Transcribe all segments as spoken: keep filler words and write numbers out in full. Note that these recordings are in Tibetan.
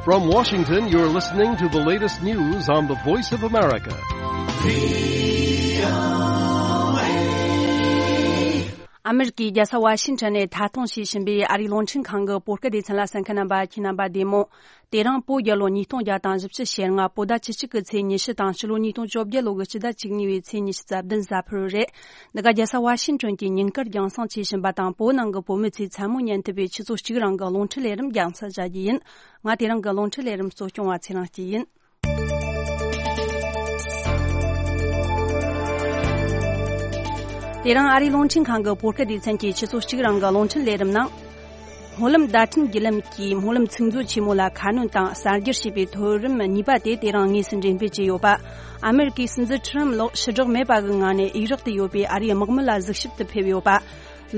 From Washington, you're listening to the latest news on the Voice of America. ཨ་མེ་རི་ཀའི་རྒྱལ་ས་ཝ་ཤིང་ཊོན་ནས་མཐའ་སྟོངས་བྱས་ཕྱིན་པའི་ཨ་རིའི་རླུང་འཕྲིན་ཁང་གི་བོད་སྐད་སྡེ་ཚན་ལ་གསན་མཁན་རྣམ་པ། ཁྱེད་རྣམ་པ་བདེ་མོ། དེ་རིང་བོད་རྒྱལ་ལོ་ཉིས་སྟོང་བརྒྱ་དང་བཞི་བཅུ་ཞེ་ལྔ། བོད་ཟླ་བཅུ་གཅིག་གི་ཚེས་ཉི་ཤུ་དང་ཕྱི་ལོ་ཉིས་སྟོང་བཅོ་བརྒྱད་ལོ་གི་སྤྱི་ཟླ་བཅུ་གཉིས་པའི་ཚེས་ཉི་ཤུ་རྩ་བདུན་གཟའ་ཕུར་བུ་རེད། འདི་ག་རྒྱལ་ས་ཝ་ཤིང་ཊོན་གྱི་ཉིན་དཀར་རྒྱང་སྲིང་བྱས་ཕྱིན་པ་དང་། བོད་ནང་གི་བོད་མི་ཚོས་མཚན་མོ་ཉན་ཐུབ་པའི་ཆུ་ཚོད་གཅིག་རིང་གི་རླུང་འཕྲིན་ལས་རིམ་རྒྱང་སྲིང་བྱ་རྒྱུ་ཡིན། ང་དེ་རིང་གི་རླུང་འཕྲིན་ལས་རིམ་གཙོ་སྐྱོང་བ་ཚེ་རིང་སྐྱིད་ཡིན། དེ་རིང་ཨ་རིའི་རླུང་འཕྲིན་ཁང་གི་བོད་སྐད་སྡེ་ཚན་གྱི་ཆུ་ཚོད་གཅིག་རིང་གི་རླུང་འཕྲིན་ལས་རིམ་ནང་། སྨོན་ལམ་བརྡ་འཕྲིན་བརྒྱུད་ལམ་གྱིས་སྨོན་ལམ་ཚིག་མཛོད་ཆེན་མོ་ལ་ཁ་སྣོན་དང་གསར་སྒྱུར་བྱས་པའི་མཐོ་རིམ་གཉིས་པ་དེ་དེ་རིང་དངོས་སུ་འགྲེམས་སྤེལ་བྱས་ཡོད་པ། ཨ་མེ་རི་ཀའི་སྲིད་འཛིན་ཁྲི་རམ་ལགས་ཕྱི་བསྒྲགས་མེད་པ་གི་ངང་ནས་ཨི་རག་ཏུ་ཡོད་པའི་ཨ་རིའི་དམག་མི་ལ་གཟིགས་ཞིབ་ཏུ་ཕེབས་ཡོད་པ།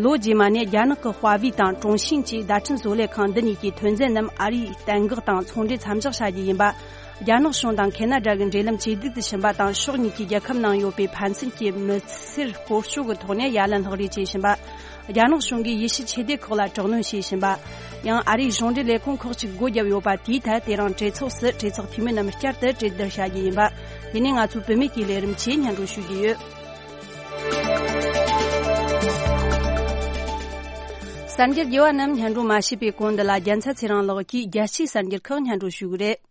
ལོ་རྗེས་མ་ནས་རྒྱ་ནག་གི་ཧྭ་ཝེ་དང་ཀྲུང་ཤིན་བཅས་བརྡ་འཕྲིན་བཟོ་ལས་ཁང་འདི་གཉིས་ཀྱི་ཐོན་རྫས་རྣམས་ཨ་རིའི་གཏན་འགག་དང་ཚོང་འབྲེལ་མཚམས་འཇོག་བྱ་རྒྱུ་ཡིན་པ། རྒྱ་ནག་གཞུང་དང་ཁེ་ན་ཌ་གི་འབྲེལ་ལམ་ཇེ་སྡུག་ཏུ་ཕྱིན་པ་དང་། ཕྱོགས་གཉིས་ཀྱི་རྒྱལ་ཁབ་ནང་ཡོད་པའི་ཕན་ཚུན་གྱི་མི་སེར་སྐོར་སྐྱོད་ཀྱི་ཐོག་ནས་ཡ་ལན་ལྷག་རེས་བྱས་ཕྱིན་པ། རྒྱ་ནག་གཞུང་གིས་ཡེ་ཤུ་ཆོས་སྡེ་ཁག་ལ་དྲག་གནོན་བྱས་ཕྱིན་པ། ཡང་ཨ་རིའི་གཞུང་འབྲེལ་ལས་ཁུངས་ཁག་ཅིག་སྒོ་བརྒྱབ་ཡོད་པ། དེའི་ཐད་དེ་རིང་གྲོས་ཚོགས་སུ་གྲོས་ཚོགས་འཐུས་མི་རྣམས་བསྐྱར་དུ་གྲོས་བསྡུར་བྱ་རྒྱུ་ཡིན་པ། དེ་ནས་ང་ཚོའི་བུད་མེད་ཀྱི་ལས་རིམ་ཆེད་སྙན་སྒྲོན་ཞུ་རྒྱུ་ཡོད། གསར་འགྱུར་རྒྱས་པ་རྣམས་སྙན་སྒྲོན་མ་བྱས་པའི་གོང་། འདི་ལ་རྒྱལ་མཚན་ཚེ་རིང་ལགས་ཀྱིས་རྒྱལ་སྤྱིའི་གསར་འགྱུར་ཁག་སྙན་སྒྲོན་ཞུ་གི་རེད།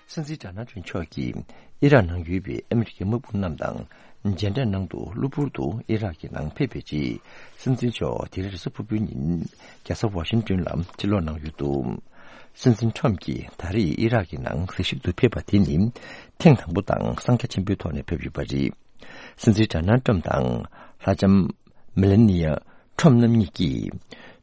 སྲིད་འཛིན་ཌོ་ནལ་ཊམ་མཆོག་གིས་ཨི་རག་ནང་ཡོད་པའི་ཨ་མི་རི་ཀའི་དམག་དཔུང་རྣམས་དང་མཇལ་འཕྲད་གནང་དུ་གློ་བུར་དུ་ཨི་རག་གི་ནང་ཕེབས་པའི་རྗེས། སྲིད་འཛིན་མཆོག་དེ་རིང་རེས་གཟའ་ཕུར་བུའི་ཉིན་རྒྱལ་ས་ཝ་ཤིང་ཏོན་ལ་ཕྱིར་ལོག་གནང་ཡོད་འདུག་སྲིད་འཛིན་ཊམ་གྱིས་ད་རེས་ཨི་རག་གི་ནང་གཟིགས་ཞིབ་ཏུ་ཕེབས་པ་དེ་ནི་ཐེངས་དང་པོ་དང་གསང་རྒྱ་ཆེན་པོའི་ཐོག་ནས་ཕེབས་ཡོད་པ་རེད། སྲིད་འཛིན་ཌོ་ནལ་ཊམ་དང་ལྷ་ལྕམ་མེ་ལ་ནི་ཡ་ཊམ་རྣམ་གཉིས་ཀྱིས།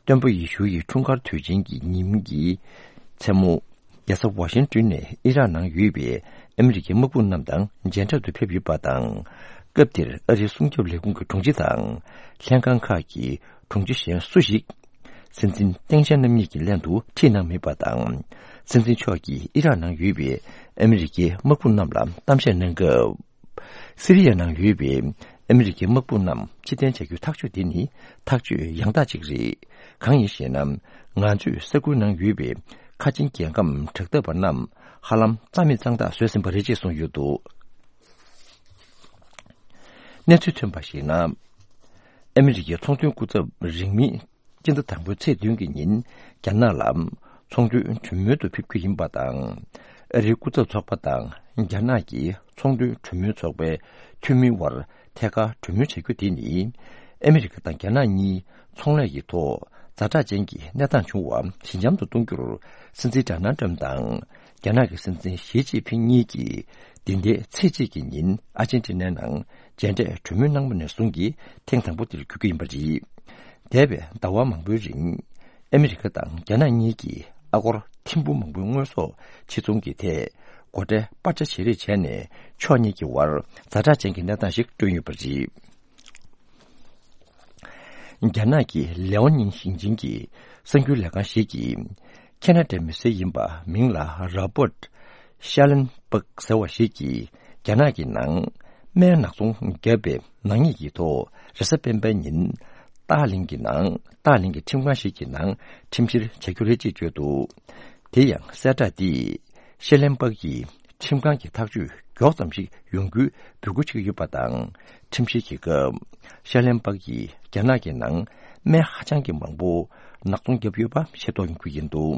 སྟོན་པ་ཡེ་ཤུ་ཡི་འཁྲུངས་སྐར་དུས་ཆེན་གྱི་ཉིན་གྱི་མཚན་མོ། རྒྱལ་ས་ཝ་ཤིང་ཏོན་ནས་ཨི་རག་ནང་ཡོད་པའི་ཨ་མི་རི་ཀའི་དམག་དཔུང་རྣམས་དང་མཇལ་འཕྲད་དུ་ཕེབས་ཡོད་པ་དང་། སྐབས་དེར་ཨ་རིའི་སྲུང་སྐྱོབ་ལས་ཁུངས་ཀྱི་དྲུང་ཆེ་དང་། ལྷན་ཁང་ཁག་གི་དྲུང་ཆེ་གཞན་སུ་ཞིག་སྲིད་འཛིན་ཏེང་ཞའོ་ཕིང་རྣམ་གཉིས་ཀྱི་ལྷན་དུ་ཁྲིད་གནང་མེད་པ་དང་། སྲིད་འཛིན་མཆོག་གིས་ཨི་རག་ནང་ཡོད་པའི་ཨ་མི་རི་ཀའི་དམག་དཔུང་རྣམས་ལ་གཏམ་བཤད་གནང་སྐབས། སི་རི་ཡ་ནང་ཡོད་པའི་ཨ་མི་རི་ཀའི་དམག་དཔུང་རྣམས་ཕྱིར་འཐེན་བྱ་རྒྱུའི་ཐག་གཅོད་དེ་ནི་ཐག་གཅོད་ཡང་དག་ཅིག་རེད། གང་ཡིན་ཞེ་ན། ང་ཚོས་ས་ཁུལ་ནང་ཡོད་པའི་ཁ་ཆེའི་རྒྱལ་ཁམས་དྲག་འཐབ་པ་རྣམས་ཧ་ལམ་རྩ་མེད་གཙང་དག་བཟོས་ཟིན་པ་རེད་ཅེས་གསུངས་ཡོད་འདུག་གནས་ཚུལ་ཐོན་པར་གཞིགས་ན། ཨ་མི་རི་ཀའི་ཚོང་དོན་སྐུ་ཚབ་རིང་མིན་སྤྱི་ཟླ་དང་པོའི་ཚེས་བདུན་གྱི་ཉིན་རྒྱ་ནག་ལ་ཚོང་དོན་གྲོས་མོལ་དུ་ཕེབས་རྒྱུ་ཡིན་པ་དང་། ཨ་རིའི་སྐུ་ཚབ་ཚོགས་པ་དང་རྒྱ་ནག་གི་ཚོང་དོན་གྲོས་མོལ་ཚོགས་པའི་འཐུས་མིའི་དབར་ཐད་ཀར་གྲོས་མོལ་བྱ་རྒྱུ་དེ་ནི། ཨ་མི་རི་ཀ་དང་རྒྱ་ནག་གཉིས་ཚོང་ལས་ཀྱི་ཐོག་ཛ་དྲག་ཅན་གྱི་གནས་སྟངས་བྱུང་བ་ཞི་འཇམ་དུ་གཏོང་རྒྱུར། སྲིད་འཛིན་ཌོ་ནལ་ཊམ་དང་རྒྱ་ནག་གི་སྲིད་འཛིན་ཞི་ཅིན་ཕིང་གཉིས་ཀྱིས་འདི་ཟླའི་ཚེས་གཅིག་གི་ཉིན་ཨར་ཇེན་ཊི་ནའི་ནང་མཇལ་འཕྲད་གྲོས་མོལ་གནང་བ་ནས་བཟུང་གི་ཐེངས་དང་པོ་དེར་གྱུར་གྱི་ཡིན་པ་རེད། འདས་པའི་ཟླ་བ་མང་པོའི་རིང་ཨ་མི་རི་ཀ་དང་རྒྱ་ནག་གཉིས་ཀྱིས་ཨ་སྒོར་ཐེར་འབུམ་མང་པོའི་དངོས་ཟོག་ཕྱིར་ཚོང་གི་ཐད་སྒོ་ཁྲལ་སྤར་ཆ་བྱེད་རེས་བྱས་ནས། ཕྱོགས་གཉིས་ཀྱི་དབར་ཛ་དྲག་ཅན་གྱི་གནས་སྟངས་ཤིག་བསྐྲུན་ཡོད་པ་རེད། རྒྱ་ནག་གི་ལེའོ་ནིང་ཞིང་ཆེན་གྱི་གསར་འགྱུར་ལས་ཁང་ཞིག་གིས། ཁེ་ན་ཌའི་མི་སེར་ཡིན་པ་མིང་ལ་རོ་བར་ཤ་ལན་པག་ཟེར་བ་ཞིག་གིས། རྒྱ་ནག་གི་ནང་སྨན་ནག་ཚོང་བརྒྱབ་པའི་ནག་ཉེས་ཀྱི་ཐོག་རེས་གཟའ་སྤེན་པའི་ཉིན་ཏཱ་ལིང་གི་ནང་ཏཱ་ལིང་གི་ཁྲིམས་ཁང་ཞིག་གི་ནང་ཁྲིམས་བཤེར་བྱ་རྒྱུ་རེད་ཅེས་བརྗོད་འདུག་དེ་ཡང་གསལ་བསྒྲགས་འདིས་ཤ་ལན་པག་གིས། ཁྲིམས་ཁང་གི་ཐག་གཅོད་མགྱོགས་ཙམ་ཞིག་ཡོང་རྒྱུའི་འབོད་སྐུལ་བྱེད་ཀྱི་ཡོད་པ་དང་། ཁྲིམས་བཤེར་གྱི་སྐབས་ཤ་ལན་པག་གིས་རྒྱ་ནག་གི་ནང་སྨན་ཧ་ཅང་གི་མང་པོ་ནག་ཚོང་བརྒྱབ་ཡོད་པ་ཤེས་རྟོགས་ཡོང་རྒྱུ་ཡིན་འདུག་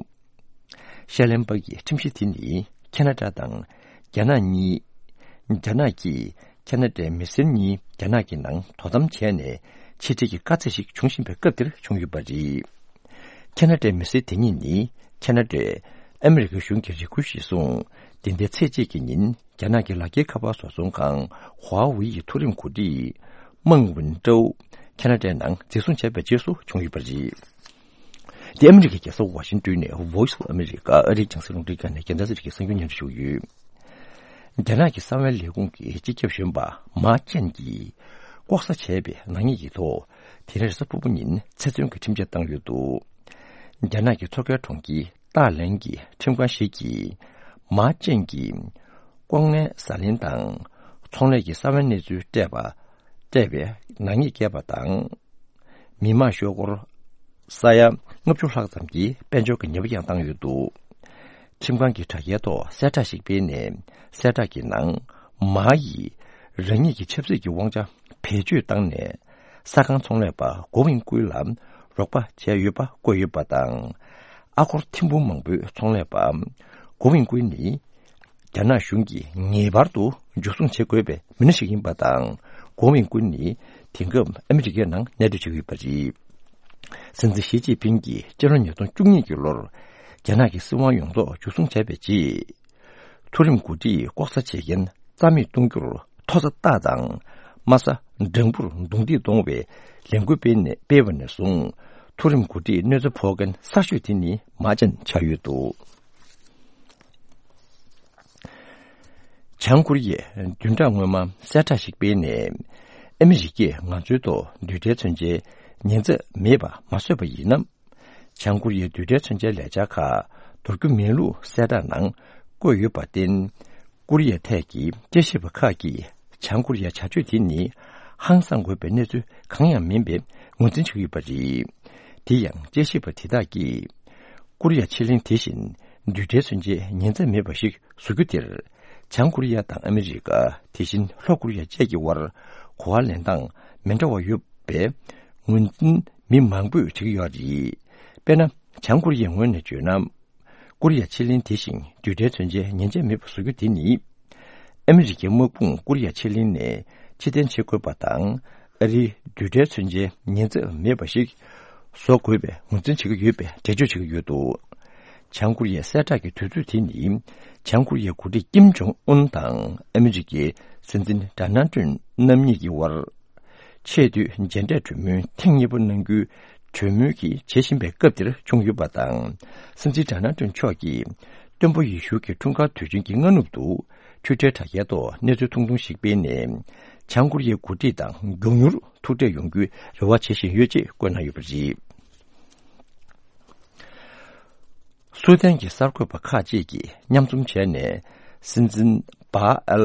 ཤ་ལན་པག་གི་ཁྲིམས་གཞི་དེ་ནི་ཁེ་ན་ཌ་དང་རྒྱ་ནག་གཉིས། རྒྱ་ནག་གིས་ཁེ་ན་ཌའི་མི་སེར་གཉིས་རྒྱ་ནག་གི་ནང་དོ་དམ་བྱས་ནས་ཕྱིར་ཁྲིད་ཀྱི་དཀའ་ཚེགས་ཤིག་འབྱུང་བཞིན་པའི་སྐབས་དེར་བྱུང་ཡོད་པ་རེད། ཁེ་ན་ཌའི་མི་སེར་དེ་གཉིས་ནི་ཁེ་ན་ཌས་ཨ་མི་རི་ཀའི་གཞུང་གི་རེ་སྐུལ་གཞིར་བཟུང་། འདི་ཟླའི་ཚེས་གཅིག་གི་ཉིན་རྒྱ་ནག་གི་ལག་འཁྱེར་ཁ་པར་བཟོ་ཚོང་ཁང་ཧྭ་ཝེ་ཡི་མཐོ་རིམ་འགོ་ཁྲིད་མང་ཝིན་ཀྲོའུ་ཁེ་ན་ཌའི་ནང་འཛིན་བཟུང་བྱས་པའི་རྗེས་སུ་བྱུང་ཡོད་པ་རེད། འདི་ཨ་མི་རི་ཀའི་རྒྱལ་ས་ཝ་ཤིང་ཏོན་ནས་Voice of America ཨ་རིའི་རྒྱང་སྲིང་རླུང་འཕྲིན་ཁང་ནས་རྒྱལ་མཚན་ཚེ་རིང་གི་གསར་འགྱུར་སྙན་སྒྲོན་ཞུ་གི་ཡོད། རྒྱ་ནག་གི་གསང་བའི་ལས་ཁུངས་ཀྱི་སྤྱི་ཁྱབ་གཞོན་པ་མཱ་ཅན་གྱིས་ལྐོག་ཟ་བྱས་པའི་ནག་ཉེས་ཀྱི་ཐོག་དེ་རིང་རེས་གཟའ་ཕུར་བུ་ཉིན་ཚེ་བཙོན་གྱི་ཁྲིམས་ཆད་བཏང་ཡོད་འདུག་རྒྱ་ནག་གི་མཚོ་ཁའི་གྲོང་ཁྱེར་ཏཱ་ལན་གྱི་ཁྲིམས་ཁང་ཞིག་གིས་མཱ་ཅན་གྱིས་ལྐོག་རྔན་ཟ་ལེན་དང་ཚོང་ལས་ཀྱི་གསང་བའི་གནས་ཚུལ་སྤྲད་པ། སྤྲད་པའི་ནག་ཉེས་བཀལ་བ་དང་། མི་དམངས་ཤོག་སྒོར་ས་ཡ་ལྔ་བཅུ་ལྷག་ཙམ་གྱི་དཔལ་འབྱོར་གྱི་ཉེས་པ་ཡང་བཏང་ཡོད་འདུག། ཁྲིམས་ཁང་གི་དྲ་རྒྱའི་ཐོག་གསལ་བསྒྲགས་ཤིག་སྤེལ་ནས། གསལ་བསྒྲགས་ཀྱི་ནང་། མ་ཡིས་རང་ཉིད་ཀྱི་ཆབ་སྲིད་ཀྱི་དབང་ཆ་བེད་སྤྱོད་བཏང་ནས། ས་ཁང་ཚོང་ལས་པ་གོ་མིན་ཀུའི་ལ་རོགས་པ་བྱས་ཡོད་པ་བཀོད་ཡོད་པ་དང་། ཨ་སྒོར་ཐེར་འབུམ་མང་པོའི་ཚོང་ལས་པ་གོ་མིན་ཀུའི་ནི། རྒྱ་ནག་གཞུང་གིས་ངེས་པར་དུ་འཇུ་བཟུང་བྱེད་དགོས་པའི་མི་སྣ་ཞིག་ཡིན་པ་དང་། གོ་མིན་ཀུན་ནི་དེང་སྐབས་ཨ་མི་རི་ཀའི་ནང་གནས་སྡོད་བྱེད་ཀྱི་ཡོད་པ་རེད། སྲིད་འཛིན་ཞི་ཅིན་ཕིང་གིས་སྤྱི་ལོ་ཉིས་སྟོང་བཅུ་གཉིས་ཀྱི་ལོར་རྒྱ་ནག་གི་སྲིད་དབང་ཡོངས་རྫོགས་འཇུ་བཟུང་བྱས་པའི་རྗེས། མཐོ་རིམ་འགོ་ཁྲིད་ལྐོག་ཟ་བྱེད་མཁན་རྩ་མེད་གཏོང་རྒྱུར་མཐོ་ས་རྟགས་དང་། དམའ་ས་འགྲེང་བུར་རྡུང་རྡེག་གཏོང་བའི་ལས་འགུལ་སྤེལ་ནས། སྤེལ་བ་ནས་བཟུང་། མཐོ་རིམ་འགོ་ཁྲིད་གནོད་འཚེ་ཕོག་མཁན་གསར་ཤོས་དེ་ནི་མ་ཅན་ཆགས་ཡོད་འདུག། བྱང་ཀོ་རི་ཡས་བདུན་ཕྲག་སྔོན་མ་གསལ་བསྒྲགས་ཤིག་སྤེལ་ནས། ཨ་མི་རི་ཀས་ང་ཚོའི་ཐོག་རྡུལ་ཕྲན་མཚོན་ཆའི་ཉེན་ཚབས་མེད་པ་མ་བཟོས་པ་ཡིན་ན། བྱང་ཀོ་རི་ཡའི་རྡུལ་ཕྲན་མཚོན་ཆའི་ལས་འཆར་ཁག་འདོར་རྒྱུ་མིན་ལུགས་གསལ་བསྒྲགས་ནང་བཀོད་ཡོད་པར་བརྟེན། ཀོ་རི་ཡ་ཐད་ཀྱི་དཔྱད་ཞིབ་པ་ཁག་གིས། བྱང་ཀོ་རི་ཡའི་བྱ་སྤྱོད་དེ་ནི་ཧང་སང་དགོས་པའི་གནས་ཚུལ་གང་ཡང་མིན་པའི་ངོས་འཛིན་བྱེད་ཀྱི་ཡོད་པ་རེད། དེ་ཡང་དཔྱད་ཞིབ་པ་དེ་དག་གིས། ཀོ་རི་ཡ་ཕྱེད་གླིང་དེ་བཞིན་རྡུལ་ཕྲན་མཚོན་ཆའི་ཉེན་ཚབས་མེད་པ་ཞིག་བཟོ་རྒྱུ་དེར། བྱང་ཀོ་རི་ཡ་དང་ཨ་མི་རི་ཀ། དེ་བཞིན་ལྷོ་ཀོ་རི་ཡ་བཅས་ཀྱི་དབར་གོ་བ་ལེན་སྟངས་མི་འདྲ་བ་ཡོད་པའི་ངོས་འཛིན་མི་མང་པོས་བྱེད་ཀྱི་ཡོད་རེད། དཔེར་ན། བྱང་ཀོ་རི་ཡའི་ངོས་ནས་བརྗོད་ན། ཀོ་རི་ཡ་ཕྱེད་གླིང་དེ་བཞིན་རྡུལ་ཕྲན་མཚོན་ཆའི་ཉེན་ཚབས་མེད་པ་བཟོ་རྒྱུ་དེ་ནི། ཨ་མི་རི་ཀའི་དམག་དཔུང་ཀོ་རི་ཡ་ཕྱེད་གླིང་ནས་ཕྱིར་འཐེན་བྱེད་དགོས་པ་དང་། ཨ་རིའི་རྡུལ་ཕྲན་མཚོན་ཆའི་ཉེན་ཚབས་མེད་པ་ཞིག་བཟོ་དགོས་པའི་ངོས་འཛིན་བྱེད་ཀྱི་ཡོད་པའི་འགྲེལ་བརྗོད་བྱེད་ཀྱི་ཡོད་འདུག། བྱང་ཀོ་རི་ཡའི་གསལ་བསྒྲགས་ཀྱི་དུས་ཚོད་དེ་ནི། བྱང་ཀོ་རི་ཡའི་འགོ་ཁྲིད་ཀིམ་ཇོང་ཨུན་དང་ཨ་མི་རི་ཀའི་སྲིད་འཛིན་ཌོ་ནལ་ཏྲམ་རྣམ་གཉིས་ཀྱི་དབར། ཆེས་མཐོའི་མཇལ་འཕྲད་གྲོས་མོལ་ཐེངས་གཉིས་པ་གནང་རྒྱུའི་གྲོས་མོལ་གྱི་བྱེད་བཞིན་པའི་སྐབས་འདིར་བྱུང་ཡོད་པ་དང་། སྲིད་འཛིན་ཌོ་ནལ་ཏྲམ་མཆོག་གིས་སྟོན་པ་ཡེ་ཤུ་གི་འཁྲུངས་སྐར་དུས་ཆེན་གྱི་སྔ་ནུབ་ཏུ། ཊུའི་ཊར་དྲ་རྒྱའི་ཐོག་གནས་ཚུལ་ཐུང་ཐུང་ཞིག་སྤེལ་ནས། བྱང་ཀོ་རི་ཡའི་འགོ་ཁྲིད་དང་མགྱོགས་མྱུར་ཐུག་འཕྲད་ཡོང་རྒྱུའི་རེ་བ་བྱེད་བཞིན་ཡོད་ཅེས་བཀོད་གནང་ཡོད་པ་རེད། སུའུ་ཏན་གྱི་གསར་འགོད་པ་ཁག་ཅིག་གིས་མཉམ་འཛོམས་བྱས་ནས། སྲིད་འཛིན་བྷ་ཨལ་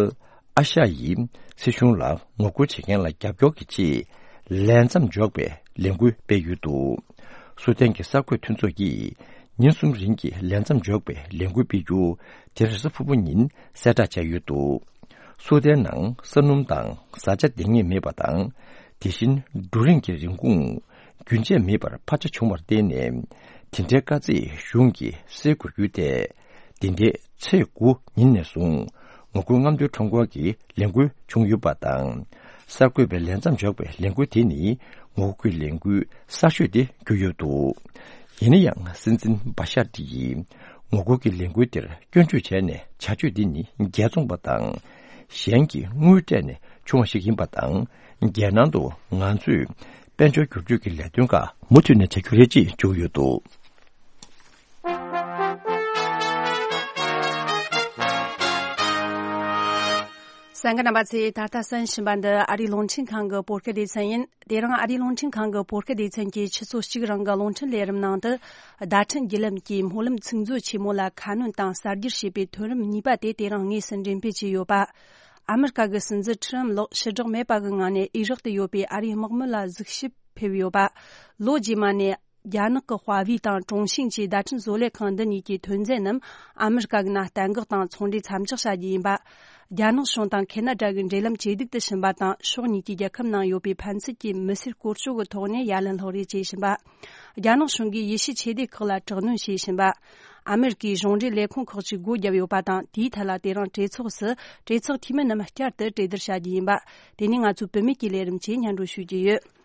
ཨ་ཤ་ཡི་སྲིད་གཞུང་ལ་ངོ་རྒོལ་བྱེད་མཁན་ལ་རྒྱབ་སྐྱོར་གྱི་ཆེད། ལས་མཚམས་འཇོག་པའི་ལས་འགུལ་སྤེལ་ཡོད་འདུག། སུའུ་ཏན་གྱི་གསར་འགོད་མཐུན་ཚོགས་ཀྱིས་ཉིན་གསུམ་རིང་གི་ལས་མཚམས་འཇོག་པའི་ལས་འགུལ་སྤེལ་རྒྱུ་དེ་རེས་གཟའ་ཕུར་བུ་ཉིན་གསལ་བསྒྲགས་བྱས་ཡོད་འདུག། སུའུ་ཏན་ནང་ས་སྣུམ་དང་བཟའ་བཅའ་འདང་ངེས་མེད་པ་དང་། དེ་བཞིན་འབྲུ་རིགས་ཀྱི་རིན་གོང་རྒྱུན་ཆད་མེད་པར་འཕར་ཆ་བྱུང་བར་བརྟེན་ནས། དེ་འདྲའི་དཀའ་ཚེགས་གཞུང་གིས་སེལ་དགོས་རྒྱུ་དེ། འདི་ཟླའི་ཚེས་དགུ་ཉིན་ནས་བཟུང་ངོ་རྒོལ་རྔམ་སྟོན་ཁྲོམ་སྐོར་གྱི་ལས་འགུལ་བྱུང་ཡོད་པ་དང་། གསར་འགོད་པའི་ལས་མཚམས་འཇོག་པའི་ལས་འགུལ་དེ་ནི་ངོ་རྒོལ་གྱི་ལས་འགུལ་གསར་ཤོས་དེ་གྱུར་ཡོད་འདུག། ཡིན་ན་ཡང་། སྲིད་འཛིན་བྷ་ཤར་ཏི་ཡིས་ངོ་རྒོལ་གྱི་ལས་འགུལ་དེར་སྐྱོན་བརྗོད་བྱས་ནས། བྱ་སྤྱོད་འདི་ནི་རྒྱལ་བཙོང་པ་དང་། གཞན་གྱི་དངུལ་སྤྲད་ནས་བྱུང་བ་ཞིག་ཡིན་པ་དང་། རྒྱལ་ནང་དུ་ང་ཚོས་དཔལ་འབྱོར་བསྒྱུར་བཅོས་ཀྱི་ལས་དོན་ཁག་མུ་མཐུད་ནས་བྱ་རྒྱུ་རེད་ཅེས་བརྗོད་ཡོད་འདུག། གསན་མཁན་རྣམ་པ་ཚོས། ད་ལྟ་གསན་བཞིན་པ་འདི་ཨ་རིའི་རླུང་འཕྲིན་ཁང་གི་བོད་སྐད་སྡེ་ཚན་ཡིན། དེ་རིང་ཨ་རིའི་རླུང་འཕྲིན་ཁང་གི་བོད་སྐད་སྡེ་ཚན་གྱིས་ཆུ་ཚོད་གཅིག་རིང་གི་རླུང་འཕྲིན་ལས་རིམ་ནང་དུ། བརྡ་འཕྲིན་བརྒྱུད་ལམ་གྱིས་སྨོན་ལམ་ཚིག་མཛོད་ཆེན་མོ་ལ་ཁ་སྣོན་དང་གསར་བསྒྱུར་བྱས་པའི་ཐོན་རིམ་གཉིས་པ་དེ་དེ་རིང་དངོས་སུ་འགྲེམས་སྤེལ་བྱས་ཡོད་པ། ཨ་མི་རི་ཀ་གི་སྲིད་འཛིན་ཁྲི་རམ་ལགས་ཕྱིར་བསྒྲགས་མེད་པ་གི་ངང་ནས་ཨི་རག་ཏུ་ཡོད་པའི་ཨ་རིའི་དམག་མི་ལ་གཟིགས་ཞིབ་ཕེབས་ཡོད་པ། ལོ་རྗེས་མ་ནས། རྒྱ་ནག་གི་ཧྭ་ཝེ་དང་ཀྲུང་ཤིན་གྱི་བརྡ་འཕྲིན་བཟོ་ལས་ཁང་འདི་གཉིས་ཀྱི་ཐོན་རྫས་རྣམས་ཨ་མི་རི་ཀ་གི་ནང་གཏན་འགག་དང་ཚོང་འབྲེལ་མཚམས་འཇོག་བྱ་རྒྱུ་ཡིན་པ། རྒྱ་ནག་གཞུང་དང་ཁེ་ན་ཌ་གི་འབྲེལ་ལམ་ཇེ་སྡུག་ཏུ་ཕྱིན་པ་དང་། ཕྱོགས་གཉིས་ཀྱི་རྒྱལ་ཁབ་ནང་ཡོད་པའི་ཕན་ཚུན་གྱི་མི་སེར་བཀོལ་སྤྱོད་ཀྱི་ཐོག་ནས་ཡ་ལན་སློག་རེས་བྱེད་བཞིན་པ། རྒྱ་ནག་གཞུང་གིས་ཡེ་ཤུའི་ཆོས་སྡེ་ཁག་ལ་དྲག་གནོན་བྱེད་བཞིན་པ། ཨ་མི་རི་ཀའི་གཞུང་འབྲེལ་ལས་ཁུངས་ཁག་ཅིག་སྒོ་བརྒྱབ་ཡོད་པ་དང་། དེའི་ཐད་ལ་དེ་རིང་གྲོས་ཚོགས་སུ་གྲོས་ཚོགས་འཐུས་མི་རྣམས་བསྐྱར་དུ་གྲོས་བསྡུར་བྱ་རྒྱུ་ཡིན་པ། དེ་ནས་ང་ཚོའི་བུད་མེད་ཀྱི་ལས་རིམ་བཅས་སྙན་སྒྲོན་ཞུ་རྒྱུ་ཡོད།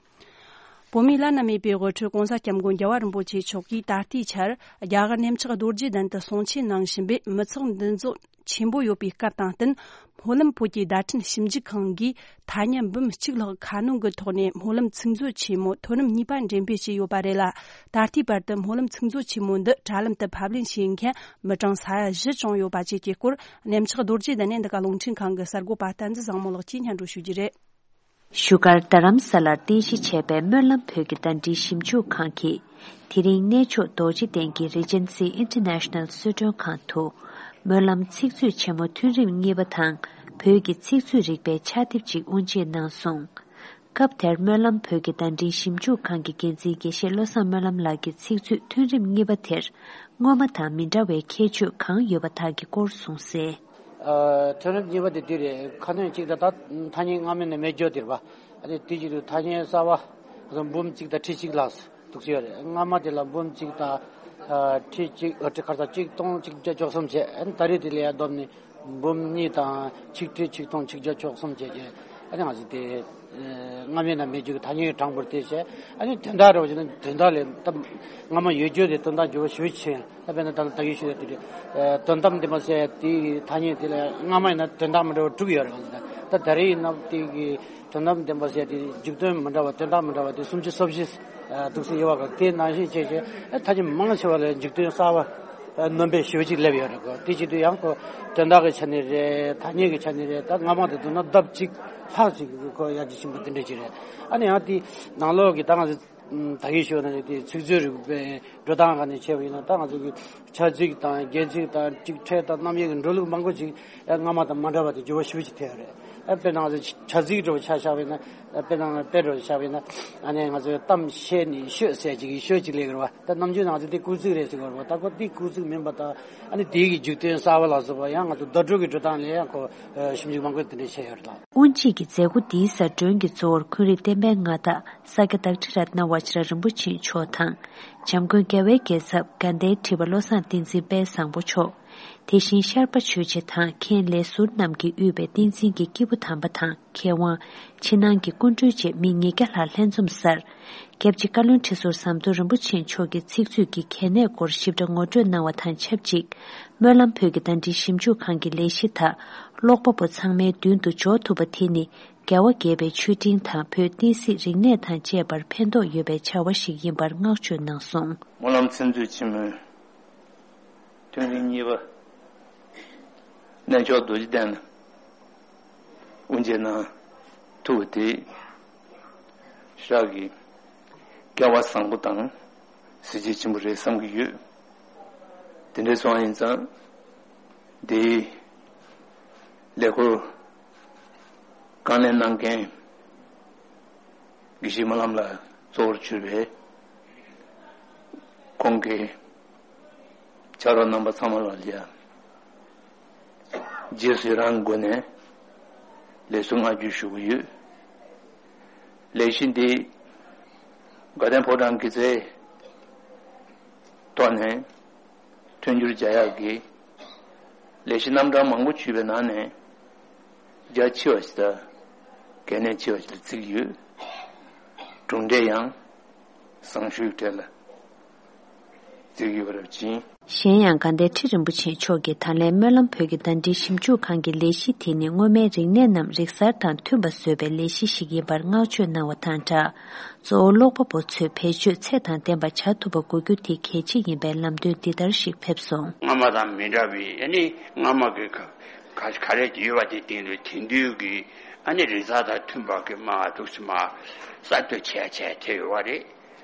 བོད་མིའི་བླ་ན་མེད་པའི་དབུ་ཁྲིད་༸གོང་ས་༸སྐྱབས་མགོན་རྒྱལ་བ་རིན་པོ་ཆེ་མཆོག་གིས་ད་ལྟའི་ཆར་རྒྱ་གར་གནམ་ལྕགས་རྡོ་རྗེ་གདན་དུ་གསུང་ཆོས་གནང་བཞིན་པས། མི་ཚོགས་འདུ་འཛོམས་ཆེན་པོ་ཡོད་པའི་སྐབས་དང་བསྟུན། སྨོན་ལམ་བོད་ཀྱི་བརྡ་འཕྲིན་ཞིབ་འཇུག་ཁང་གིས་ཐ་སྙད་འབུམ་གཅིག་ལྷག་ཁ་སྣོན་གྱི་ཐོག་ནས་སྨོན་ལམ་ཚིག་མཛོད་ཆེན་མོ་ཐོན་རིམ་གཉིས་པ་འགྲེམས་སྤེལ་བྱས་ཡོད་པ་རེད་ལ། ད་ལྟའི་བར་དུ་སྨོན་ལམ་ཚིག་མཛོད་ཆེན་མོ་འདི་དྲ་ལམ་དུ་ཕབ་ལེན་བྱེད་མཁན་མི་གྲངས་ས་ཡ་བཞི་བྱུང་ཡོད་པ་བཅས་ཀྱི་སྐོར། གནམ་ལྕགས་རྡོ་རྗེ་གདན་ནས་འདི་ག་རླུང་འཕྲིན་ཁང་གི་གསར་འགོད་པ་བསྟན་འཛིན་བཟང་མོ་ལགས་ཀྱིས་སྙན་སྒྲོན་ཞུ་རྒྱུ་རེད། བཞུགས་སྒར་རྡ་རམ་ས་ལར་རྟེན་གཞི་བྱས་པའི་སྨོན་ལམ་བོད་ཀྱི་བརྡ་འཕྲིན་ཞིབ་འཇུག་ཁང་གིས། དེ་རིང་གནས་མཆོག་རྡོ་རྗེ་གདན་གྱི་Regency International གསོལ་མགྲོན་ཁང་དུ། སྨོན་ལམ་ཚིག་མཛོད་ཆེན་མོ་ཐོན་རིམ་གཉིས་པ་དང་། བོད་ཀྱི་ཚིག་མཛོད་རིག་པའི་ཕྱག་དེབ་ཅིག་དབུ་འབྱེད་གནང་སོང་། སྐབས་དེར་སྨོན་ལམ་བོད་ཀྱི་བརྡ་འཕྲིན་ཞིབ་འཇུག་ཁང་གི་འགན་འཛིན་དགེ་བཤེས་བློ་བཟང་སྨོན་ལམ་ལགས་ཀྱིས་ཚིག་མཛོད་ཐོན་རིམ་གཉིས་པ་དེར་སྔོན་མ་དང་མི་འདྲ་བའི་ཁྱད་ཆོས་གང་ཡོད་པ་དག་གི་སྐོར་གསུངས་གསལ། ཨ། ཐོན་རིམ་གཉིས་པ་དེ་འདི་རེད། ཁ་སྣོན་གཅིག་དང་ད་ཐ་སྙད་སྔ་མ་ནས་མེད་འགྱོ་དེ་རེད་པ། ཨ་ནི་དེ་བཞིན་དུ་ཐ་སྙད་གསར་པ་འབུམ་གཅིག་དང་ཁྲི་གཅིག་ལ་འདུག་སེ་ཡོད་རེད། སྔ་མ་དེ་ལ་འབུམ་གཅིག་དང་། ཨ། ཁྲི་གཅིག་ཨ། ཁྲི་ཁ་ས་གཅིག་སྟོང་གཅིག་བརྒྱ་བཅུ་གསུམ་བྱས། ཨ་ནི་ད་རེས་དེ་ལ་ཡར་བསྡོམས་ནས་འབུམ་གཉིས་དང་ཆིག་ཁྲི་ཆིག་སྟོང་ཆིག་བརྒྱ་བཅུ་གསུམ་བྱས་བྱས། ཨ་ནི་ང་ཚོ་དེ། ཨ། སྔ་མའི་ནང་མེད་རྒྱུ་གི་ཐ་སྙད་གྲངས་འབོར་དེ་བྱས། ཨ་ནི་དོན་དག་རེད་པ་བྱས་ན་དོན་དག་ལས་ད་སྔ་མ་ཡོད་རྒྱུ་དེ་དོན་དག་འགྱུར་བ་ཞེ་པོ་ཕྱིན། ད་དཔེར་ན་ད་ལྟ་ད་གིན་ཞུས་ཡ་དེ་རེད། ཨ། དོན་དམ་བདེན་པ་ཟེར་ཡ་དེའི་ཐ་སྙད་དེ་ལ་སྔ་མ་ཡིན་ན་དོན་དག་མི་འདྲ་བ་དྲུག་ཡོད་རེད། ད་ད་རེས་ཡིན་ན་དེ་གི་དོན་དམ་བདེན་པ་ཟེར་ཡ་དེ་འཇུག་དོན་མི་འདྲ་བ་དོན་དག་མི་འདྲ་བ་དེ་སུམ་ཅུ་སོ་བཞི་འདུག་སེ་ཡོད་པ་ག་དེ་ནང་བཞིན་བྱས་བྱས། ཨ། ཐ་སྙད་མང་ཆེ་བ་ལ་འཇུག་དོན་གསར་པ་ཨ། སྣོན་པ་ཞེ་པོ་ཅིག་སླེབས་ཡོད་རེད་གོ། དེ་བྱེད་དུས་ཡང་ཁོ་དོན་དག་གི་ཆ་ནས་རེད། ཐ་སྙད་ཀྱི་ཆ་ནས་རེད། ད་སྔ་མ་དང་བསྡུར་ན་ལྡབ་གཅིག་ལྷག་ཅིག་གི་ཁོ་ཡར་རྒྱས་ཕྱིན་པ་དེ་འདྲ་ཅིག་རེད། ཨ་ནི་ཡང་དེའི་ནང་ལོགས་ཀྱི་ད་ང་ཚོ་ད་གིན་ཞུས་ན་དེ་ཚིག་མཛོད་རིག་པའི་འགྲོ་སྟངས་སྒང་ནས་བྱས་པ་ཡིན་ན། ད་ང་ཚོ་གི་བྱ་ཚིག་དང་རྒྱན་ཚིག་དང་སྒྲིག་ཕྲད་དང་རྣམ་དབྱེ་གི་འགྲོ་ལུགས་མང་པོ་ཅིག་ཨ། སྔ་མ་དང་མ་འདྲ་བ་དེ་འགྱུར་བ་ཞེ་པོ་ཅིག་ཐེབས་ཡོད་རེད། ཨ། དཔེར་ན་ང་ཚོ་བྱ་ཚིག་འདྲ་བོ་ཆ་བཞག་པ་ཡིན་ན། ཨ། དཔེར་ན་དཔེ་འདྲ་བོ་བཞག་པ་ཡིན་ན། ཨ་ནི་ང་ཚོའི་གཏམ་བཤད་ནི་ཤོད་ཟེར་ཅིག་གི་ཤོད་ཅིག་སླེབས་ཀྱི་རེད་པ། ད་ནམ་རྒྱུན་ང་ཚོ་འདི་སྐུལ་ཚིག་རེད་ཟེར་གྱི་ཡོད་རེད་པ། ད་ཁོ་འདི་སྐུལ་ཚིག་མིན་པ་དང་། ཨ་ནི་དེའི་གི་འཇུག་དོན་གསར་པ་ལ་སོགས་པ་ཡང་ང་ཚོ་བརྡ་སྤྲོད་ཀྱི་འགྲོ་སྟངས་ལ་ཡང་ཁོ་ཞིབ་འཇུག་མང་པོ་དེ་འདྲ་བྱས་ཡོད་རེད་ལགས། དབུ་འབྱེད་ཀྱི་མཛད་སྒོ་འདིའི་གཟའ་སྒྲོན་གྱི་གཙོ་བོར་འཁོན་རིགས་བསྟན་པའི་མངའ་བདག་ས་སྐྱ་བདག་ཁྲི་རཏྣ་བ་ཅིར་རིན་པོ་ཆེ་མཆོག་དང་། འཇམ་མགོན་རྒྱལ་བའི་རྒྱལ་ཚབ་དགའ་ལྡན་ཁྲི་པ་བློ་བཟང་བསྟན་འཛིན་དཔལ་བཟང་པོ་མཆོག་དེ་བཞིན་ཤར་པ་ཆོས་རྗེ་དང་མཁན་ལས་ཟུར་རྣམས་ཀྱིས་དབུས་པའི་བསྟན་འཛིན་གྱི་སྐྱེས་བུ་དམ་པ་དང་མཁས་དབང་། ཕྱི་ནང་གི་སྐུ་མགྲོན་བཅས་མི་ཉིས་བརྒྱ་ལྷག་ལྷན་འཛོམས་སར། སྐྱབས་རྗེ་བཀའ་བློན་ཁྲི་ཟུར་ཟམ་གདོང་རིན་པོ་ཆེ་མཆོག་གིས་ཚིག་མཛོད་ཀྱི་གལ་གནད་སྐོར་ཞིབ་ཕྲ་ངོ་སྤྲོད་གནང་བ་དང་ཆབས་ཅིག་སྨོན་ལམ་བོད་ཀྱི་བརྡ་འཕྲིན་ཞིབ་འཇུག་ཁང་གི་ལས་གཞི་དག་ཀློག་པ་པོ་ཚང་མའི་མདུན་དུ་འཇོག་ཐུབ་པ་དེ་ནི་རྒྱལ་བ་དགྱེས་པའི་མཆོད་སྤྲིན་དང་བོད་བསྟན་སྲིད་རིག་གནས་དང་བཅས་པར་ཕན་ཐོགས་ཡོད་པའི་བྱ་བ་ཞིག་ཡིན་པར་བསྔགས་བརྗོད་གནང་སོང་། སྨོན་ལམ་ཚིག་མཛོད་ཆེན་མོའི་ཐོན་རིམ་གཉིས་པ། གནས་མཆོག་རྡོ་རྗེ་གདན་ལ་དབུ་འབྱེད་གནང་ཐུབ་པ་དེ་ཞེ་དྲག་གི་སྐལ་བ་བཟང་པོ་དང་གཟི་བརྗིད་ཆེན་པོ་རེད་བསམ་གྱི་ཡོད། དེ་འདྲ་སོང་བ་ཡིན་ཙང་། འདིའི་ལས་འགུལ་རྐང་ལེན་གནང་མཁན་དགེ་བཤེས་སྨོན་ལམ་ལགས་གཙོ་བོར་གྱུར་པའི་ཁོང་གི་ཕྱག་རོགས་རྣམ་པ་ཚང་མ་ལ་ཡང་རྗེས་སུ་ཡི་རང་སྒོ་ནས་ལེགས་སོ་བསྔགས་བརྗོད་ཞུ་གི་ཡོད། ལས་གཞི་འདི་དགའ་ལྡན་ཕོ་བྲང་གི་རྩེའི་ཐོག་ནས་མཐུན་འགྱུར་བྱ་ཡག་གི་ལས་གཞི་རྣམ་གྲངས་མང་པོ་ཞུས་པའི་ནང་ནས་རྒྱ་ཆེ་བ་ཞིག་དང་གལ་གནད་ཆེ་བ་ཞིག་ལ་བརྩི་གི་ཡོད། གྲུབ་འབྲས་ཡང་བཟང་ཤོས་གྲས་ལ་བརྩི་གི་ཡོད་པ་རེད་ཅིང་། གཞན་ཡང་དགའ་ལྡན་ཁྲི་རིན་པོ་ཆེ་མཆོག་གིས་ད་ལན་སྨོན་ལམ་བོད་ཀྱི་བརྡ་འཕྲིན་ཞིབ་འཇུག་ཁང་གི་ལས་གཞི་དེ་ནི་སྔོན་མའི་རིག་གནས་རྣམས་རིག་གསར་དང་མཐུན་པ་བཟོ་བའི་ལས་གཞི་ཞིག་ཡིན་པར་བསྔགས་བརྗོད་གནང་བ་དང་སྦྲགས། གཙོ་བོ་ཀློག་པ་པོ་ཚོས་བེད་སྤྱོད་ཚད་དང་ལྡན་པ་བྱ་ཐུབ་པ་དགོས་རྒྱུ་དེ་གལ་ཆེ་ཡིན་པའི་ལམ་སྟོན་འདི་ལྟར་ཞིག་ཕེབས་སོང་། སྔ་མ་དང་མི་འདྲ་བའི་ཨ་ནི་སྔ་མ་གི་ག་ག་ག་རེ་ཡོད་པ་དེ་སྟེང་དུ་དེང་དུས་ཀྱི་ཨ་ནི་རིག་གསར་དང་མཐུན་པ་གི་མ་འདུག་སེ་མ་གསར་གཏོད་བྱས་བྱས་དེ་ཡོད་པ་རེད།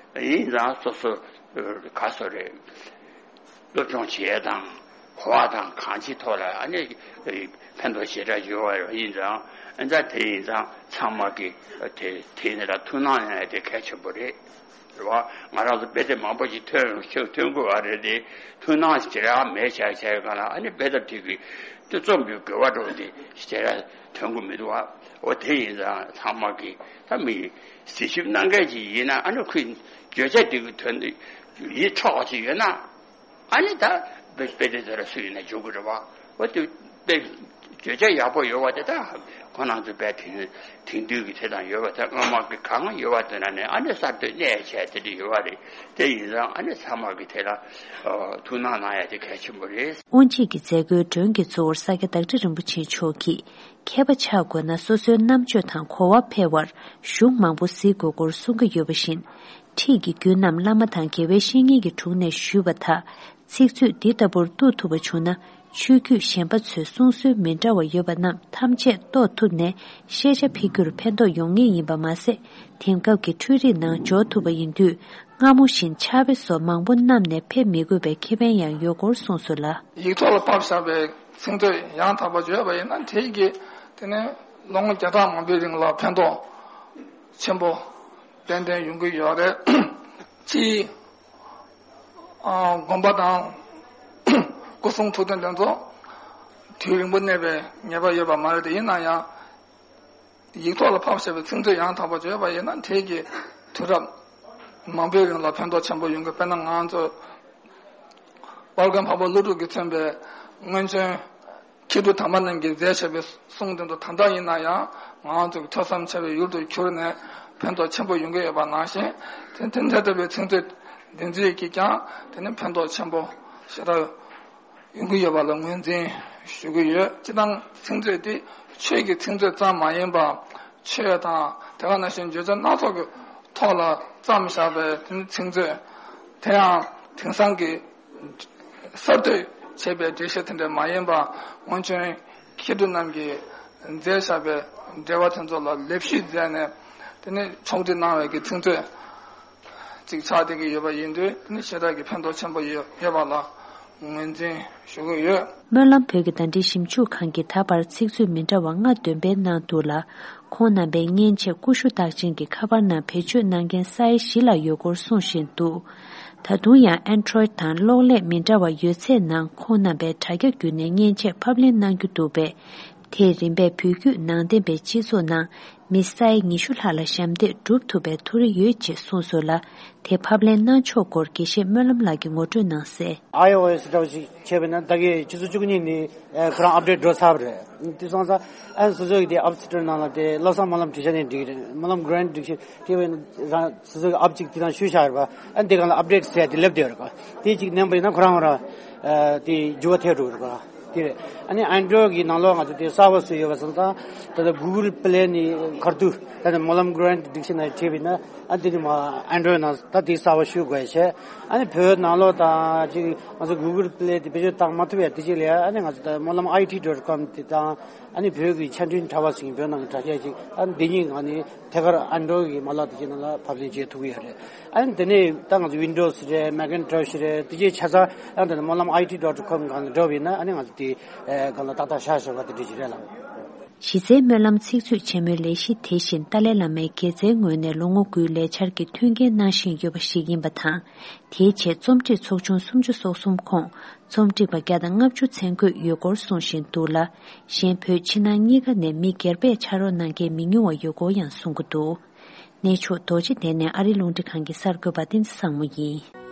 ཡིན་ཙང་སོ་སོ་ག་སོ་རེད། སློབ་སྦྱོང་བྱེད་ཡས་དང་གོ་བ་དང་གང་ཅིའི་ཐོག་ལ་ཨ་ནི་ཕན་ཐོགས་ཞེ་དྲག་ཡོད་པ་ཡིན་ཙང་། ཨ་ཙང་དེ་ཡིན་ཙང་ཚང་མ་གི་དེ་དེ་ནི་ལ་ཐུགས་སྣང་གནང་ཡ་དེ་གལ་ཆེན་པོ་རེད། རེད་བ། ང་རང་ཚོ་དཔེ་དེབ་མང་པོ་ཞིག་ཐོན་ཐོན་དགོས་པ་རེད་དེ། ཐུགས་སྣང་ཞེ་དྲག་མེད་བྱས་བྱས་གང་ལ་ཨ་ནི་དཔེ་དེབ་དེ་གི་དེ་རྩོམ་པའི་དགོས་པ་འགྲོ་དེ་ཞེ་དྲག་ཐོན་གི་མི་འདུག་བ། འོ་དེ་ཡིན་ཙང་ཚང་མ་གི་ད་མི་གཟིགས་ཞིབ་གནང་མཁན་ཅིག་ཡིན་ན་ཨ་ནི་ཁོས་བརྗོད་བྱ་དེ་གི་དོན་དུ་ཡིད་འཕྲོག་པ་ཅིག་ཡོད་ན། ཨ་ནི་ད་དཔེ་དཔེ་དེབ་དེ་ལ་སུ་ཡིན་ན་འཇུག་གི་རེད་བ། འོ་དེ་དཔེ་བརྗོད་བྱ་ཡག་པོ་ཡོད་བ་དེ་ད་ཁོ་རང་ཚོ་དཔེ་དེང་དེང་དུས་ཀྱི་དེ་དང་ཡོད་བ་དེ་སྔ་མ་གི་གང་ཡོད་བ་དེ་ན་ནས་ཨ་ནི་གསར་གཏོད་གནས་བྱས་དེ་འདྲ་ཡོད་བ་རེད། དེ་ཡིན་ཙང་ཨ་ནི་ཚང་མ་གི་དེ་ལ་ཐུགས་སྣང་གནང་ཡ་དེ་གལ་ཆེན་པོ་རེད། དབུ་འབྱེད་ཀྱི་མཛད་སྒོའི་མགྲོན་གྱི་གཙོ་བོར་ས་སྐྱ་བདག་ཁྲི་རིན་པོ་ཆེ་མཆོག་གིས། མཁས་པ་ཆགས་དགོས་ན་སོ་སོའི་རྣམ་དཔྱོད་དང་གོ་བ་འཕེལ་བར་གཞུང་མང་པོ་གཟིགས་དགོས་སྐོར་གསུང་གི་ཡོད་པ་བཞིན། ཁྲིད་ཀྱི་རྒྱུན་རྣམས་བླ་མ་དང་དགེ་བའི་བཤེས་གཉེན་གྱི་དྲུང་ནས་ཞུས་པ་དག་ཚིག་མཛོད་འདི་ལྟ་བུར་གཏུག་ཐུབ་པ་བྱུང་ན། ཆོས་བརྒྱུད་གཞན་པ་ཚོས་གསུང་སྲོལ་མི་འདྲ་བ་ཡོད་པ་རྣམས་ཐམས་ཅད་རྟོགས་ཐུབ་ནས་ཤེས་བྱ་འཕེལ་རྒྱུར་ཕན་ཐོགས་ཡོང་ངེས་ཡིན་པ་མ་ཟད། དེང་སྐབས་ཀྱི་འཕྲུལ་རིག་ནང་འཇོག་ཐུབ་པ་ཡིན་དུས། སྔ་མོ་བཞིན་ཕྱག་དཔེ་སོགས་མང་པོ་བསྣམས་ནས་ཕེབས་མི་དགོས་པའི་ཁེ་ཕན་ཡང་ཡོད་སྐོར་གསུངས་སོང་ལ། ཡིག་ཐོག་ལ་ཕབ་བཞག་པའི་ཚིག་མཛོད་ཡང་དག་པ་བརྗོད་པ་ཡིན་ན་དེ་གིས་དེ་ནས་ལོ་ངོ་བརྒྱ་ཕྲག་མང་པོའི་རིང་ལ་ཕན་ཐོགས་ ཆེན་པོ་ཏན་ཏན་ཡོང་གི་ཡོད་རེད། སྤྱིའི་ཨ་དགོན་པ་དང་སྐུ་གསུང་ཐུགས་རྟེན་དེ་ཚོ་དུས་རིང་པོ་གནས་པའི་ངེས་པ་ཡོད་པ་མ་རེད་དེ། ཡིན་ན་ཡང་ཡིག་ཐོག་ལ་ཕབ་བཞག་པའི་ཚིག་མཛོད་ཡང་དག་པ་ཅིག་ཡོད་པ་ཡིན་ན་དེ་གི་དུས་རབས་མང་པོའི་རིང་ལ་ཕན་ཐོགས་ཆེན་པོ་ཡོང་གི། དཔེར་ན་ང་ཚོ་དཔལ་མགོན་འཕགས་པ་ཀླུ་སྒྲུབ་ཀྱིས་མཚོན་པའི་སྔོན་བྱོན་མཁས་གྲུབ་དམ་པ་རྣམས་ཀྱིས་མཛད་བཞག་པའི་གསུང་དེ་ཚོ་ད་ལྟ་ཡིན་ན་ཡང་ང་ཚོ་གི་ཐོས་བསམ་བྱ་བའི་ཡུལ་དུ་གྱུར་ནས་ཕན་ཐོགས་ཆེན་པོ་ཡོང་གི་ཡོད་པ་ནང་བཞིན། དེ་དེ་འདྲ་ལྟ་བུའི་ཚིག་མཛོད་འདི་ཚོས་ཀྱིས་ཀྱང་དེ་ནི་ཕན་ཐོགས་ཆེན་པོ་ཞེ་དྲག་ཡོང་གི་ཡོད་པ་ལ་ངོས་འཛིན་ཞུ་གི་ཡོད། སྤྱིར་བཏང་ཚིག་མཛོད་དེ་ཆོས་ཀྱི་ཚིག་མཛོད་ཙམ་མ་ཡིན་པར། ཆོས་དང་དེ་ག་ནང་བཞིན་བརྗོད་བྱ་སྣ་ཚོགས་ཀྱི་ཐོག་ལ་བརྩམས་བཞག་པའི་དེ་ནི་ཚིག་མཛོད། དེ་ཡང་དེང་སང་གི་གསར་གཏོད་བྱས་པའི་འགྲེལ་བཤད་དེ་འདྲ་མ་ཡིན་པར། སྔོན་བྱོན་མཁས་གྲུབ་རྣམས་ཀྱིས་མཛད་བཞག་པའི་འགྲེལ་པ་དེ་ཚོ་ལ་ལེགས་བཤད་མཛད་ནས། དེ་ནི་ཕྱོགས་སྒྲིག་གནང་བའི་གི་ཚིག་མཛོད་ཅིག་ཆགས་བསྡད་ཀྱི་ཡོད་པ་ཡིན་དུས། དེ་ནི་ཞེ་དྲག་གི་ཕན་ཐོགས་ཆེན་པོ་ཡོད་ཡོད་པ་ལ་ངོས་འཛིན་ཞུ་གི་ཡོད། སྨོན་ལམ་བོད་ཀྱི་ཟླ་སྒྲིལ་ཞིབ་འཇུག་ཁང་གིས་ད་བར་ཚིག་མཛོད་མི་འདྲ་བ་ལྔ་འདོན་སྤེལ་གནང་འདུག་ལ། ཁོང་རྣམ་པའི་མཉེན་ཆས་ཀུ་ཤུ་རྟགས་ཅན་གྱི་ཁ་པར་ནང་བེད་སྤྱོད་གནང་མཁན་ས་ཡ་བཞི་ལྷག་ཡོད་སྐོར་གསུང་བཞིན་འདུག། ད་དུང་ཡང་ཨན་ཌོ་རོའིཌ་དང་གློག་ཀླད་མི་འདྲ་བ་ཡོད་ཚད་ནང་ཁོང་རྣམ་པས་དྲ་རྒྱ་བརྒྱུད་ནས་མཉེན་ཆས་ཕབ་ལེན་གནང་རྒྱུ་འདུག་པས། དེས་རིམ་པས་བོད་བརྒྱུད་ནང་བསྟན་པའི་སྤྱི་ཚོགས་ནང་མི་ས་ཡ་ཉི་ཤུ་ལྷག་ལ་ཞབས་འདེགས་སྒྲུབ་ཐུབ་པའི་མཐོ་རིམ་ཡོད་ཅེས་གསུངས་སོང་ལ། དེ་ཕབ་ལེན་གནང་ཕྱོགས་སྐོར་དགེ་བཤེས་སྨོན་ལམ་ལགས་ཀྱིས་ངོ་སྤྲོད་གནང་གསལ། ཨའི་ཨོ་ཨེས་འདྲ་བ་ཞིག་བྱས་པས་ན། ད་གིན་ཆུ་ཚོད་བཅུ་གཉིས་ནས་ཨ་ཁོ་རང་ཨབ་ཌེཊ་འགྲོ་ཚར་བ་རེད། དེ་སོང་ཙང་ཨ་སོ་སོ་གི་དེ་ཨེབ་སི་ཊོར་ནང་ལ་དེ་བློ་བཟང་སྨོན་ལམ་བྲིས་བཞག་ནས་འགྲིག་གི་རེད། སྨོན་ལམ་གྷ་རན་ཊི་བྲིས་བཞག་དེ་བས་ན་རང་སོ་སོ་གི་ཨེབ་ཅིག་དེ་དང་བཤུས་བཞག་ཡོད་པ། ཨ་འདི་གང་ལ་ཨབ་ཌེཊ་ཟེར་ཡ་དེ་སླེབས་བསྡད་ཡོད་རེད་པ། དེ་གཅིག་མནན་པ་ཡིན་ན་ཁོ་རང་རང་ཨ་དེ་འགྱུར་བ་ཐེབས་འགྲོ་གི་རེད་པ། དེ་རེད། ཨ་ནི་ཨན་ཌོ་རོའིཌ་གི་ནང་ལོགས་ང་ཚོ་དེ་གསར་པ་བཟོས་ཡོད་པ་སོང་ཙང་། ད་ལྟ་གུ་གལ་པི་ལེ་ནས་ཁ་ཐུག་ད་ནི་སྨོན་ལམ་གྷ་རན་ཊི་ཌིག་ཤ་ན་རི་བྲིས་པ་ཡིན་ན། ཨ་འདི་ནི་མ་ཨན་ཌོ་རོའིཌ་ནང་ད་དེ་གསར་པ་བཤུས་དགོས་བྱས། ཨ་ནི་བོད་ནང་ལོགས་དང་ཅིག་ང་ཚོ་གུ་གལ་པི་ལེ་དེ་བེད་སྤྱོད་བཏང་མ་ཐུབ་ཡ་དེ་ཅིག་ལ་ཡ། ཨ་ནི་ང་ཚོ་ད་སྨོན་ལམ་ཨའི་ཊི་ཌོཊ་ཀོམ་དེ་དང་། ཨ་ནི་བོད་ཀྱི་ཆ་འཕྲིན་དྲ་བ་ཟེར་བོད་ནང་གི་དྲ་རྒྱ་ཅིག་ཨ་ནི་འདི་གཉིས་ང་ནི་ཐད་ཀར་ཨན་ཌོ་རོའིཌ་གི་མ་ལག་དེ་ཅིག་ནང་ལ་ཕབ་ལེན་བྱེད་ཐུབ་ཀྱི་ཡོད་རེད། ཨ་ནི་དེ་ནས་ད་ང་ཚོ་ཝིན་ཌོ་སི་རེད། མེག་ཨིན་ཊོ་ཤི་རེད། དེ་ཅིག་ཆ་ཚང་ཨ་ནི་ད་སྨོན་ལམ་ཨའི་ཊི་ཌོཊ་ཀོམ་སྒང་ལ་འགྲོ་བ་ཡིན་ན། ཨ་ནི་ང་ཚོ་དེ་སྒང་ལ་ཏག་ཏག་བཞག་བཞག་པ་དེ་འདྲ་ཅིག་རེད་ལགས། གཞི་རྩའི་སྨོན་ལམ་ཚིག་མཛོད་ཆེན་མོའི་ལས་གཞི་དེ་བཞིན་ཏཱ་ལའི་བླ་མའི་དགེ་རྩའི་ངོས་ནས་ལོ་ངོ་དགུའི་ལས་འཆར་གྱི་མཐུན་རྐྱེན་གནང་བཞིན་ཡོད་པ་ཞིག་ཡིན་པ་དང་། དེའི་ཆེད་རྩོམ་སྒྲིག་ཚོགས་ཆུང་སུམ་ཅུ་སོ་གསུམ་ཁོངས་རྩོམ་སྒྲིག་པ་བརྒྱ་དང་ལྔ་བཅུ་མཚན་འཁོད་ཡོད་སྐོར་གསུང་བཞིན་འདུག་ལ། གཞན་བོད་ཕྱི་ནང་གཉིས་ཀ་ནས་མི་སྒེར་པས་ཕྱག་རོགས་གནང་མཁན་མི་ཉུང་བ་ཡོད་སྐོར་ཡང་གསུང་གི་འདུག། གནས་མཆོག་རྡོ་རྗེ་གདན་ནས་ཨ་རིའི་རླུང་འཕྲིན་ཁང་གི་གསར་འགོད་པ་བསྟན་འཛིན་བཟང་མོ་ཡིན།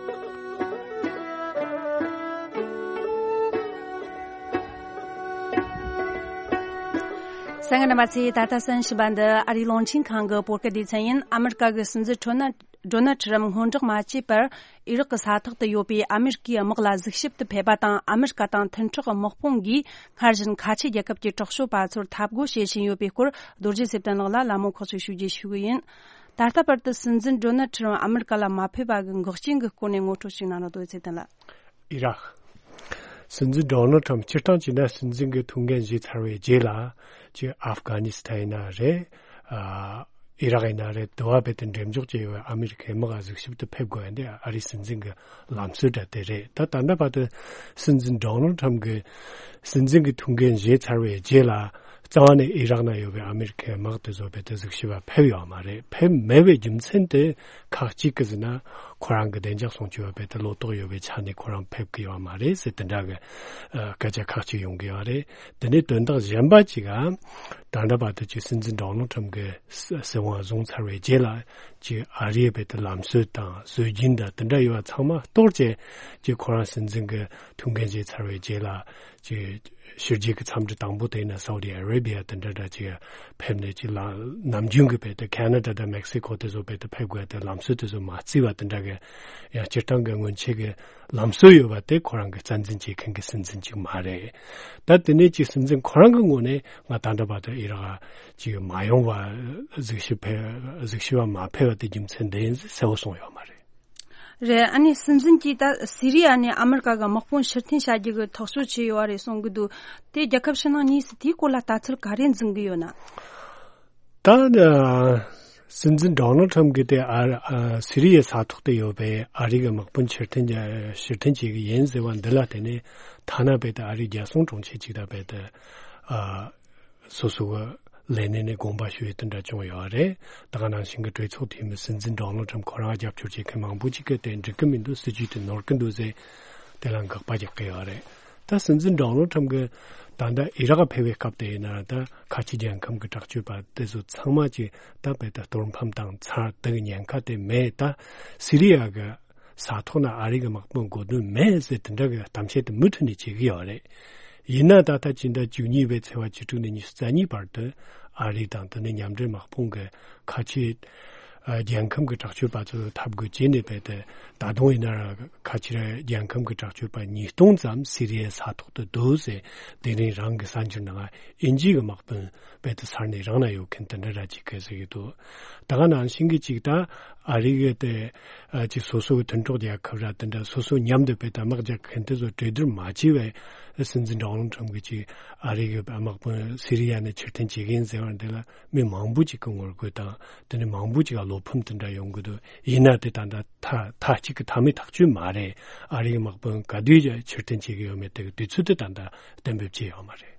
གསན་མཁན་རྣམ་པ་ཚོས་ད་ལྟ་གསན་བཞིན་པ་འདི་ཨ་རིའི་རླུང་འཕྲིན་ཁང་གི་བོད་སྐད་སྡེ་ཚན་ཡིན། ཨ་མི་རི་ཀ་གི་སྲིད་འཛིན་ཁྲོ་ན། ཌོ་ནལ་ཁྲི་རམ་སྔོན་འགོག་མ་བྱས་པར་ཨི་རག་གི་ས་ཐོག་ཏུ་ཡོད་པའི་ཨ་མི་རི་ཀའི་དམག་ལ་གཟིགས་ཞིབ་ཏུ་ཕེབས་པ་དང་། ཨ་མི་རི་ཀ་དང་མཐུན་གྲོགས་དམག་དཔུང་གིས་སྔར་བཞིན་ཁ་ཆེ་རྒྱལ་ཁབ་ཀྱི་དྲག་སྤྱོད་པ་ཚོར་འཐབ་རྒོལ་བྱེད་བཞིན་ཡོད་པའི་སྐོར། རྡོ་རྗེ་ཚེ་བརྟན་ལགས་ལ་ལད་མོ་ཁག་ཅིག་ཞུ་རྒྱུ་ཞུ་གི་ཡིན། ད་ལྟ་བར་དུ་སྲིད་འཛིན་ཌོ་ནལ་ཁྲི་རམ་ཨ་མི་རི་ཀ་ལ་མ་ཕེབས་པ་གི་འགོག་རྐྱེན་གྱི་སྐོར་ནས་ངོ་སྤྲོད་ཅིག་གནང་རོགས། རྡོ་རྗེ་ཚེ་བརྟན་ལགས། ཨི་རག་སྲིད་འཛིན་ཌོ་ནལ་ཁྲམ་སྤྱིར་བཏང་བྱས་ན་སྲིད་འཛིན་གྱི་ཐུགས་འགན་བཞེས་ཚར་བའི་རྗེས་ལ། ཅིག་ཨབ་གྷ་ནི་སི་ཐན་ཡིན་ན་རེད། ཨ་ཨི་རག་ཡིན་ན་རེད། དུ་བ་བེད་དུ་འགྲེམས་འཇོག་བྱས་ཡོད་ཨ་མི་རི་ཁའི་དམག་གཟིགས་ཞིབ་ཏུ་ཕེབས་དགོས་ཡ་འདི་ཨ་རིའི་སྲིད་འཛིན་གྱི་ལམ་སྲོལ་འདྲ་དེ་རེད། ད་ད་ལྟ་བར་དུ་སྲིད་འཛིན་ཌོ་ནལ་ཁྲམ་གྱི་སྲིད་འཛིན་གྱི་ཐུགས་འགན་བཞེས་ཚར་བའི་རྗེས་ལ། རྩ་བ་ནས་ཨི་རག་ན་ཡོད་པའི་ཨ་མི་རི་ཁའི་དམག་དེ་ཚོ་བེད་དུ་གཟིགས་ཞིབ་པ་ཕེབས་ཡོད་མ་རེད། ཕེབས་མེད་པའི་རྒྱུ་མཚན་དེ་ཁག་གཅིག་གི་ཟེར་ན། ཁོ་རང་གི་བདེ་འཇགས་སྲུང་སྐྱོབ་བེད་དུ་ལོ་ཏོག་ཡོད་པའི་ཆ་ནས་ཁོ་རང་ཕེབས་ཀྱི་ཡོད་མ་རེད་ཟེར་དེ་འདྲ་གི་ཨ་སྐད་ཆ་ཁག་ཅིག་ཡོང་གི་ཡོད་རེད། དེ་ནས་དོན་དག་གཞན་པ་ཅིག་ག་ད་ལྟ་བར་དུ་ཅིག་སྲིད་འཛིན་ཌོ་ནལ་ཁྲམ་གྱི་སྲིད་དབང་བཟུང་ཚར་བའི་རྗེས་ལ། ཅིག་ཨ་རིའི་བེད་དུ་ལམ་སྲོལ་དང་སྲོལ་རྒྱུན་དང་དེ་འདྲ་ཡོད་པ་ཚང་མ་གཏོར་བྱས། ཅིག་ཁོ་རང་སྲིད་འཛིན་གྱི་ཐུགས་འགན་བཞེས་ཚར་བའི་རྗེས་ལ། ཅིག་ཕྱི་རྒྱལ་གྱི་འཚམས་འདྲི་དང་པོ་དེ་ཡིན་ན་སའུ་ཌི་ཨ་རེ་བྷི་ཡ་དེ་འདྲ་འདྲ་ཅིག་ཕེབས་ནས། ཅིག་ལ་ནམ་རྒྱུན་གྱི་བེད་དུ་ཁེ་ན་ཌ་དང་མེག་སི་ཀོ་དེ་ཚོ་བེད་དུ་ཕེབས་དགོས་དེ་ལམ་སྲོལ་དེ་ཚོ་མ་བརྩིས་པ་དེ་འདྲ་གི་ཡང་སྤྱིར་བཏང་གི་སྔོན་ཆད་ཀྱི་ལམ་སྲོལ་ཡོད་པ་དེ་ཁོ་རང་གི་རྩ་འཛིན་བྱེད་མཁན་གྱི་སྲིད་འཛིན་ཅིག་མ་རེད། ད་དེ་ནས་ཅིག་སྲིད་འཛིན་ཁོ་རང་གི་ངོས་ནས་ང་ད་ལྟ་བར་དུ་ཨི་རག་ཅིག་མ་ཡོང་བ་གཟིགས་ཞིབ་ཕེབས་གཟིགས་ཞིབ་པ་མ་ཕེབས་པ་དེ་རྒྱུ་མཚན་དེ་ཡིན་ཟེར་གསལ་པོ་གསུངས་ཡོད་མ་རེད། རེད། ཨ་ནི་སྲིད་འཛིན་གྱིས་ད་སི་རི་ཡ་ནས་ཨ་མི་རི་ཀ་གི་དམག་དཔུང་ཕྱིར་འཐེན་བྱ་རྒྱུ་གི་ཐག་གཅོད་བྱས་ཡོད་རེད་གསུང་གི་འདུག། དེ་རྒྱལ་ཁབ་ཕྱི་ནང་གཉིས་སུ་དེའི་སྐོར་ལ་ལྟ་ཚུལ་ག་རེ་འཛིན་གི་ཡོད་ན། ད་ཨ་སྲིད་འཛིན་ཌོ་ནལ་ཁྲམ་གྱིས་དེ་ཨ་ཨ་སི་རི་ཡའི་ས་ཐོག་ཏུ་ཡོད་པའི་ཨ་རི་གི་དམག་དཔུང་ཕྱིར་འཐེན་ཕྱིར་འཐེན་བྱེད་ཀྱི་ཡིན་ཟེར་བ་འདི་ལ་བརྟེན་ནས། ཐ་ན་བེད་དུ་ཨ་རིའི་རྒྱལ་སྲུང་དྲུང་ཆེ་ཅིག་དང་བེད་དུ་ཨ་སོ་སོ་གི་ ལས་གནས་ནས་དགོངས་པ་ཞུ་ཡས་དེ་འདྲ་བྱུང་ཡོད་རེད། ད་ག་ནང་བཞིན་གྱི་གྲོས་ཚོགས་འཐུས་མི་སྲིད་འཛིན་ཌོ་ནལ་ཊམ་ཁོ་རང་རྒྱབ་སྐྱོར་བྱེད་མཁན་མང་པོ་ཅིག་གིས་དེ་འགྲིག་གི་མི་འདུག་སྲིད་ཇུས་དེ་ནོར་གི་འདུག་ཟེར་དེ་ལ་དགག་པ་རྒྱག་གི་ཡོད་རེད། ད་སྲིད་འཛིན་ཌོ་ནལ་ཊམ་གྱིས་ད་ལྟ་ཨི་རག་ཕེབས་པའི་སྐབས་དེ་ཡིན་ན་ད་ཁ་ཆེ་རྒྱལ་ཁམས་ཀྱི་དྲག་སྤྱོད་པ་དེ་ཚོ་ཚང་མ་ཅིག་ད་བལ་ད་གཏོར་ཕམ་བཏང་ཚར། དེ་གི་ཉེན་ཁ་དེ་མེད། ད་སི་རི་ཡ་གི་ས་ཐོག་ན་ཨ་རི་གི་དམག་དཔུང་དགོས་དོན་མེད་ཟེར་དེ་འདྲ་གི་གཏམ་བཤད་དེ་མུ་མཐུད་ནས་བྱེད་ཀྱི་ཡོད་རེད། ཡིན་ན་ད་ལྟ་ཕྱི་ཟླ་བཅུ་གཉིས་པའི་ཚེས་པ་བཅུ་དྲུག་ནས་ཉི་ཤུ་རྩ་གཉིས་བར་དུ་ཨ་རི་དང་དེ་ནས་མཉམ་འབྲེལ་དམག་དཔུང་གི་ཁ་ཆེ་ཨ་རྒྱལ་ཁམས་ཀྱི་དྲག་སྤྱོད་པ་ཚོ་འཐབ་དགོས་བྱས་ནས་བལ་ཏེ་ད་དུང་ཡིན་ན་ར་ཁ་ཆེ་རྒྱལ་ཁམས་ཀྱི་དྲག་སྤྱོད་པ་ཉིས་སྟོང་ཙམ་སི་རི་ཡའི་ས་ཐོག་ཏུ་འདུག་ཟེར། དེ་རིང་རང་གི་གསར་འགྱུར་ནང་ཨིན་ཇི་གི་དམག་དཔོན་བལ་ཏེ་ས་གནས་རང་ན་ཡོད་མཁན་དེ་འདྲ་ར་ཅིག་གིས་ཟེར་གྱི་འདུག་ད་ག་ནང་བཞིན་གྱི་ཅིག་ད་ཨ་རི་གི་དེ་ཨ་ཅིག་སོ་སོ་གི་མཐུན་གྲོགས་རྒྱལ་ཁབ་ར་དེ་འདྲ་སོ་སོ་མཉམ་དུ་བལ་ཏེ་དམག་རྒྱག་མཁན་དེ་ཚོ་གྲོས་བསྡུར་མ་བྱས་པའི་སྲིད་འཛིན་ཌོ་ནལ་ཊམ་གྱིས་ཅིག་ཨ་རི་གི་དམག་དཔོན་སི་རི་ཡ་ནས་ཕྱིར་འཐེན་བྱེད་ཀྱི་ཡིན་ཟེར་བ་འདི་ལ་མི་མང་པོ་ཅིག་གི་ངོ་རྒོལ་དང་དེ་ནས་མང་པོ་ཅིག་ག་བློ་ཕམ་དེ་འདྲ་ཡོང་གི་འདུག་ཡིན་ན་དེ་ད་ལྟ་མཐའ་མཐའ་གཅིག་གི་མཐའ་མའི་ཐག་གཅོད་མ་རེད། ཨ་རིའི་དམག་དཔོན་ག་དུས་ཕྱིར་འཐེན་བྱེད་ཀྱི་ཡོད་མེད་དེ་གི་དུས་ཚོད་དེ་ད་ལྟ་གཏན་འབེབས་བྱས་ཡོད་མ་རེད།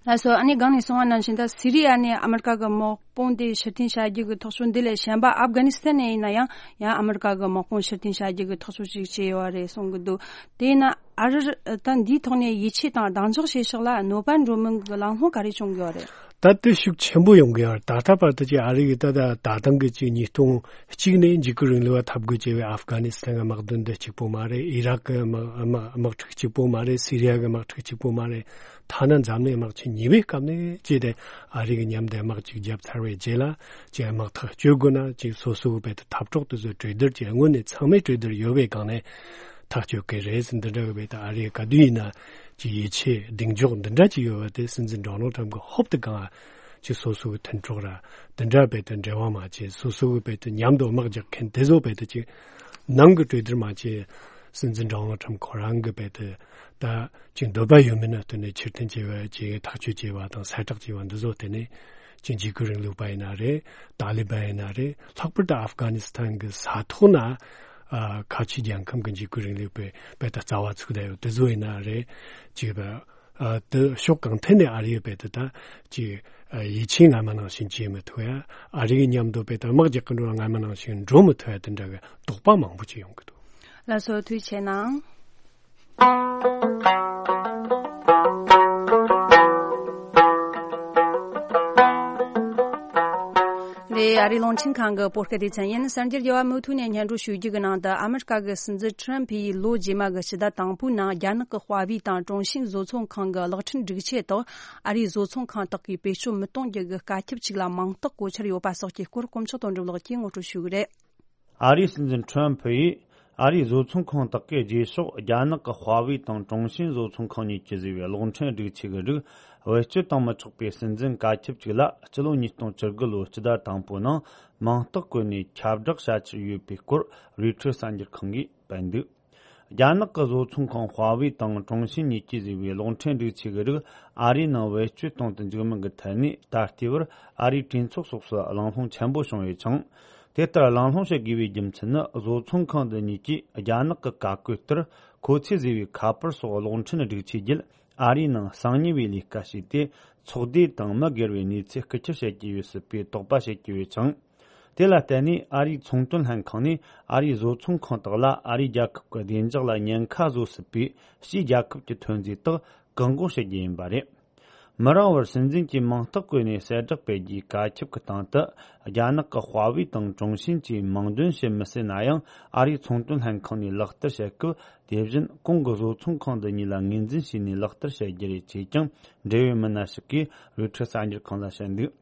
ལགས་སོ། ཨ་ནི་སྒང་ནས་གསུངས་པ་ནང་བཞིན་ད་སི་རི་ཡ་ནས་ཨ་མི་རི་ཀ་གི་དམག་དཔུང་དེ་ཕྱིར་འཐེན་བྱ་རྒྱུ་གི་ཐག་གཅོད་འདི་ལས་གཞན་པ་ཨབ་གྷ་ནི་སི་ཐན་ནས་ཡིན་ན་ཡང་ཡང་ཨ་མི་རི་ཀ་གི་དམག་དཔུང་ཕྱིར་འཐེན་བྱ་རྒྱུ་གི་ཐག་གཅོད་ཅིག་བྱས་ཡོད་རེད་གསུང་གི་འདུག་དེས་ན་ཨ་རིར་ད་འདིའི་ཐོག་ནས་ཡིད་ཆེས་དང་གདེང་འཇོག་བྱེད་ཕྱོགས་ལ་གནོད་པ་འགྲོ་མིན་གྱི་ལམ་ལྷོང་ག་རེ་བྱུང་ཡོད་རེད། ད་དེ་ཤུགས་ཆེན་པོ་ཡོང་གི་ཡོད་རེད། ད་ལྟ་བར་དུ་ཅིག་ཨ་རི་གི་ད་ད་ད་ཐེངས་གི་ཅིག་ཉིས་སྟོང་གཅིག་ནས་འཇིགས་སྐུལ་རིང་ལུགས་པ་འཐབ་དགོས་བྱས་པའི་ཨབ་གྷ་ནི་སི་ཐན་གྱི་དམག་དོན་འདི་གཅིག་པོ་མ་རེད། ཨི་རག་གི་དམག་དམག་དམག་འཁྲུག་གཅིག་པོ་མ་རེད། སི་རི་ཡ་གི་དམག་འཁྲུག་གཅིག་པོ་མ་རེད། ཐ་ན་འཛམ་གླིང་དམག་ཆེན་གཉིས་པའི་སྐབས་ནས་ཅིག་དེ་ཨ་རི་གི་མཉམ་དུ་དམག་ཅིག་བརྒྱབ་ཚར་བའི་རྗེས་ལ་ཅིག་དམག་ཐག་གཅོད་དགོས་ན་ཅིག་སོ་སོ་གི་བལ་ཏེ་འཐབ་གྲོགས་དེ་ཚོ་གྲོས་བསྡུར་གྱི་སྔོན་ནས་ཚང་མས་གྲོས་བསྡུར་ཡོད་པའི་སྒང་ནས་ཐག་གཅོད་ཀྱི་རེད་ཟེར། འདི་འདྲ་གི་བལ་ཏེ་ཨ་རི་ག་དུས་ཡིན་ན་ཅིག་ཡིད་ཆེས་གདེང་འཇོག་འདི་འདྲ་ཅིག་ཡོད་པ་དེ་སྲིད་འཛིན་ཌོ་ནལ་ཊམ་གི་ཧོབ་ཏེ་གང་ཅིག་སོ་སོ་གི་མཐུན་གྲོགས་ར་དེ་འདྲ་བལ་ཏེ་འབྲེལ་བ་མ་བྱས། སོ་སོ་གི་བལ་ཏེ་མཉམ་དུ་དམག་རྒྱག་མཁན་དེ་ཚོ་བལ་ཏེ་ཅིག་ནང་གི་གྲོས་བསྡུར་མ་བྱས། སྲིད་འཛིན་ཌོ་ནལ་ཊམ་ཁོ་རང་གི་བལ་ཏེ་ད་ཅིག་འདོད་པ་ཡོད་མེད་ན་བསྟུན་ནས་ཕྱིར་འཐེན་བྱས་པ་ཅིག་ཐག་གཅོད་བྱས་པ་དང་གསལ་བསྒྲགས་བྱས་པ་འདི་ཚོ་དེ་ནས་ཅིག་འཇིགས་སྐུལ་རིང་ལུགས་པ་ཡིན་ན་རེད། ཏཱ་ལི་བན་ཡིན་ན་རེད། ལྷག་པར་དུ་ཨབ་གྷ་ནི་སི་ཐན་གི་ས་ཐོག་ན་ཨ་ཁ་ཆེ་རྒྱལ་ཁམས་ཀྱི་འཇིགས་སྐུལ་རིང་ལུགས་པའི་བལ་ཏེ་རྩ་བ་ཚུགས་བསྡད་ཡོད་དེ་ཚོ་ཡིན་ན་རེད། ཅིག་ཨ་དེ་ཕྱོགས་གང་ཐད་ནས་ཨ་རི་ཡི་བལ་ཏེ་ད་ཅིག་ཨ་ཡིད་ཆེས་སྔ་མ་ནང་བཞིན་བྱེད་མི་ཐུབ་ཡ། ཨ་རི་གི་མཉམ་དུ་བལ་ཏེ་དམག་རྒྱག་གི་འགྲོ་བ་སྔ་མ་ནང་བཞིན་འགྲོ་མི་ཐུབ་ཡ་དེ་འདྲ་གི་དོགས་པ་མང་པོ་ཅིག་ཡོང་གི་འདུག་ལགས་སོ། ཐུགས་རྗེ་གནང་། འདི་ཨ་རིའི་རླུང་འཕྲིན་ཁང་གི་བོད་སྐད་སྡེ་ཚན་ཡིན། གསར་འགྱུར་རྒྱས་པ་མུ་མཐུད་ནས་སྙན་སྒྲོན་ཞུ་རྒྱུ་གི་ནང་དུ། ཨ་མི་རི་ཀ་གི་སྲིད་འཛིན་ཁྲི་རམ་ཕི་ཡིས་ལོ་རྗེས་མ་གི་སྤྱི་ཟླ་དང་པོའི་ནང་རྒྱ་ནག་གི་ཧྭ་ཝེ་དང་ཀྲུང་ཤིན་བཟོ་ཚོང་ཁང་གི་གློག་འཕྲིན་སྒྲིག་ཆས་དག་ཨ་རིའི་བཟོ་ཚོང་ཁང་དག་གིས་བེད་སྤྱོད་མི་གཏོང་རྒྱུ་གི་བཀའ་ཁྱབ་ཅིག་ལ་མིང་རྟགས་བཀོད་འཆར་ཡོད་པ་སོགས་ཀྱི་སྐོར་དཀོན་མཆོག་དོན་གྲུབ་ལགས་ཀྱིས་ངོ་སྤྲོད་ཞུ་གི་རེད། ཨ་རིའི་སྲིད་འཛིན་ཁྲི་རམ་ཕི་ཡིས་ཨ་རིའི་བཟོ་ཚོང་ཁང་དག་གིས་རྗེས་ཕྱོགས་རྒྱ་ནག་གི་ཧྭ་ཝེ་དང་ཀྲུང་ཤིན་བཟོ་ཚོང་ཁང་གཉིས་ཀྱིས་བཟོས་པའི་གློག་འཕྲིན་སྒྲིག་ཆས་ཀྱི་རིགས་བེད་སྤྱོད་གཏོང་མི་ཆོག་པའི་སྲིད་འཛིན་བཀའ་ཁྱབ་ཅིག་ལ་སྤྱི་ལོ་ཉིས་སྟོང་བཅུ་དགུ་ལོའི་སྤྱི་ཟླ་དང་པོའི་ནང་མིང་རྟགས་བཀོད་ནས་ཁྱབ་བསྒྲགས་བྱ་འཆར་ཡོད་པའི་སྐོར་རོའི་ཊར་གསར་འགྱུར་ཁང་གིས་སྤེལ་འདུག་རྒྱ་ནག་གི་བཟོ་ཚོང་ཁང་ཧྭ་ཝེ་དང་ཀྲུང་ཤིན་གཉིས་ཀྱིས་བཟོས་པའི་གློག་འཕྲིན་སྒྲིག་ཆས་ཀྱི་རིགས་ཨ་རིའི་ནང་བེད་སྤྱོད་གཏོང་དུ་འཇུག་མིན་གྱི་ཐད་ནས་ད་ལྟའི་བར་ཨ་རིའི་གྲོས་ཚོགས་སོགས་སུ་གླེང་སློང་ཆེན་པོ་བྱུང་ཡོད་ཅིང་། དེ་ལྟར་གླེང་སློང་བྱེད་དགོས་པའི་རྒྱུ་མཚན་ནི། བཟོ་ཚོང་ཁང་འདི་གཉིས་ཀྱིས་རྒྱ་ནག་གི་བཀའ་བཀོད་ལྟར་ཁོ་ཚོས་བཟོས་པའི་ཁ་པར་སོགས་གློག་འཕྲིན་སྒྲིག་ཆས་བརྒྱུད་ཨ་རིའི་ནང་གསང་ཉུལ་བའི་ལས་ཀ་བྱས་ཏེ། ཚོགས་སྡེ་དང་མི་སྒེར་བའི་གནས་ཚུལ་རྐུ་འཁྱེར་བྱེད་ཀྱི་ཡོད་སྲིད་པའི་དོགས་པ་བྱེད་ཀྱི་ཡོད་ཅིང་། དེ་ལ་བརྟེན་ནས་ཨ་རིའི་ཚོང་དོན་ལྷན་ཁང་ནས་ཨ་རིའི་བཟོ་ཚོང་ཁང་དག་ལ་ཨ་རིའི་རྒྱལ་ཁབ་ཀྱི་བདེ་འཇགས་ལ་ཉེན་ཁ་བཟོ་སྲིད་པའི་ཕྱིའི་རྒྱལ་ཁབ་ཀྱི་ཐོན་རྫས་དག་བཀག་འགོག་བྱེད་རྒྱུ་ཡིན་པ་རེད། མི་རིང་བར་སྲིད་འཛིན་གྱིས་མིང་རྟགས་བཀོད་ནས་གསལ་བསྒྲགས་སྤེལ་རྒྱུའི་བཀའ་ཁྱབ་ཀྱི་སྟེང་དུ། རྒྱ་ནག་གི་ཧྭ་ཝེ་དང་ཀྲུང་ཤིན་གྱིས་མིང་འདོན་བྱེད་མི་སྲིད་ན་ཡང་། ཨ་རིའི་ཚོང་དོན་ལྷན་ཁང་ནས་ལག་བསྟར་བྱེད་སྐབས། དེ་བཞིན་གོང་གི་བཟོ་ཚོང་ཁང་འདི་གཉིས་ལ་ངོས་འཛིན་བྱས་ནས་ལག་བསྟར་བྱེད་རྒྱུ་རེད་ཅེས་ཀྱང་འབྲེལ་ཡོད་མི་སྣ་ཞིག་གིས་རོའི་ཊར་གསར་འགྱུར་ཁང་ལ་བཤད་འདུག་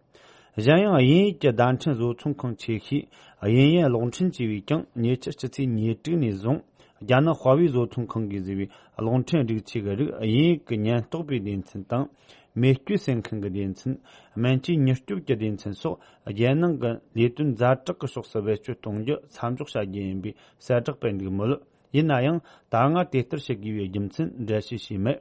གཞན་ཡང་དབྱིན་ཡུལ་གྱི་བརྡ་འཕྲིན་བཟོ་ཚོང་ཁང་ཆེ་ཤོས་དབྱིན་ཡུལ་གློག་འཕྲིན་ཅེས་པས་ཀྱང་ཉེ་ཆར་ཕྱི་ཚེས་ཉེར་དྲུག་ནས་བཟུང་རྒྱ་ནག་ཧྭ་ཝེ་བཟོ་ཚོང་ཁང་གིས་བཟོས་པའི་གློག་འཕྲིན་སྒྲིག་ཆས་ཀྱི་རིགས་དབྱིན་ཡུལ་གྱི་ཉེན་རྟོག་པའི་སྡེ་ཚན་དང་། མེ་སྐྱོན་སེལ་མཁན་གྱི་སྡེ་ཚན། སྨན་བཅོས་མྱུར་སྐྱོབ་ཀྱི་སྡེ་ཚན་སོགས་རྒྱལ་ནང་གི་ལས་དོན་ཛ་དྲག་གི་ཕྱོགས་སུ་བེད་སྤྱོད་གཏོང་རྒྱུ་མཚམས་འཇོག་བྱ་རྒྱུ་ཡིན་པའི་གསལ་བསྒྲགས་སྤེལ་འདུག་མོད། ཡིན་ན་ཡང་ད་སྔ་དེ་ལྟར་བྱེད་དགོས་པའི་རྒྱུ་མཚན་འགྲེལ་བཤད་བྱས་མེད།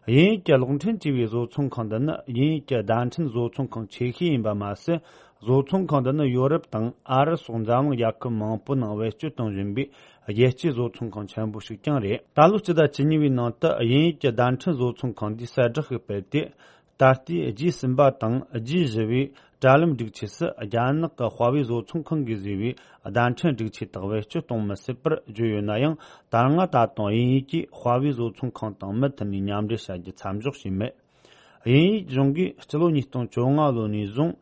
དབྱིན་ཡུལ་གྱི་གློག་འཕྲིན་ཅེས་པའི་བཟོ་ཚོང་ཁང་འདི་ནི་དབྱིན་ཡུལ་གྱི་བརྡ་འཕྲིན་བཟོ་ཚོང་ཁང་ཆེ་ཤོས་ཡིན་པ་མ་ཟད། བཟོ་ཚོང་ཁང་འདི་ནི་ཡོ་རོབ་དང་ཨ་རི་སོགས་འཛམ་གླིང་རྒྱལ་ཁབ་མང་པོའི་ནང་བེད་སྤྱོད་གཏོང་བཞིན་པའི་རྒྱལ་སྤྱིའི་བཟོ་ཚོང་ཁང་ཆེན་པོ་ཞིག་ཀྱང་རེད། ད་ལོའི་སྤྱི་ཟླ་བཅུ་གཉིས་པའི་ནང་དུ་དབྱིན་ཡུལ་གྱི་བརྡ་འཕྲིན་བཟོ་ཚོང་ཁང་འདིས་གསལ་བསྒྲགས་ཤིག་སྤེལ་ཏེ། ད་ལྟའི་ཇི་གསུམ་པ་དང་ཇི་བཞི་བའི་དྲ་ལམ་སྒྲིག་ཆས་སུ་རྒྱ་ནག་གི་ཧྭ་ཝེ་བཟོ་ཚོང་ཁང་གིས་བཟོས་པའི་བརྡ་འཕྲིན་སྒྲིག་ཆས་དག་བེད་སྤྱོད་གཏོང་མི་སྲིད་པར་བརྗོད་ཡོད་ན་ཡང་། ད་སྔ་ད་དུང་དབྱིན་ཡུལ་གྱིས་ཧྭ་ཝེ་བཟོ་ཚོང་ཁང་དང་མུ་མཐུད་ནས་མཉམ་འབྲེལ་བྱ་རྒྱུ་མཚམས་འཇོག་བྱས་མེད། དབྱིན་ཡུལ་གཞུང་གིས་སྤྱི་ལོ་ཉིས་སྟོང་བཅོ་ལྔ་ལོ་ནས་བཟུང་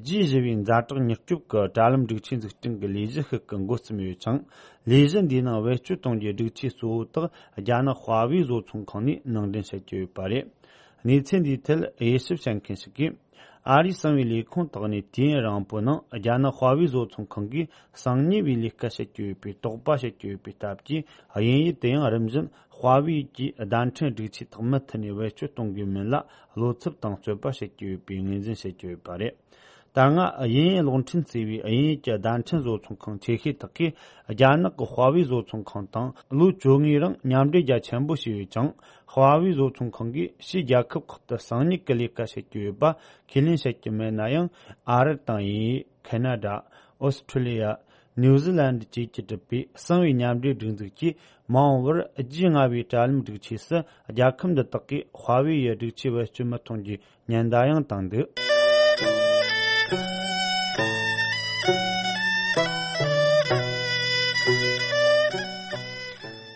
ཇི་བཞི་བའི་ཛ་དྲག་མྱུར་སྐྱོབ་ཀྱི་དྲ་ལམ་སྒྲིག་ཆས་འཛུགས་སྐྲུན་གྱི་ལས་གཞི་ཞིག་གི་འགོ་བརྩམས་ཡོད་ཅིང་། ལས་གཞི་འདིའི་ནང་བེད་སྤྱོད་གཏོང་རྒྱུའི་སྒྲིག་ཆས་གཙོ་བོ་དག་རྒྱ་ནག་ཧྭ་ཝེ་བཟོ་ཚོང་ཁང་ནས་ནང་འདྲེན་བྱེད་ཀྱི་ཡོད་པ་རེད། གནས་ཚུལ་འདིའི་ཐད་དབྱེ་ཞིབ་བྱེད་མཁན་ཞིག་གིས། ཨ་རིའི་གསང་བའི་ལས་ཁུངས་དག་ནས་དུས་ཡུན་རིང་པོའི་ནང་རྒྱ་ནག་ཧྭ་ཝེ་བཟོ་ཚོང་ཁང་གིས་གསང་ཉུལ་བའི་ལས་ཀ་བྱེད་ཀྱི་ཡོད་པའི་དོགས་པ་བྱེད་ཀྱི་ཡོད་པའི་སྟབས་ཀྱིས། དབྱིན་ཡུལ་དུ་ཡང་རིམ་བཞིན་ཧྭ་ཝེ་གྱི་བརྡ་འཕྲིན་སྒྲིག་ཆས་དག་མུ་མཐུད་ནས་བེད་སྤྱོད་གཏོང་དགོས་མིན་ལ་བློ་འཚབ་དང་རྩོད་པ་བྱེད་ཀྱི་ཡོད་པའི་ངོས་འཛིན་བྱེད་ཀྱི་ཡོད་པ་རེད། ད་སྔ་དབྱིན་ཡུལ་གློག་འཕྲིན་ཟེར་བའི་དབྱིན་ཡུལ་གྱི་བརྡ་འཕྲིན་བཟོ་ཚོང་ཁང་ཆེ་ཤོས་དག་གིས་རྒྱ་ནག་གི་ཧྭ་ཝེ་བཟོ་ཚོང་ཁང་དང་ལོ་བཅོ་ལྔའི་རིང་མཉམ་འབྲེལ་རྒྱ་ཆེན་པོ་བྱས་ཡོད་ཅིང་། ཧྭ་ཝེ་བཟོ་ཚོང་ཁང་གིས་ཕྱིའི་རྒྱལ་ཁབ་ཁག་ཏུ་གསང་ཉུལ་གྱི་ལས་ཀ་བྱེད་ཀྱི་ཡོད་པ་ཁས་ལེན་བྱེད་ཀྱི་མེད་ན་ཡང་། ཨ་རི་དང་དབྱིན་ཡུལ། ཁེ་ན་ཌ། ཨོ་སི་ཁྲུ་ལི་ཡ། ནིའུ་ཛི་ལན་ཌི་བཅས་ཀྱིས་གྲུབ་པའི་གསང་བའི་མཉམ་འབྲེལ་སྒྲིག་འཛུགས་ཀྱིས་མ་འོངས་པར་ཇི་ལྔ་བའི་དྲ་ལམ་སྒྲིག་ཆས་སུ་རྒྱལ་ཁབ་འདི་དག་གིས་ཧྭ་ཝེ་ཡི་སྒྲིག་ཆས་བེད་སྤྱོད་མི་གཏོང་རྒྱུའི་ཉེན་བརྡ་ཡང་བཏང་འདུག་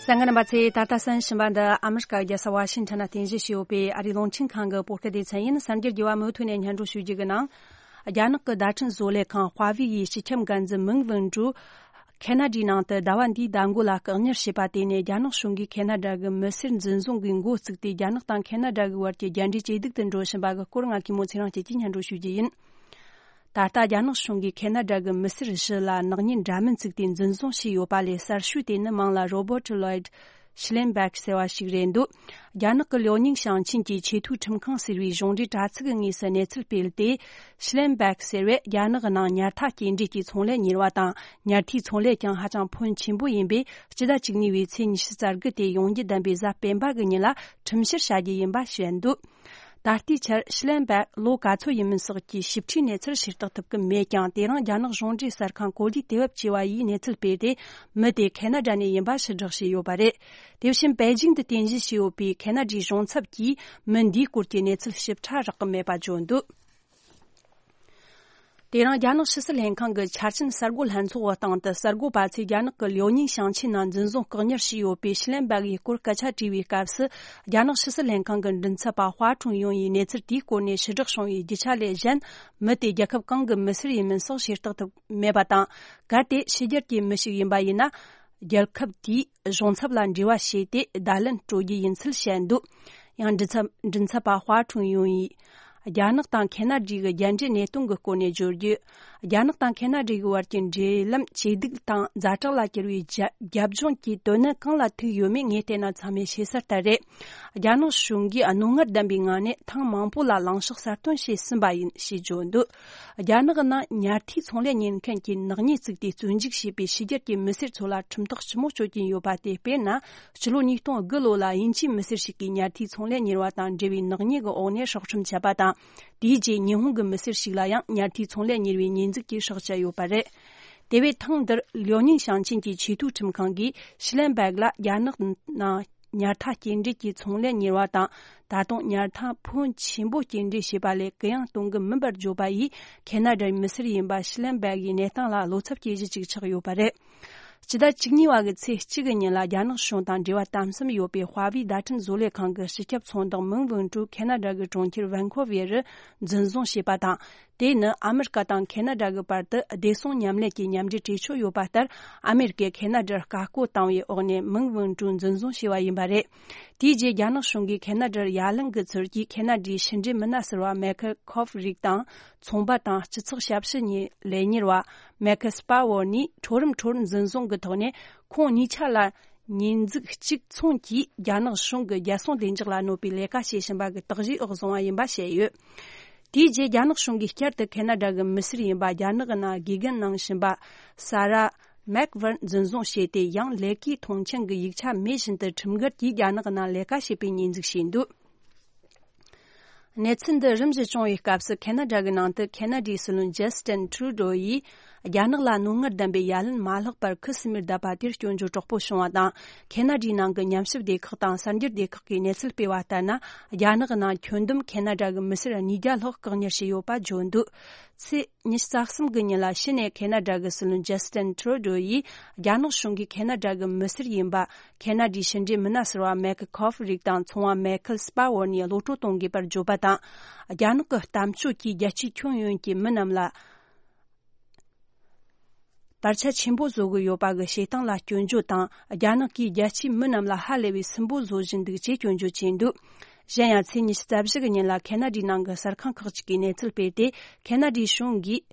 གསན་མཁན་རྣམ་པ་ཚོས། ད་ལྟ་གསན་བཞིན་པ་འདི་ཨ་མི་རི་ཀ་རྒྱལ་ས་ཝ་ཤིང་ཊོན་ན་རྟེན་གཞི་བྱས་ཡོད་པའི་ཨ་རིའི་རླུང་འཕྲིན་ཁང་གི་བོད་སྐད་སྡེ་ཚན་ཡིན། གསར་འགྱུར་རྒྱས་པ་མུ་མཐུད་ནས་སྙན་སྒྲོན་ཞུ་རྒྱུ་གི་ནང་། རྒྱ་ནག་གི་བརྡ་འཕྲིན་བཟོ་ལས་ཁང་ཧྭ་ཝེ་ཡི་སྤྱི་ཁྱབ་འགན་འཛིན་མིང་ཝུན་ཀྲུའུ་ཁེ་ན་ཌའི་ནང་དུ་ཟླ་བ་འདིའི་ཟླ་མགོ་ལ་བཀག་ཉར་བྱས་པ་དེ་ནས། རྒྱ་ནག་གཞུང་གིས་ཁེ་ན་ཌ་གི་མི་སེར་འཛིན་བཟུང་གི་འགོ་བཙུགས་ཏེ། རྒྱ་ནག་དང་ཁེ་ན་ཌ་གི་བར་གྱི་རྒྱ་འབྲེལ་ཇེ་སྡུག་ཏུ་འགྲོ་བཞིན་པ་གི་སྐོར། ང་གིས་མོ་ཚེ་རིང་བཅས་ཀྱིས་སྙན་སྒྲོན་ཞུ་རྒྱུ་ཡིན། ད་ལྟ་རྒྱ་ནག་གཞུང་གིས་ཁེ་ན་ཌ་གི་མི་སེར་བཞི་ལ་ནག་ཉེས་འདྲ་མིན་བཙུགས་ཏེ་འཛིན་བཟུང་བྱས་ཡོད་པ་ལས། གསར་ཤོས་དེ་ནི་མིང་ལ་Robert Lloyd Schellenberg ཟེར་བ་ཞིག་རེད་འདུག་རྒྱ་ནག་གི་ལིའོ་ཉིང་ཞིང་ཆེན་གྱི་ཆེས་མཐོའི་ཁྲིམས་ཁང་ཟེར་བའི་གཞུང་འབྲེལ་དྲ་ཚིགས་ཀྱི་ངོས་སུ་གནས་ཚུལ་སྤེལ་ཏེ། Schellenberg ཟེར་བས་རྒྱ་ནག་གི་ནང་ཉལ་ཐ་སྐྱེལ་འདྲེན་གྱི་ཚོང་ལས་གཉེར་བ་དང་། ཉལ་ཐའི་ཚོང་ལས་ཀྱང་ཧ་ཅང་ཕོན་ཆེན་པོ་ཡིན་པས། སྤྱི་ཟླ་བཅུ་གཉིས་པའི་ཚེས་ཉི་ཤུ་རྩ་དགུ་སྟེ། ཡོང་རྒྱུ་བདམས་པའི་གཟའ་སྤེན་པ་གི་ཉིན་ལ་ཁྲིམས་བཤེར་བྱ་རྒྱུ་ཡིན་པ་བཤད་འདུག་ད་ལྟའི་ཆར་Schellenberg ལོ་ག་ཚོད་ཡིན་མིན་སོགས་ཀྱི་ཞིབ་ཕྲའི་གནས་ཚུལ་ཤེས་རྟོགས་ཐུབ་ཀྱི་མེད་ཀྱང་། དེ་རིང་རྒྱ་ནག་གཞུང་འབྲེལ་གསར་ཁང་གོ་ལའི་དེད་བེབ་ཅེས་པ་ཡིས་གནས་ཚུལ་སྤེལ་ཏེ། མི་དེ་ཁེ་ན་ཌ་ནས་ཡིན་པ་ཕྱིར་བསྒྲགས་བྱས་ཡོད་པ་རེད། དེ་བཞིན་པེ་ཅིང་དུ་རྟེན་གཞི་བྱས་ཡོད་པའི་ཁེ་ན་ཌའི་གཞུང་ཚབ་ཀྱིས་མི་འདིའི་སྐོར་གྱི་གནས་ཚུལ་ཞིབ་ཕྲ་རག་གི་མེད་པ་བརྗོད་འདུག་དེ་རིང་རྒྱ་ནག་ཕྱི་སྲིད་ལྷན་ཁང་གི་འཆར་ཅན་གསར་འགོད་ལྷན་ཚོགས་ཀྱི་སྟེང་དུ། གསར་འགོད་པ་ཚོས་རྒྱ་ནག་གི་ལིའོ་ཉིང་ཞིང་ཆེན་ནང་འཛིན་བཟུང་བཀག་ཉར་བྱས་ཡོད་པའི་ཤི་ལན་སྦག་ཡི་སྐོར་སྐད་ཆ་དྲིས་པའི་སྐབས་སུ། རྒྱ་ནག་ཕྱི་སྲིད་ལྷན་ཁང་གི་མགྲིན་ཚབ་པ་ཧྭ་ཁྲུང་ཡུང་ཡིས་གནས་ཚུལ་དེའི་སྐོར་ནས་ཕྱིར་བསྒྲགས་བྱུང་བའི་རྒྱུ་ཆ་ལས་གཞན། མི་དེ་རྒྱལ་ཁབ་གང་གི་མི་སེར་ཡིན་མིན་སོགས་ཤེས་རྟོགས་ཐུབ་མེད་པ་དང་། གལ་ཏེ་ཕྱི་རྒྱལ་གྱི་མི་ཞིག་ཡིན་པ་ཡིན་ན། རྒྱལ་ཁབ་དེའི་གཞུང་ཚབ་ལ་འབྲེལ་བ་བྱས་ཏེ། བརྡ་ལན་སྤྲོད་རྒྱུ་ཡིན་ཚུལ་བཤད་འདུག་ཡང་མགྲིན་ཚབ་མགྲིན་ཚབ་པ་ཧྭ་ཁྲུང་ཡུང་ཡིས། རྒྱ་ནག་དང་ཁེ་ན་ཌའི་རྒྱལ་འབྲེལ་གནད་དོན་གྱི་སྐོར་ནས་བརྗོད་རྒྱུ། རྒྱ་ནག་དང་ཁེ་ན་ཌའི་བར་གྱི་འབྲེལ་ལམ་ཇེ་སྡུག་དང་ཛ་དྲག་ལ་གྱུར་བའི་རྒྱ་རྒྱབ་ལྗོངས་ཀྱི་དོན་གནད་གང་ལ་ཐུག་ཡོད་མེད་ངས་བལྟས་ན་ཚང་མས་ཤེས་གསལ་ལྟར་རེད། རྒྱ་ནག་གཞུང་གིས་རྣོ་ངར་ལྡན་པའི་ངང་ནས་ཐེངས་མང་པོ་ལ་ལངས་ཕྱོགས་གསར་གཏོད་བྱས་ཟིན་པ་ཡིན་ཞེས་བརྗོད་འདུག་རྒྱ་ནག་གི་ནང་ཉལ་ཐའི་ཚོང་ལས་གཉེར་མཁན་གྱིས་ནག་ཉེས་བཙུགས་ཏེ་བཙོན་འཇུག་བྱས་པའི་ཕྱི་རྒྱལ་གྱི་མི་སེར་ཚོ་ལ་ཁྲིམས་ཐག་ལྕི་མོ་གཅོད་ཀྱིན་ཡོད་པ་དེ། དཔེར་ན། སྤྱི་ལོ་ཉིས་སྟོང་དགུ་ལོ་ལ་དབྱིན་ཇིའི་མི་སེར་ཞིག་གིས་ཉལ་ཐའི་ཚོང་ལས་གཉེར་བ་དང་འབྲེལ་བའི་ནག་ཉེས་ཀྱི་འོག་ནས་སྲོག་ཁྲིམས་བཅད་པ་དང་། དེའི་རྗེས་ཉི་ཧོང་གི་མི་སེར་ཞིག་ལ་ཡང་ཉལ་ཐའི་ཚོང་ལས་གཉེར་བའི་ཉེས་འཛུགས་ཀྱིས་སྲོག་བཅད་ཡོད་པ་རེད། དེ་བས་ཐེངས་འདིར་ལིའོ་ཉིང་ཞིང་ཆེན་གྱི་ཆེས་མཐོའི་ཁྲིམས་ཁང་གིས་ཤི་ལན་སྦེག་ལ་རྒྱ་ནག་ནང་ཉལ་ཐ་སྐྱེལ་འདྲེན་གྱི་ཚོང་ལས་གཉེར་བ་དང་། ད་དུང་ཉལ་ཐ་ཕོན་ཆེན་པོ་སྐྱེལ་འདྲེན་བྱས་པ་ལས་གུ་ཡངས་གཏོང་གི་མིན་པར་བརྗོད་པ་ཡིས། ཁེ་ན་ཌའི་མི་སེར་ཡིན་པ་ཤི་ལན་སྦེག་གི་གནས་སྟངས་ལ་བློ་འཚབ་སྐྱེ་གཞི་ཅིག་ཆགས་ཡོད་པ་རེད། སྤྱི་ཟླ་བཅུ་གཉིས་པ་གི་ཚེས་གཅིག་གི་ཉིན་ལ་རྒྱ་ནག་གཞུང་དང་འབྲེལ་བ་དམ་ཟབ་ཡོད་པའི་ཧྭ་ཝེའི་བརྡ་འཕྲིན་བཟོ་ལས་ཁང་གི་སྤྱི་ཁྱབ་ཚོང་བདག་མིང་ཝུན་ཀྲུའུ་ཁེ་ན་ཌ་གི་གྲོང་ཁྱེར་ཝན་ཁོ་ཝེ་རུ་འཛིན་བཟུང་བྱས་པ་དང་། དེ་ནི་ཨ་མི་རི་ཀ་དང་ཁེ་ན་ཌ་གི་བར་དུ་བདེ་སྲུང་མཉམ་ལས་ཀྱི་མཉམ་འབྲེལ་གྲོས་ཆོད་ཡོད་པ་ལྟར། ཨ་མི་རི་ཀས་ཁེ་ན་ཌར་བཀའ་བཀོད་བཏང་བའི་འོག་ནས་མིང་ཝུན་ཀྲུའུ་འཛིན་བཟུང་བྱས་པ་ཡིན་པ་རེད། དེའི་རྗེས་རྒྱ་ནག་གཞུང་གིས་ཁེ་ན་ཌར་ཡ་ལན་གྱི་ཚུལ་གྱིས་ཁེ་ན་ཌའི་ཕྱི་འབྲེལ་མི་སྣ་ཟུར་པ་མེ་ཁེལ་ཁོབ་རིགས་དང་། ཚོང་པ་དང་སྤྱི་ཚོགས་ཞབས་ཞུ་ལས་གཉེར་བ་མེ་ཁེ་སྤ་ཝོར་ནི་འཕྲོ་རིམ་འཕྲོ་རིམ་འཛིན་བཟུང་གི་ཐོག་ནས། ཁོང་གཉིས་ཆ་ལ་ཉེས་འཛུགས་གཅིག་མཚུངས་ཀྱིས་རྒྱ་ནག་གཞུང་གི་རྒྱལ་སྲུང་བདེ་འཇགས་ལ་གནོད་པའི་ལས་ཀ་བྱེད་བཞིན་པ་གི་དག་གཞིའི་འོག་བཟུང་བ་ཡིན་པ་བཤད་ཡོད། དེའི་རྗེས་རྒྱ་ནག་གཞུང་གིས་བསྐྱར་དུ་ཁེ་ན་ཌ་གི་མི་སེར་ཡིན་པ་རྒྱ་ནག་གི་ནང་དགེ་རྒན་གནང་བཞིན་པ་ས་ར་མེག་ཝར་འཛིན་བཟུང་བྱས་ཏེ། ཡང་ལས་ཀའི་མཐོང་མཆན་གྱི་ཡིག་ཆ་མེད་བཞིན་དུ་ཁྲིམས་འགལ་གྱིས་རྒྱ་ནག་གི་ནང་ལས་ཀ་བྱེད་པའི་ཉེས་འཛུགས་བྱས་འདུག་གནས་ཚུལ་འདི་རིམ་བཞིན་བྱུང་བའི་སྐབས་སུ། ཁེ་ན་ཌ་གི་ནང་དུ་ཁེ་ན་ཌའི་སྲིད་བློན་ཇ་སི་ཏིན་ཁྲུ་ཌོ་ཡིས། རྒྱ་ནག་ལ་རྣོ་ངར་ལྡན་པའི་ཡ་ལན་མ་བསླེགས་པར་ཁུ་སིམ་མེར་བསྡད་པ་དེར་སྐྱོན་བརྗོད་དྲག་པོ་བྱུང་བ་དང་། ཁེ་ན་ཌའི་ནང་གི་ཉམས་ཞིབ་སྡེ་ཁག་དང་གསར་འགྱུར་སྡེ་ཁག་གིས་གནས་ཚུལ་སྤེལ་བ་ལྟར་ན། རྒྱ་ནག་ནང་ཁྱོན་བསྡོམས་ཁེ་ན་ཌ་གི་མི་སེར་ཉིས་བརྒྱ་ལྷག་བཀག་ཉར་བྱས་ཡོད་པ་བརྗོད་འདུག་ཚེས་ཉི་ཤུ་རྩ་གསུམ་གི་ཉིན་ལ་ཕྱི་ནས་ཁེ་ན་ཌ་གི་སྲིད་བློན་ཇ་སི་ཊིན་ཁྲུ་ཌོ་ཡིས་རྒྱ་ནག་གཞུང་གིས་ཁེ་ན་ཌ་གི་མི་སེར་ཡིན་པ། ཁེ་ན་ཌའི་ཕྱི་འབྲེལ་མི་སྣ་ཟུར་པ་མའེ་ཁལ་ཁོ་ཧྥི་རིགས་དང་ཚོང་བ་མའེ་ཁལ་སྤ་ཝར་ནས་གློད་བཀྲོལ་གཏོང་དགོས་པར་བརྗོད་པ་དང་། རྒྱ་ནག་གི་གཏམ་སྤྱོད་ཀྱིས་རྒྱལ་སྤྱིའི་ཁྱོན་ཡོངས་ཀྱི་མི་རྣམས་ལ་བར་ཆད་ཆེན་པོ་བཟོ་གི་ཡོད་པ་གི་བྱེད་སྟངས་ལ་སྐྱོན་བརྗོད་དང་། རྒྱ་ནག་གིས་རྒྱལ་སྤྱིའི་མི་རྣམས་ལ་ཧ་ལས་པའི་སུན་པོ་བཟོ་བཞིན་འདུག་ཅེས་སྐྱོན་བརྗོད་བྱས་འདུག་གཞན་ཡང་ཚེས་ཉི་ཤུ་རྩ་བཞི་གི་ཉིན་ལ་ཁེ་ན་ཌའི་ནང་གི་གསར་ཁང་ཁག་ཅིག་གིས་གནས་ཚུལ་སྤེལ་ཏེ། ཁེ་ན་ཌའི་གཞུང་གིས་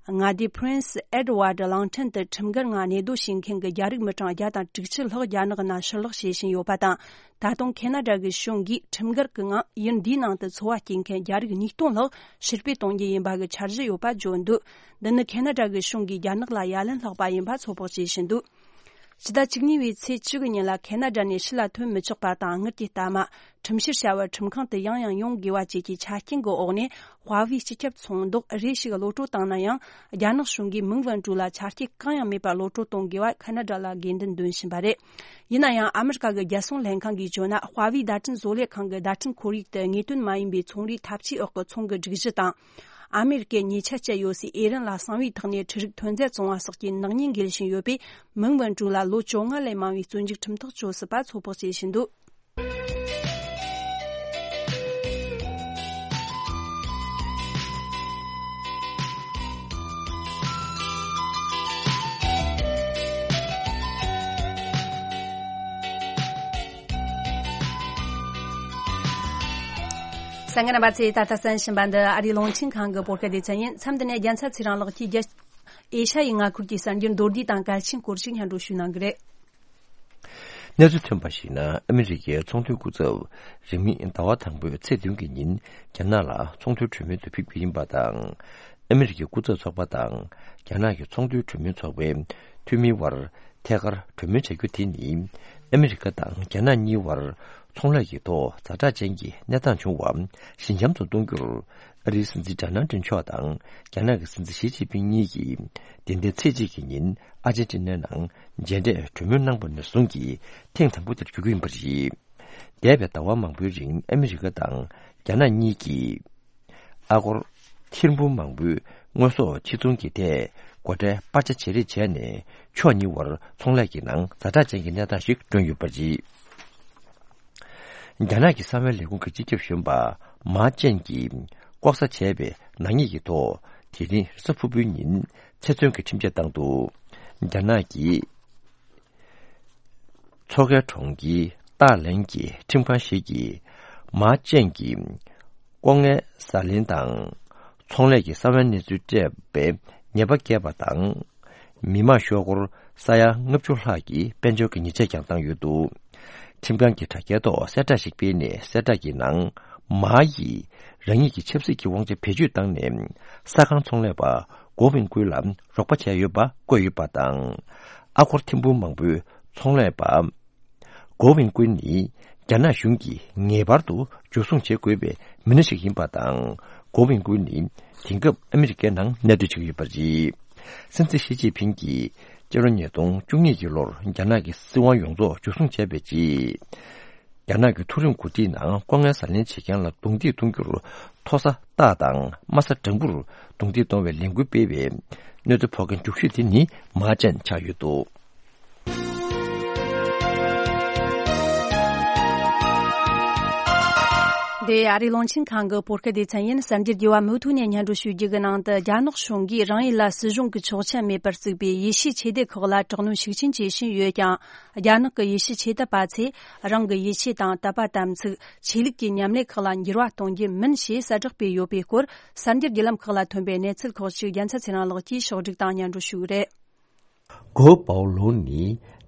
མངའ་སྡེ་Prince Edward གླིང་ཕྲན་དུ་ཁྲིམས་འགལ་ངང་གནས་སྡོད་བྱེད་མཁན་གྱི་རྒྱ་རིགས་མི་གྲངས་བརྒྱ་དང་དྲུག་ཅུ་ལྷག་རྒྱ་ནག་ནང་ཕྱིར་ལོག་བྱེད་བཞིན་ཡོད་པ་དང་། ད་དུང་ཁེ་ན་ཌ་གི་གཞུང་གིས་ཁྲིམས་འགལ་གྱི་ངང་ཡུལ་འདིའི་ནང་དུ་འཚོ་བ་སྐྱེལ་མཁན་རྒྱ་རིགས་ཉིས་སྟོང་ལྷག་ཕྱིར་སྤོས་གཏོང་རྒྱུ་ཡིན་པ་གི་འཆར་གཞི་ཡོད་པ་བརྗོད་འདུག་འདི་ནི་ཁེ་ན་ཌ་གི་གཞུང་གིས་རྒྱ་ནག་ལ་ཡ་ལན་བསླེགས་པ་ཡིན་པ་ཚོད་དཔག་བྱེད་བཞིན་འདུག་ཕྱི་ཟླ་བཅུ་གཉིས་པའི་ཚེས་བཅུ་གི་ཉིན་ལ་ཁེ་ན་ཌ་ནས་ཕྱི་ལ་ཐོན་མི་ཆོག་པ་དང་། དངུལ་གྱི་གཏའ་མ། ཁྲིམས་བཤེར་བྱ་བར་ཁྲིམས་ཁང་དུ་ཡང་ཡང་ཡོང་དགོས་པ་བཅས་ཀྱི་ཆ་རྐྱེན་གྱི་འོག་ནས། ཧྭ་ཝེ་སྤྱི་ཁྱབ་ཚོང་ཟློག་རེ་ཞིག་གློད་བཀྲོལ་བཏང་ན་ཡང་། རྒྱ་ནག་གཞུང་གིས་མིང་ཝུན་ཀྲུའུ་ལ་ཆ་རྐྱེན་གང་ཡང་མེད་པར་གློད་བཀྲོལ་གཏོང་དགོས་པ་ཁེ་ན་ཌ་ལ་དགོས་འདུན་འདོན་བཞིན་པ་རེད། ཡིན་ན་ཡང་། ཨ་མི་རི་ཀ་གི་རྒྱལ་སྲུང་ལྷན་ཁང་གིས་བརྗོད་ན། ཧྭ་ཝེ་བརྡ་འཕྲིན་བཟོ་ལས་ཁང་གི་བརྡ་འཕྲིན་ཁོར་ཡུག་དེ་ངེས་དོན་མ་ཡིན་པའི་ཚོང་རའི་ཐབས་ཇུས་འོག་གི་ཚོང་གི་སྒྲིག་གཞི་དང་། ཨ་མེ་རི་ཀས་ཉེས་ཆད་བཅད་ཡོད་སའི་ཨེ་རན་ལ་གསང་བའི་ཐོག་ནས་འཕྲུལ་རིག་ཐོན་རྫས་བཙོང་བ་སོགས་ཀྱི་ནག་ཉེས་འགེལ་བཞིན་ཡོད་པས། མིང་ཝུན་ཀྲུའུ་ལ་ལོ་བཅོ་ལྔ་ལས་མང་བའི་བཙོན་འཇུག་ཁྲིམས་ཐག་གཅོད་སྲིད་པ་ཚོད་དཔག་བྱེད་བཞིན་འདུག་གསན་མཁན་རྣམ་པ་ཚོས་ད་ལྟ་གསན་བཞིན་པ་འདི་ཨ་རིའི་རླུང་འཕྲིན་ཁང་གི་བོད་སྐད་སྡེ་ཚན་ཡིན། མཚམས་འདི་ནས་རྒྱལ་མཚན་ཚེ་རིང་ལགས་ཀྱིས་རྒྱ། ཨེ་ཤ་ཡའི་མངའ་ཁུལ་གྱི་གསར་འགྱུར་མདོར་བསྡུས་དང་གལ་ཆེན་སྐོར་ཞིག་སྙན་སྒྲོན་ཞུ་གནང་གི་རེད། གནས་ཚུལ་ཐོན་པར་གཞིགས་ན། ཨ་མི་རི་ཀའི་ཚོང་དོན་སྐུ་ཚབ་རིང་མིན་ཟླ་བ་དང་པོའི་ཚེས་བདུན་གྱི་ཉིན་རྒྱ་ནག་ལ་ཚོང་དོན་གྲོས་མོལ་དུ་ཕེབས་རྒྱུ་ཡིན་པ་དང་། ཨ་མི་རི་ཀའི་སྐུ་ཚབ་ཚོགས་པ་དང་རྒྱ་ནག་གི་ཚོང་དོན་གྲོས་མོལ་ཚོགས་པའི་འཐུས་མིའི་དབར་ཐད་ཀར་གྲོས་མོལ་བྱ་རྒྱུ་དེ་ནི། ཨ་མི་རི་ཀ་དང་རྒྱ་ནག་གཉིས་དབར་ཚོང་ལས་ཀྱི་ཐོག་ཛ་དྲག་ཅན་གྱི་གནས་སྟངས་བྱུང་བ་ཞི་འཇམ་དུ་གཏོང་རྒྱུར། ཨ་རིའི་སྲིད་འཛིན་ཌོ་ནལ་ཊམ་མཆོག་དང་རྒྱ་ནག་གི་སྲིད་འཛིན་ཞི་ཅིན་ཕིང་གཉིས་ཀྱིས་བདུན་ཕྲག་ཚེས་གཅིག་གི་ཉིན་ཨར་ཇེན་ཊི་ནའི་ནང་མཇལ་འཕྲད་གྲོས་མོལ་གནང་བ་ནས་བཟུང་གི་ཐེངས་དང་པོ་དེར་གྱུར་གྱི་ཡིན་པ་རེད། འདས་པའི་ཟླ་བ་མང་པོའི་རིང་ཨ་མི་རི་ཀ་དང་རྒྱ་ནག་གཉིས་ཀྱིས་ཨ་སྒོར་ཐེར་འབུམ་མང་པོའི་དངོས་ཟོག་ཕྱིར་ཚོང་གི་ཐད་སྒོ་ཁྲལ་སྤར་ཆ་བྱེད་རེས་བྱས་ནས། ཕྱོགས་གཉིས་དབར་ཚོང་ལས་ཀྱི་ནང་ཛ་དྲག་ཅན་གྱི་གནས་སྟངས་ཤིག་བསྐྲུན་ཡོད་པ་རེད། རྒྱ་ནག་གི་གསང་བའི་ལས་ཁུངས་ཀྱི་སྤྱི་ཁྱབ་གཞོན་པ་མཱ་ཅན་གྱིས་ལྐོག་ཟ་བྱས་པའི་ནག་ཉེས་ཀྱི་ཐོག་དེ་རིང་རེས་གཟའ་ཕུར་བུའི་ཉིན་ཚེ་བཙོན་གྱི་ཁྲིམས་ཆད་བཏང་འདུག་རྒྱ་ནག་གི་མཚོ་ཁའི་གྲོང་ཁྱེར་ཏཱ་ལེན་གྱི་ཁྲིམས་ཁང་ཞིག་གིས་མཱ་ཅན་གྱི་ལྐོག་རྔན་ཟ་ལེན་དང་ཚོང་ལས་ཀྱི་གསང་བའི་གནས་ཚུལ་སྤྲད་པའི་ཉེས་པ་བཀལ་བ་དང་། མི་མང་ཤོག་སྒོར་ས་ཡ་ལྔ་བཅུ་ལྷག་གི་དཔལ་འབྱོར་གྱི་ཉེས་ཆད་ཀྱང་བཏང་ཡོད་འདུག་ཁྲིམས་ཁང་གིས་དྲ་རྒྱའི་ཐོག་གསལ་བསྒྲགས་ཤིག་སྤེལ་ནས། གསལ་བསྒྲགས་ཀྱི་ནང་། མཱ་ཡིས་རང་ཉིད་ཀྱི་ཆབ་སྲིད་ཀྱི་དབང་ཆ་བེད་སྤྱོད་བཏང་ནས། ས་ཁང་ཚོང་ལས་པ་གོ་ཝིན་ཀུན་ལ་རོགས་པ་བྱས་ཡོད་པ་བཀོད་ཡོད་པ་དང་། ཨ་སྒོར་ཐེར་འབུམ་མང་པོའི་ཚོང་ལས་པ་གོ་ཝིན་ཀུན་ནི་རྒྱ་ནག་གཞུང་གིས་ངེས་པར་དུ་འཇུ་བཟུང་བྱེད་དགོས་པའི་མི་སྣ་ཞིག་ཡིན་པ་དང་། གོ་ཝིན་ཀུན་ནི་དེང་སྐབས་ཨ་མི་རི་ཀའི་ནང་གནས་སྡོད་བྱེད་ཀྱི་ཡོད་པ་རེད། སྲིད་འཛིན་ཞི་ཅིན་ཕིང་གིས་སྤྱི་ལོ་ཉིས་སྟོང་བཅུ་གཉིས་ཀྱི་ལོར་རྒྱ་ནག་གི་སྲིད་དབང་ཡོངས་རྫོགས་འཇུ་བཟུང་བྱས་པའི་རྗེས། རྒྱ་ནག་གི་མཐོ་རིམ་འགོ་ཁྲིད་ནང་ལྐོག་རྔན་ཟ་ལེན་བྱེད་མཁན་ལ་རྡུང་རྡེག་གཏོང་རྒྱུར། མཐོ་ས་ཏཱ་དང་དམའ་ས་ཀྲང་པུར་རྡུང་རྡེག་གཏོང་བའི་ལས་འགུལ་སྤེལ་བའི་གནས་ཚུལ་ཕོག་མཁན་མཇུག་ཤོས་དེ་ནི་མཱ་ཅན་ཆགས་ཡོད་འདུག་འདི་ཨ་རིའི་རླུང་འཕྲིན་ཁང་གི་བོད་སྐད་སྡེ་ཚན་ཡིན། གསར་འགྱུར་རྒྱས་པ་མུ་མཐུད་ནས་སྙན་སྒྲོན་ཞུ་རྒྱུ་གི་ནང་དུ། རྒྱ་ནག་གཞུང་གིས་རང་ཡུལ་ལ་སྲིད་གཞུང་གི་ཆོག་མཆན་མེད་པར་བཙུགས་པའི་ཡེ་ཤུའི་ཆོས་སྡེ་ཁག་ལ་དྲག་གནོན་ཤུགས་ཆེན་བྱེད་བཞིན་ཡོད་ཀྱང་། རྒྱ་ནག་གི་ཡེ་ཤུའི་ཆོས་དད་པ་ཚོས་རང་གི་ཡིད་ཆེས་དང་དད་པ་དམ་ཚིག་ཆོས་ལུགས་ཀྱི་ཉམས་ལེན་ཁག་ལ་འགྱུར་བ་གཏོང་རྒྱུ་མིན་ཞེས་གསལ་བསྒྲགས་སྤེལ་ཡོད་པའི་སྐོར། གསར་འགྱུར་བརྒྱུད་ལམ་ཁག་ལ་ཐོན་པའི་གནས་ཚུལ་ཁག་ཅིག་རྒྱལ་མཚན་ཚེ་རིང་ལགས་ཀྱིས་ཕྱོགས་བསྒྲིགས་དང་སྙན་སྒྲོན་ཞུ་གི་རེད། གོ་པའོ་ལུང་ནི་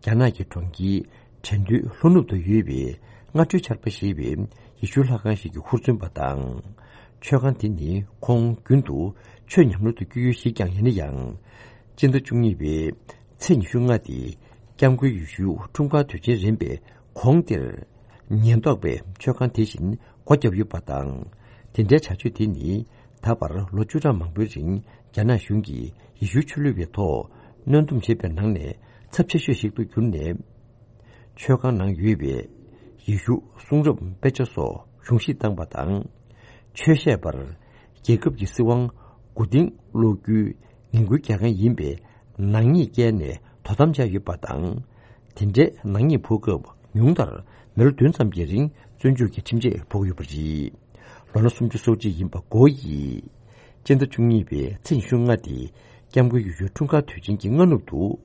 རྒྱ་ནག་གི་གྲོང་ཁྱེར་ཁྲེང་ཏུའུ་ལྷོ་ནུབ་ཏུ་ཡོད་པའི་སྔ་དྲོའི་ཆར་པ་ཞེས་པའི་ཡེ་ཤུ་ལྷ་ཁང་ཞིག་གི་ཧུར་བརྩོན་པ་དང་། མཆོད་ཁང་དེ་ནི་ཁོང་རྒྱུན་དུ་ཆོས་ཉམས་ལེན་དུ་བསྐྱོད་ཡུལ་ཞིག་ཀྱང་ཡིན་ན་ཡང་། སྤྱི་ཟླ་བཅུ་གཉིས་པའི་ཚེས་ཉི་ཤུ་ལྔ་སྟེ། སྐྱབས་མགོན་ཡེ་ཤུ་འཁྲུངས་སྐར་དུས་ཆེན་རན་པའི་གོང་དེར། ཉེན་རྟོག་པས་མཆོད་ཁང་དེ་བཞིན་སྒོ་བརྒྱབ་ཡོད་པ་དང་། དེ་འདྲའི་བྱ་སྤྱོད་དེ་ནི་ད་བར་ལོ་བཅུ་ཕྲག་མང་པོའི་རིང་ རྒྱ་ནག་གཞུང་གིས་ཡེ་ཤུའི་ཆོས་ལུགས་པའི་ཐོག་གནོན་སྡོམ་བྱེད་པའི་ནང་ནས་ཚབས་ཆེ་ཤོས་ཤིག་ཏུ་གྱུར་ནས། མཆོད་ཁང་ནང་ཡོད་པའི་ཡེ་ཤུ་གསུང་རབ་དཔེ་ཆ་སོགས་གཞུང་བཞེས་བཏང་པ་དང་། ཆོས་བཤད་པར་རྒྱལ་ཁབ་ཀྱི་སྲིད་དབང་མགོ་རྟིང་སློག་རྒྱུའི་ངན་སྐུལ་རྒྱག་མཁན་ཡིན་པའི་ནག་ཉེས་བཀལ་ནས་དོ་དམ་བྱས་ཡོད་པ་དང་། དེ་འདྲའི་ནག་ཉེས་ཕོག་སྐབས་ཉུང་མཐར་མི་ལོ་བདུན་ཙམ་གྱི་རིང་བཙོན་འཇུག་གི་ཁྲིམས་ཆད་ཕོག་ཡོད་པ་རེད། ལོ་ན་སུམ་ཅུ་སོ་གཅིག་ཡིན་པ་གོ་ཡིས། སྤྱི་ཟླ་བཅུ་གཉིས་པའི་ཚེས་ཉི་ཤུ་ལྔ་དེ་སྐྱབས་མགོན་ཡེ་ཤུའི་འཁྲུངས་སྐར་དུས་ཆེན་གྱི་སྔ་ནུབ་ཏུ།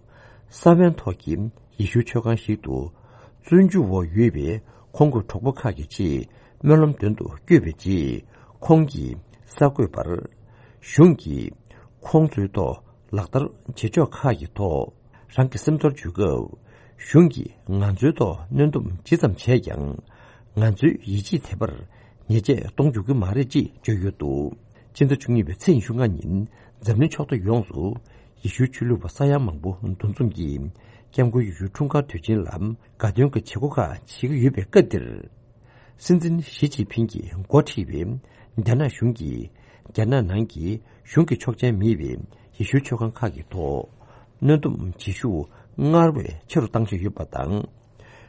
ས་བོན་ཐོག་གི་ཡེ་ཤུའི་ཆོས་ཁང་ཞིག་ཏུ། བཙོན་འཇུག་འོག་ཡོད་པའི་ཁོང་གི་གྲོགས་པོ་ཁག་གི་ཆེད་སྨོན་ལམ་འདོན་དུ་བསྐྱོད་པའི་རྗེས། ཁོང་གིས་གསར་འགོད་པར། གཞུང་གིས་ཁོང་ཚོའི་ཐོག་ལག་བསྟར་བྱེད་ཕྱོགས་ཁག་གི་ཐོག་རང་གི་སེམས་ཚོར་བརྗོད་སྐབས། གཞུང་གིས་ང་ཚོའི་ཐོག་གནོན་སྡོམ་ཇི་ཙམ་བྱས་ཀྱང་། ང་ཚོའི་ཡིད་ཆེས་དེ་བར་ཉེས་ཆད་གཏོང་འཇུག་གི་མ་རེད་ཅེས་བརྗོད་ཡོད་འདུག་སྤྱི་ཟླ་བཅུ་གཉིས་པའི་ཚེས་ཉི་ཤུ་ལྔ་ཉིན་འཛམ་གླིང་ཕྱོགས་མཐའ་ཡོངས་སུ་ཡེ་ཤུའི་ཆོས་ལུགས་པ་ས་ཡ་མང་པོ་འདུ་འཛོམས་ཀྱིས་སྐྱབས་མགོན་ཡེ་ཤུའི་འཁྲུངས་སྐར་དུས་ཆེན་ལ་དགའ་སྟོན་གྱི་བྱེད་སྒོ་ཁག་བྱེད་ཀྱི་ཡོད་པའི་སྐབས་འདིར། སྲིད་འཛིན་ཞི་ཅིན་ཕིང་གིས་འགོ་ཁྲིད་པའི་རྒྱ་ནག་གཞུང་གིས་རྒྱ་ནག་ནང་གི་གཞུང་གི་ཆོག་མཆན་མེད་པའི་ཡེ་ཤུའི་ཆོས་ཁང་ཁག་གི་ཐོག་གནོན་སྡོམ་བྱེད་ཤུགས་སྔར་བས་ཆེ་རུ་བཏང་བཞིན་ཡོད་པ་དང་།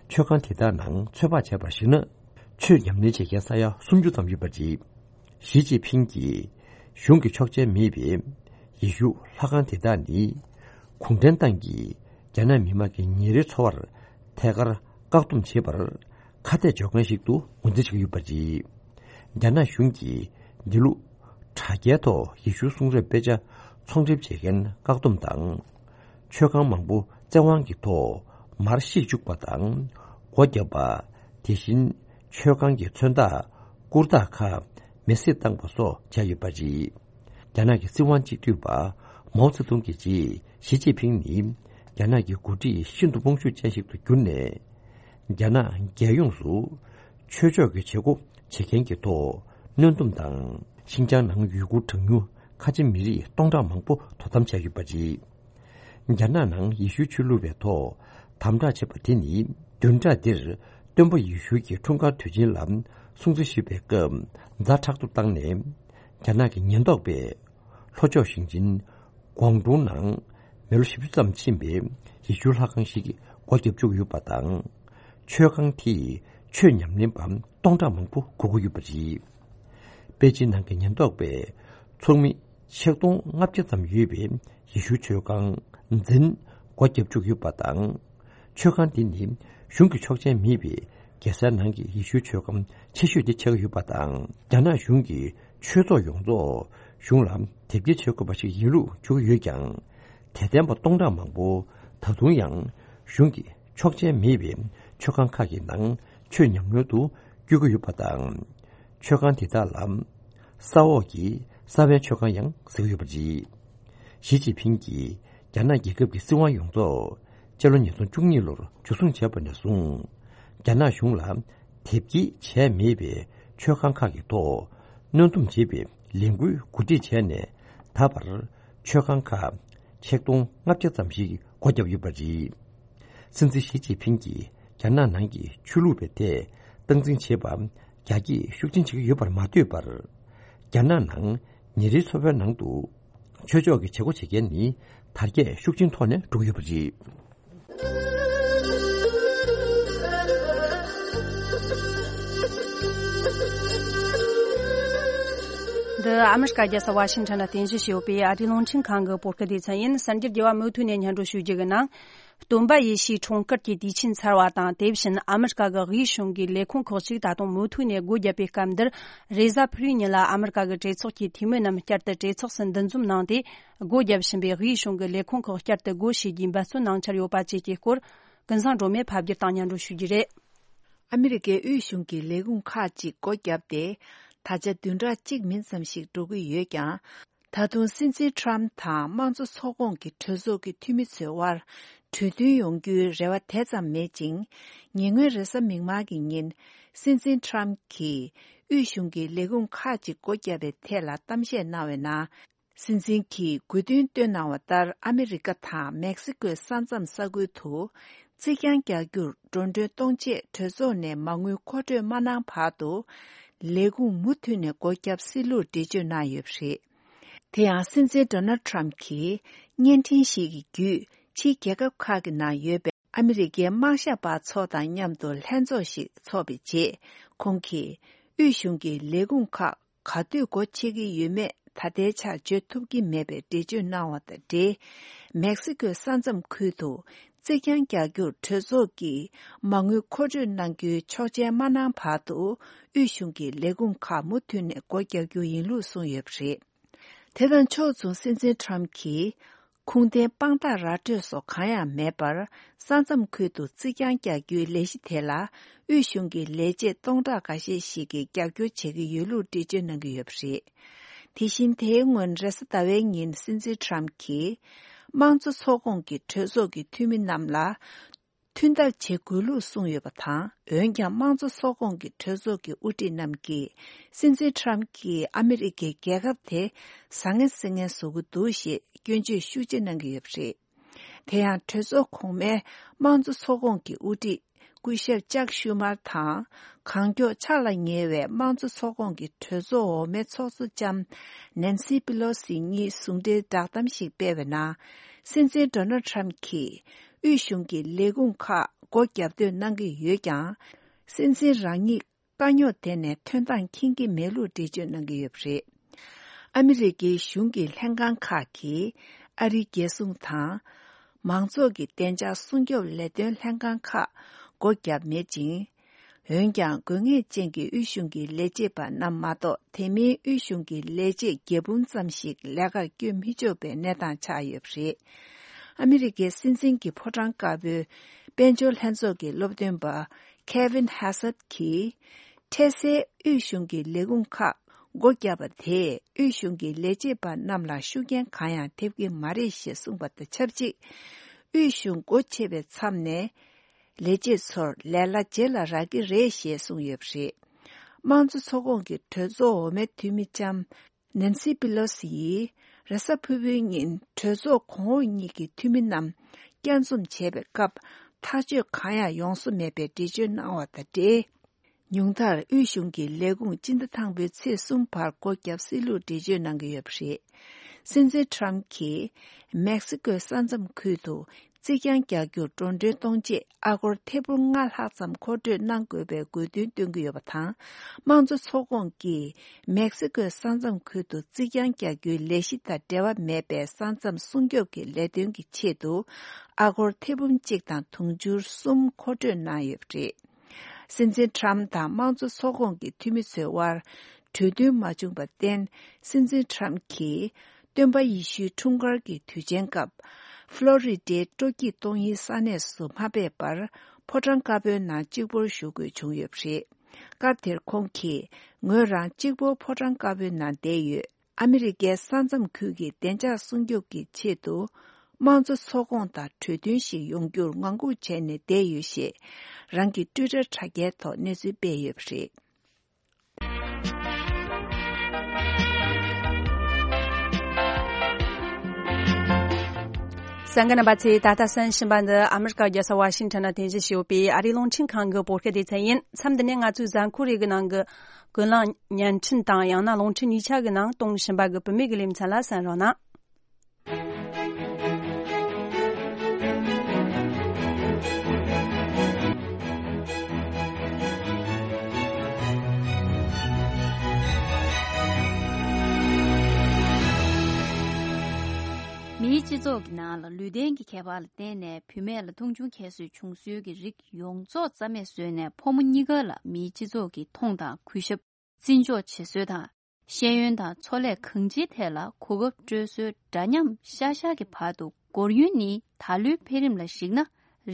ཆོས་ཁང་དེ་དག་ནང་ཚོད་དཔག་བྱས་པར་གཞིགས་ན། ཆོས་ཉམས་ལེན་བྱེད་མཁན་ས་ཡ་སུམ་ཅུ་ཙམ་ཡོད་པ་རེད། ཞི་ཅིན་ཕིང་གིས་གཞུང་གི་ཆོག་མཆན་མེད་པའི་ཡེ་ཤུ་ལྷ་ཁང་དེ་དག་ནི། གུང་ཁྲན་ཏང་གིས་རྒྱ་ནག་མི་དམངས་ཀྱི་ཉིན་རེའི་འཚོ་བར་ཐད་ཀར་བཀག་སྡོམ་བྱེད་པར་ཁ་གཏད་གཅོག་མཁན་ཞིག་ཏུ་ངོས་འཛིན་བྱེད་ཀྱི་ཡོད་པ་རེད། རྒྱ་ནག་གཞུང་གིས་འདི་ལོ་དྲ་རྒྱའི་ཐོག་ཡེ་ཤུའི་གསུང་རབ་དཔེ་ཆ་ཚོང་འགྲེམས་བྱེད་མཁན་བཀག་སྡོམ་དང་། ཆོས་ཁང་མང་པོ་བཙན་དབང་གི་ཐོག་མར་བཤིག་བཅུག་པ་དང་། སྒོ་བརྒྱབ་པ། དེ་བཞིན་ཆོས་ཁང་གི་མཚོན་རྟགས་སྐུར་རྟགས་ཁག་མེ་བསྲེགས་བཏང་པ་སོགས་བྱས་ཡོད་པ་རེད། རྒྱ་ནག་གི་སྲིད་དབང་སྤྱི་འཐུས་པ་མའོ་ཙེ་ཏུང་གི་རྗེས་ཞི་ཅིན་ཕིང་ནི་རྒྱ་ནག་གི་འགོ་ཁྲིད་ཤིན་ཏུ་དཔུང་ཤུགས་ཅན་ཞིག་ཏུ་གྱུར་ནས། རྒྱ་ནག་རྒྱལ་ཡོངས་སུ་ཆོས་ཕྱོགས་ཀྱི་བྱེད་སྒོ་བྱེད་མཁན་གྱི་ཐོག་གནོན་སྡོམ་དང་། ཤིན་ཅང་ནང་ཡུ་གུར་གྲངས་ཉུང་ཁ་ཆེ་མི་རིགས་སྟོང་ཕྲག་མང་པོ་དོ་དམ་བྱས་ཡོད་པ་རེད། རྒྱ་ནག་ནང་ཡེ་ཤུའི་ཆོས་ལུགས་པའི་ཐོག་དམ་དྲག་བྱེད་པ་དེ་ནི། བདུན་ཕྲག་འདིར་སྟོན་པ་ཡེ་ཤུ་གི་འཁྲུངས་སྐར་དུས་ཆེན་ལ་སྲུང་བརྩི་ཞུས་པའི་སྐབས་ཛ་དྲག་ཏུ་བཏང་ནས། རྒྱ་ནག་གི་ཉེན་རྟོག་པས་ལྷོ་ཕྱོགས་ཞིང་ཆེན་ཀོང་ཀྲུང་ནང་མི་ལོ་བཞི་བཅུ་ཙམ་ཕྱིན་པའི་ཡེ་ཤུ་ལྷ་ཁང་ཞིག་སྒོ་བརྒྱབ་བཅུག་ཡོད་པ་དང་། ཆོས་ཁང་དེས་ཆོས་ཉམས་ལེན་པ་སྟོང་ཕྲག་མང་པོ་སྒུག་གི་ཡོད་པ་རེད། པེ་ཅིན་ནང་གི་ཉེན་རྟོག་པས་ཚོགས་མི་ཆིག་སྟོང་ལྔ་བརྒྱ་ཙམ་ཡོད་པའི་ཡེ་ཤུ་ཆོས་ཁང་འཛིན་སྒོ་བརྒྱབ་བཅུག་ཡོད་པ་དང་། ཆོས་ཁང་དེ་ནི་གཞུང་གི་ཆོག་མཆན་མེད་པའི་རྒྱལ་སའི་ནང་གི་ཡེ་ཤུའི་ཆོས་ཁང་ཆེ་ཤོས་དེ་ཆགས་ཀྱི་ཡོད་པ་དང་། རྒྱ་ནག་གཞུང་གིས་ཆོས་ཚོགས་ཡོངས་རྫོགས་གཞུང་ལ་དེབ་སྐྱེལ་བྱེད་དགོས་པ་ཞིག་ཡིན་ལུགས་བརྗོད་ཀྱི་ཡོད་ཀྱང་། དད་ལྡན་པ་སྟོང་ཕྲག་མང་པོ་ད་དུང་ཡང་གཞུང་གི་ཆོག་མཆན་མེད་པའི་ཆོས་ཁང་ཁག་གི་ནང་ཆོས་ཉམས་ལེན་དུ་བསྐྱོད་ཀྱི་ཡོད་པ་དང་། ཆོས་ཁང་དེ་དག་ལ་ས་འོག་གི་ས་བོན་ཆོས་ཁང་ཡང་ཟེར་གྱི་ཡོད་པ་རེད། ཞི་ཅིན་ཕིང་གིས་རྒྱ་ནག་རྒྱལ་ཁབ་ཀྱི་སྲིད་དབང་ཡོངས་རྫོགས་སྤྱི་ལོ་ཉིས་སྟོང་བཅུ་གཉིས་ལོར་འཇུ་བཟུང་བྱས་པ་ནས་བཟུང་། རྒྱ་ནག་གཞུང་ལ་དེབ་སྐྱེལ་བྱས་མེད་པའི་ཆོས་ཁང་ཁག་གི་ཐོག་གནོན་སྡོམ་བྱེད་པའི་ལས་འགུལ་གོ་སྒྲིག་བྱས་ནས། ད་བར་ཆོས་ཁང་ཁག་ཆིག་སྟོང་ལྔ་བརྒྱ་ཙམ་ཞིག་སྒོ་བརྒྱབ་ཡོད་པ་རེད། སྲིད་འཛིན་ཞི་ཅིན་ཕིང་གིས་རྒྱ་ནག་ནང་གི་ཆོས་ལུགས་པའི་ཐད་སྟངས་འཛིན་བྱེད་པ་རྒྱ་སྐྱེད་ཤུགས་ཆེན་བྱེད་ཀྱི་ཡོད་པར་མ་ལྟོས་པར། རྒྱ་ནག་ནང་ཉིན་རེའི་འཚོ་བའི་ནང་དུ་ཆོས་ཕྱོགས་ཀྱི་བྱེད་སྒོ་བྱེད་མཁན་ནི་དར་རྒྱས་ཤུགས་ཆེན་ཐོག་ནས་འགྲོ་གི་ཡོད་པ་རེད། འདི་ཨ་མི་རི་ཀ་རྒྱལ་ས་ཝ་ཤིང་ཊོན་ལ་རྟེན་གཞི་བྱས་ཡོད་པའི་ཨ་རིའི་རླུང་འཕྲིན་ཁང་གི་བོད་སྐད་སྡེ་ཚན་ཡིན། གསར་འགྱུར་རྒྱས་པ་མུ་མཐུད་ནས་སྙན་སྒྲོན་ཞུ་རྒྱུ་གི་ནང་། སྟོན་པ་ཡེ་ཤུའི་འཁྲུངས་སྐར་གྱི་དུས་ཆེན་ཚར་བ་དང་། དེ་བཞིན་ཨ་མི་རི་ཀ་གི་དབུས་གཞུང་གི་ལས་ཁུངས་ཁག་ཅིག་ད་དུང་མུ་མཐུད་ནས་སྒོ་བརྒྱབ་པའི་སྐབས་འདིར། རེས་གཟའ་ཕུར་བུའི་ཉིན་ལ་ཨ་མི་རི་ཀ་གི་གྲོས་ཚོགས་ཀྱི་འཐུས་མི་རྣམས་བསྐྱར་དུ་གྲོས་ཚོགས་སུ་འདུ་འཛོམས་གནང་སྟེ། སྒོ་བརྒྱབ་བཞིན་པའི་དབུས་གཞུང་གི་ལས་ཁུངས་ཁག་བསྐྱར་དུ་སྒོ་ཕྱེ་རྒྱུའི་འབད་བརྩོན་གནང་འཆར་ཡོད་པ་བཅས་ཀྱི་སྐོར། ཀུན་བཟང་སྒྲོལ་མས་ཕབ་བསྒྱུར་དང་སྙན་སྒྲོན་ཞུ་རྒྱུ་རེད། ཨ་མི་རི་ཀའི་དབུས་གཞུང་གི་ལས་ཁུངས་ཁག་ཅིག་སྒོ་བརྒྱབ་སྟེ། ད་ཆ་བདུན་ཕྲག་གཅིག་མིན་ཙམ་ཞིག་འགྲོ་གི་ཡོད་ཀྱང་། ད་དུང་སྲིད་འཛིན་ཁྲམ་དང་དམངས་གཙོ་ཚོགས་ཁོངས་ཀྱི་གྲོས་ཚོགས་ཀྱི་འཐུས་མི་ཚོའི་དབར་གྲོས་མཐུན་ཡོང་རྒྱུའི་རེ་བ་དེ་ཙམ་མེད་ཅིང་། ཉེ་སྔོན་རེས་གཟའ་མིག་དམར་གྱི་ཉིན། སྲིད་འཛིན་ཁྲམ་གྱིས་དབུས་གཞུང་གི་ལས་ཁུངས་ཁག་ཅིག་སྒོ་བརྒྱབ་པའི་ཐད་ལ་གཏམ་བཤད་གནང་བའི་ནང་། སྲིད་འཛིན་གྱིས་དགོས་འདུན་བཏོན་གནང་བ་ལྟར། ཨ་མི་རི་ཀ་དང་མེག་སི་ཀོའི་ས་མཚམས་ས་ཁུལ་དུ་རྩིག་གྱང་རྒྱག་རྒྱུར་འགྲོ་གྲོན་གཏོང་ཆེད་གྲོས་ཚོགས་ནས་མ་དངུལ་མཁོ་སྤྲོད་མ་གནང་བར་དུ། ལས་ཁུངས་མུ་མཐུད་ནས་སྒོ་བརྒྱབ་སྲིད་ལུགས་འགྲེལ་བརྗོད་གནང་ཡོད་པ་རེད། དེ་ཡང་སྲིད་འཛིན་ཌོ་ནལ་ཊམ་གྱིས་བརྙན་འཕྲིན་ཞིག་གི་བརྒྱུད་ཕྱིའི་རྒྱལ་ཁབ་ཁག་གི་ནང་ཡོད་པའི་ཨ་མི་རི་ཀའི་དམངས་ཞབས་པ་ཚོ་དང་མཉམ་དུ་ལྷན་ཚོགས་ཤིག་འཚོགས་པའི་རྗེས། ཁོང་གིས་དབུས་གཞུང་གི་ལས་ཁུངས་ཁག་ག་དུས་སྒོ་ཕྱེ་གི་ཡོད་མེད་ད་ལྟའི་ཆར་བརྗོད་ཐུབ་ཀྱི་མེད་པའི་འགྲེལ་བརྗོད་གནང་བ་དང་འབྲེལ། མེག་སི་ཀོའི་ས་མཚམས་ཁུལ་དུ་རྩིག་གྱང་རྒྱག་རྒྱུར་གྲོས་ཚོགས་ཀྱིས་མ་དངུལ་མཁོ་སྤྲོད་གནང་རྒྱུའི་ཆོག་མཆན་མ་གནང་བར་དུ་དབུས་གཞུང་གི་ལས་ཁུངས་ཁག་མུ་མཐུད་ནས་སྒོ་རྒྱག་རྒྱུ་ཡིན་ལུགས་གསུངས་ཡོད་པ་རེད། དེ་དང་ཕྱོགས་མཚུངས་སྲིད་འཛིན་ཊམ་གྱིས་ཁུངས་ལྡན་དཔང་རྟགས་ར་སྤྲོད་སོགས་གང་ཡང་མེད་པར། ས་མཚམས་ཁུལ་དུ་རྩིག་གྱང་རྒྱག་རྒྱུའི་ལས་གཞི་དེ་ལ་དབུས་གཞུང་གི་ལས་བྱེད་སྟོང་ཕྲག་འགའ་ཤས་ཤིག་གིས་རྒྱབ་སྐྱོར་བྱེད་ཀྱི་ཡོད་ལུགས་འགྲེལ་བརྗོད་གནང་གི་ཡོད་པ་རེད། དེ་བཞིན་དེའི་སྔོན་རེས་གཟའ་ཟླ་བའི་ཉིན་སྲིད་འཛིན་ཊམ་གྱིས་དམངས་གཙོ་ཚོགས་ཁོངས་ཀྱི་གྲོས་ཚོགས་ཀྱི་འཐུས་མི་རྣམས་ལ་མཐུན་ཐབས་བྱེད་དགོས་ལུགས་གསུངས་ཡོད་པ་དང་། འོན་ཀྱང་དམངས་གཙོ་ཚོགས་ཁོངས་ཀྱི་གྲོས་ཚོགས་ཀྱི་དབུ་ཁྲིད་རྣམས་ཀྱིས་སྲིད་འཛིན་ཊམ་གྱིས་ཨ་མི་རི་ཀའི་རྒྱལ་ཁབ་དེ་བཟང་ངན་སེལ་མཁན་བཟོ་གི་འདུག་ཞེས་སྐྱོན་བརྗོད་ཤུགས་ཆེ་གནང་གི་ཡོད་པ་རེད། དེ་ཡང་གྲོས་ཚོགས་གོང་མའི་དམངས་གཙོ་ཚོགས་ཁོངས་ཀྱི་དབུ་ཁྲིད་སྐུ་ཞབས་ཅག་ཤུ་མར་དང་། གང་མགྱོགས་ཕྱག་ལ་ཉེ་བའི་དམངས་གཙོ་ཚོགས་ཁོངས་ཀྱི་གྲོས་ཚོགས་འོག་མའི་ཚོགས་གཙོ་ལྕམ་ནན་སི་པི་ལོ་སི་གཉིས་ཟུང་འབྲེལ་བསྒྲགས་གཏམ་ཞིག་སྤེལ་བའི་ནང་། སྲིད་འཛིན་ཌོ་ནལ་ཊམ་གྱིས་དབུས་གཞུང་གི་ལས་ཁུངས་ཁག་སྒོ་བརྒྱབ་འདོད་གནང་གི་ཡོད་ཀྱང་། སྲིད་འཛིན་རང་ཉིད་དཀའ་རྙོག་དེ་ནས་ཐོན་སྟངས་མཁྱེན་གྱི་མེད་ལུགས་འགྲེལ་བརྗོད་གནང་གི་ཡོད་པ་རེད། ཨ་མི་རི་ཀའི་གཞུང་གི་ལྷན་ཁང་ཁག་གིས་ཨ་རིའི་རྒྱལ་སྲུང་དང་། མང་ཚོགས་ཀྱི་བདེ་འཇགས་སྲུང་སྐྱོབ་ལས་དོན་ལྷན་ཁང་ཁག་སྒོ་བརྒྱབ་མེད་ཅིང་། འོན་ཀྱང་། དགོས་ངེས་ཅན་གྱི་དབུས་གཞུང་གི་ལས་བྱེད་པ་རྣམས་མ་གཏོགས། དེ་མིན་དབུས་གཞུང་གི་ལས་བྱེད་བརྒྱད་འབུམ་ཙམ་ཞིག་ལས་ཀར་བསྐྱོད་མི་ཆོག་པའི་གནས་སྟངས་ཆགས་ཡོད་པ་རེད། ཨ་མི་རི་ཀའི་སྲིད་འཛིན་གྱི་ཕོ་བྲང་དཀར་པོའི་དཔལ་འབྱོར་ལྷན་ཚོགས་ཀྱི་སློབ་སྟོན་པ་ཁེ་ཝིན་ཧེ་སད་ཀྱིས། འཕྲལ་སེལ་དབུས་གཞུང་གི་ལས་ཁུངས་ཁག་སྒོ་བརྒྱབ་པ་དེས། དབུས་གཞུང་གི་ལས་བྱེད་པ་རྣམས་ལ་ཤུགས་རྐྱེན་གང་ཡང་ཐེབས་ཀྱི་མ་རེད་ཞེས་གསུངས་པ་དང་ཆབས་ཅིག་དབུས་གཞུང་སྒོ་ཕྱེ་བའི་མཚམས་ནས། ལས་བྱེད་ཚོར་ལས་གླ་རྗེས་ལ་རག་གི་རེད་ཞེས་གསུངས་ཡོད་པ་རེད། དམངས་གཙོ་ཚོགས་ཁོངས་ཀྱི་གྲོས་ཚོགས་འོག་མའི་འཐུས་མི་ལྕམ་ནན་སི་པི་ལོ་སི་ཡིས། རེས་གཟའ་ཕུར་བུའི་ཉིན་གྲོས་ཚོགས་གོང་འོག་གཉིས་ཀྱི་འཐུས་མི་རྣམས་བསྐྱར་འཛོམས་བྱས་པའི་སྐབས། ཐག་གཅོད་གང་ཡང་ཡོང་བཟོ་མེད་པའི་འགྲེལ་བརྗོད་གནང་བ་དང་འབྲེལ། ཉུང་མཐར་དབུས་གཞུང་གི་ལས་ཁུངས་སྤྱི་ཟླ་དང་པོའི་ཚེས་གསུམ་བར་སྒོ་བརྒྱབ་སྲིད་ལུགས་འགྲེལ་བརྗོད་གནང་གི་ཡོད་པ་རེད། སྲིད་འཛིན་ཊམ་གྱིས་མེག་སི་ཀོའི་ས་མཚམས་ཁུལ་དུ་རྩིག་གྱང་རྒྱག་རྒྱུར་འགྲོ་གྲོན་གཏོང་ཆེད་ཨ་སྒོར་ཐེར་འབུམ་ལྔ་ལྷག་ཙམ་མཁོ་སྤྲོད་གནང་དགོས་པའི་དགོས་འདུན་བཏོན་གྱི་ཡོད་པ་དང་། དམངས་གཙོ་ཚོགས་ཁོངས་ཀྱིས་མེག་སི་ཀོའི་ས་མཚམས་ཁུལ་དུ་རྩིག་གྱང་རྒྱག་རྒྱུའི་ལས་གཞི་དང་འབྲེལ་བ་མེད་པའི་ས་མཚམས་སྲུང་སྐྱོབ་ཀྱི་ལས་དོན་གྱི་ཆེད་དུ་ཨ་སྒོར་ཐེར་འབུམ་གཅིག་དང་དུང་ཕྱུར་གསུམ་མཁོ་སྤྲོད་གནང་ཡོད་པ་རེད། སྲིད་འཛིན་ཊམ་དང་དམངས་གཙོ་ཚོགས་ཁོངས་ཀྱི་འཐུས་མི་ཚོའི་དབར་གྲོས་མཐུན་མ་བྱུང་བར་བརྟེན། སྲིད་འཛིན་ཊམ་གྱིས་སྟོན་པ་ཡེ་ཤུའི་འཁྲུངས་སྐར་གྱི་དུས་ཆེན་སྐབས། ཕློ་རི་ཌའི་སྤྲོ་སྐྱིད་གཏོང་ཡུལ་ས་གནས་སུ་མ་ཕེབས་པར། ཕོ་བྲང་དཀར་པོའི་ནང་གཅིག་པོར་བཞུགས་དགོས་བྱུང་ཡོད་པ་རེད། སྐབས་དེར་ཁོང་གིས། ངོས་རང་གཅིག་པོ་ཕོ་བྲང་དཀར་པོའི་ནང་བསྡད་ཡོད། ཨ་མི་རི་ཀའི་ས་མཚམས་ཁུལ་གྱི་བདེ་འཇགས་སྲུང་སྐྱོབ་ཀྱི་ཆེད་དུ། དམངས་གཙོ་ཚོགས་ཁོངས་དང་གྲོས་མཐུན་ཞིག་ཡོང་རྒྱུར་ངང་སྒུག་བྱས་ནས་བསྡད་ཡོད་ཞེས། རང་གི་ཊུའི་ཊར་དྲ་རྒྱའི་ཐོག་གནས་ཚུལ་སྤེལ་ཡོད་པ་རེད། གསན་མཁན་རྣམ་པ་ཚོས་ད་ལྟ་གསན་བཞིན་པ་འདི་ཨ་མི་རི་ཀ་རྒྱལ་ས་ཝ་ཤིང་ཊོན་ནང་རྟེན་གཞི་བྱས་ཡོད་པའི་ཨ་རིའི་རླུང་འཕྲིན་ཁང་གི་བོད་སྐད་སྡེ་ཚན་ཡིན། མཚམས་འདི་ནས་ང་ཚོའི་གཟའ་འཁོར་རེ་གི་ནང་གི་ཀུན་གླེང་བརྙན་འཕྲིན་དང་ཡང་ན་རླུང་འཕྲིན་གཉིས་ཆ་གི་ནང་གཏོང་བཞིན་པ་གི་བུད་མེད་ཀྱི་ལེ་ཚན་ལ་གསན་རོགས་གནང་། མིའི་སྤྱི་ཚོགས་ཀྱི་ནང་ལ་ལུས་རྟེན་གྱི་ཁྱད་པར་ལ་བརྟེན་ནས་བུད་མེད་ལ་མཐོང་ཆུང་ཁྱད་གསོད་བྱུང་སྲོལ་གྱི་རིགས་ཡོངས་རྫོགས་རྩ་མེད་བཟོས་ནས། ཕོ་མོ་གཉིས་ཀ་ལ་མིའི་སྤྱི་ཚོགས་ཀྱི་མཐོང་དང་གུས་ཞབས། བརྩི་འཇོག་བྱེད་སྲོལ་དང་། ཤེས་ཡོན་དང་ཚོང་ལས་གང་ཅིའི་ཐད་ལ་གོ་སྐབས་སྤྲོད་སྲོལ་འདྲ་མཉམ་ཤར་ཤར་གྱི་བར་དུ་འགོར་ཡུན་ནི། ད་ལོའི་འཕེལ་རིམ་ལ་གཞིགས་ན་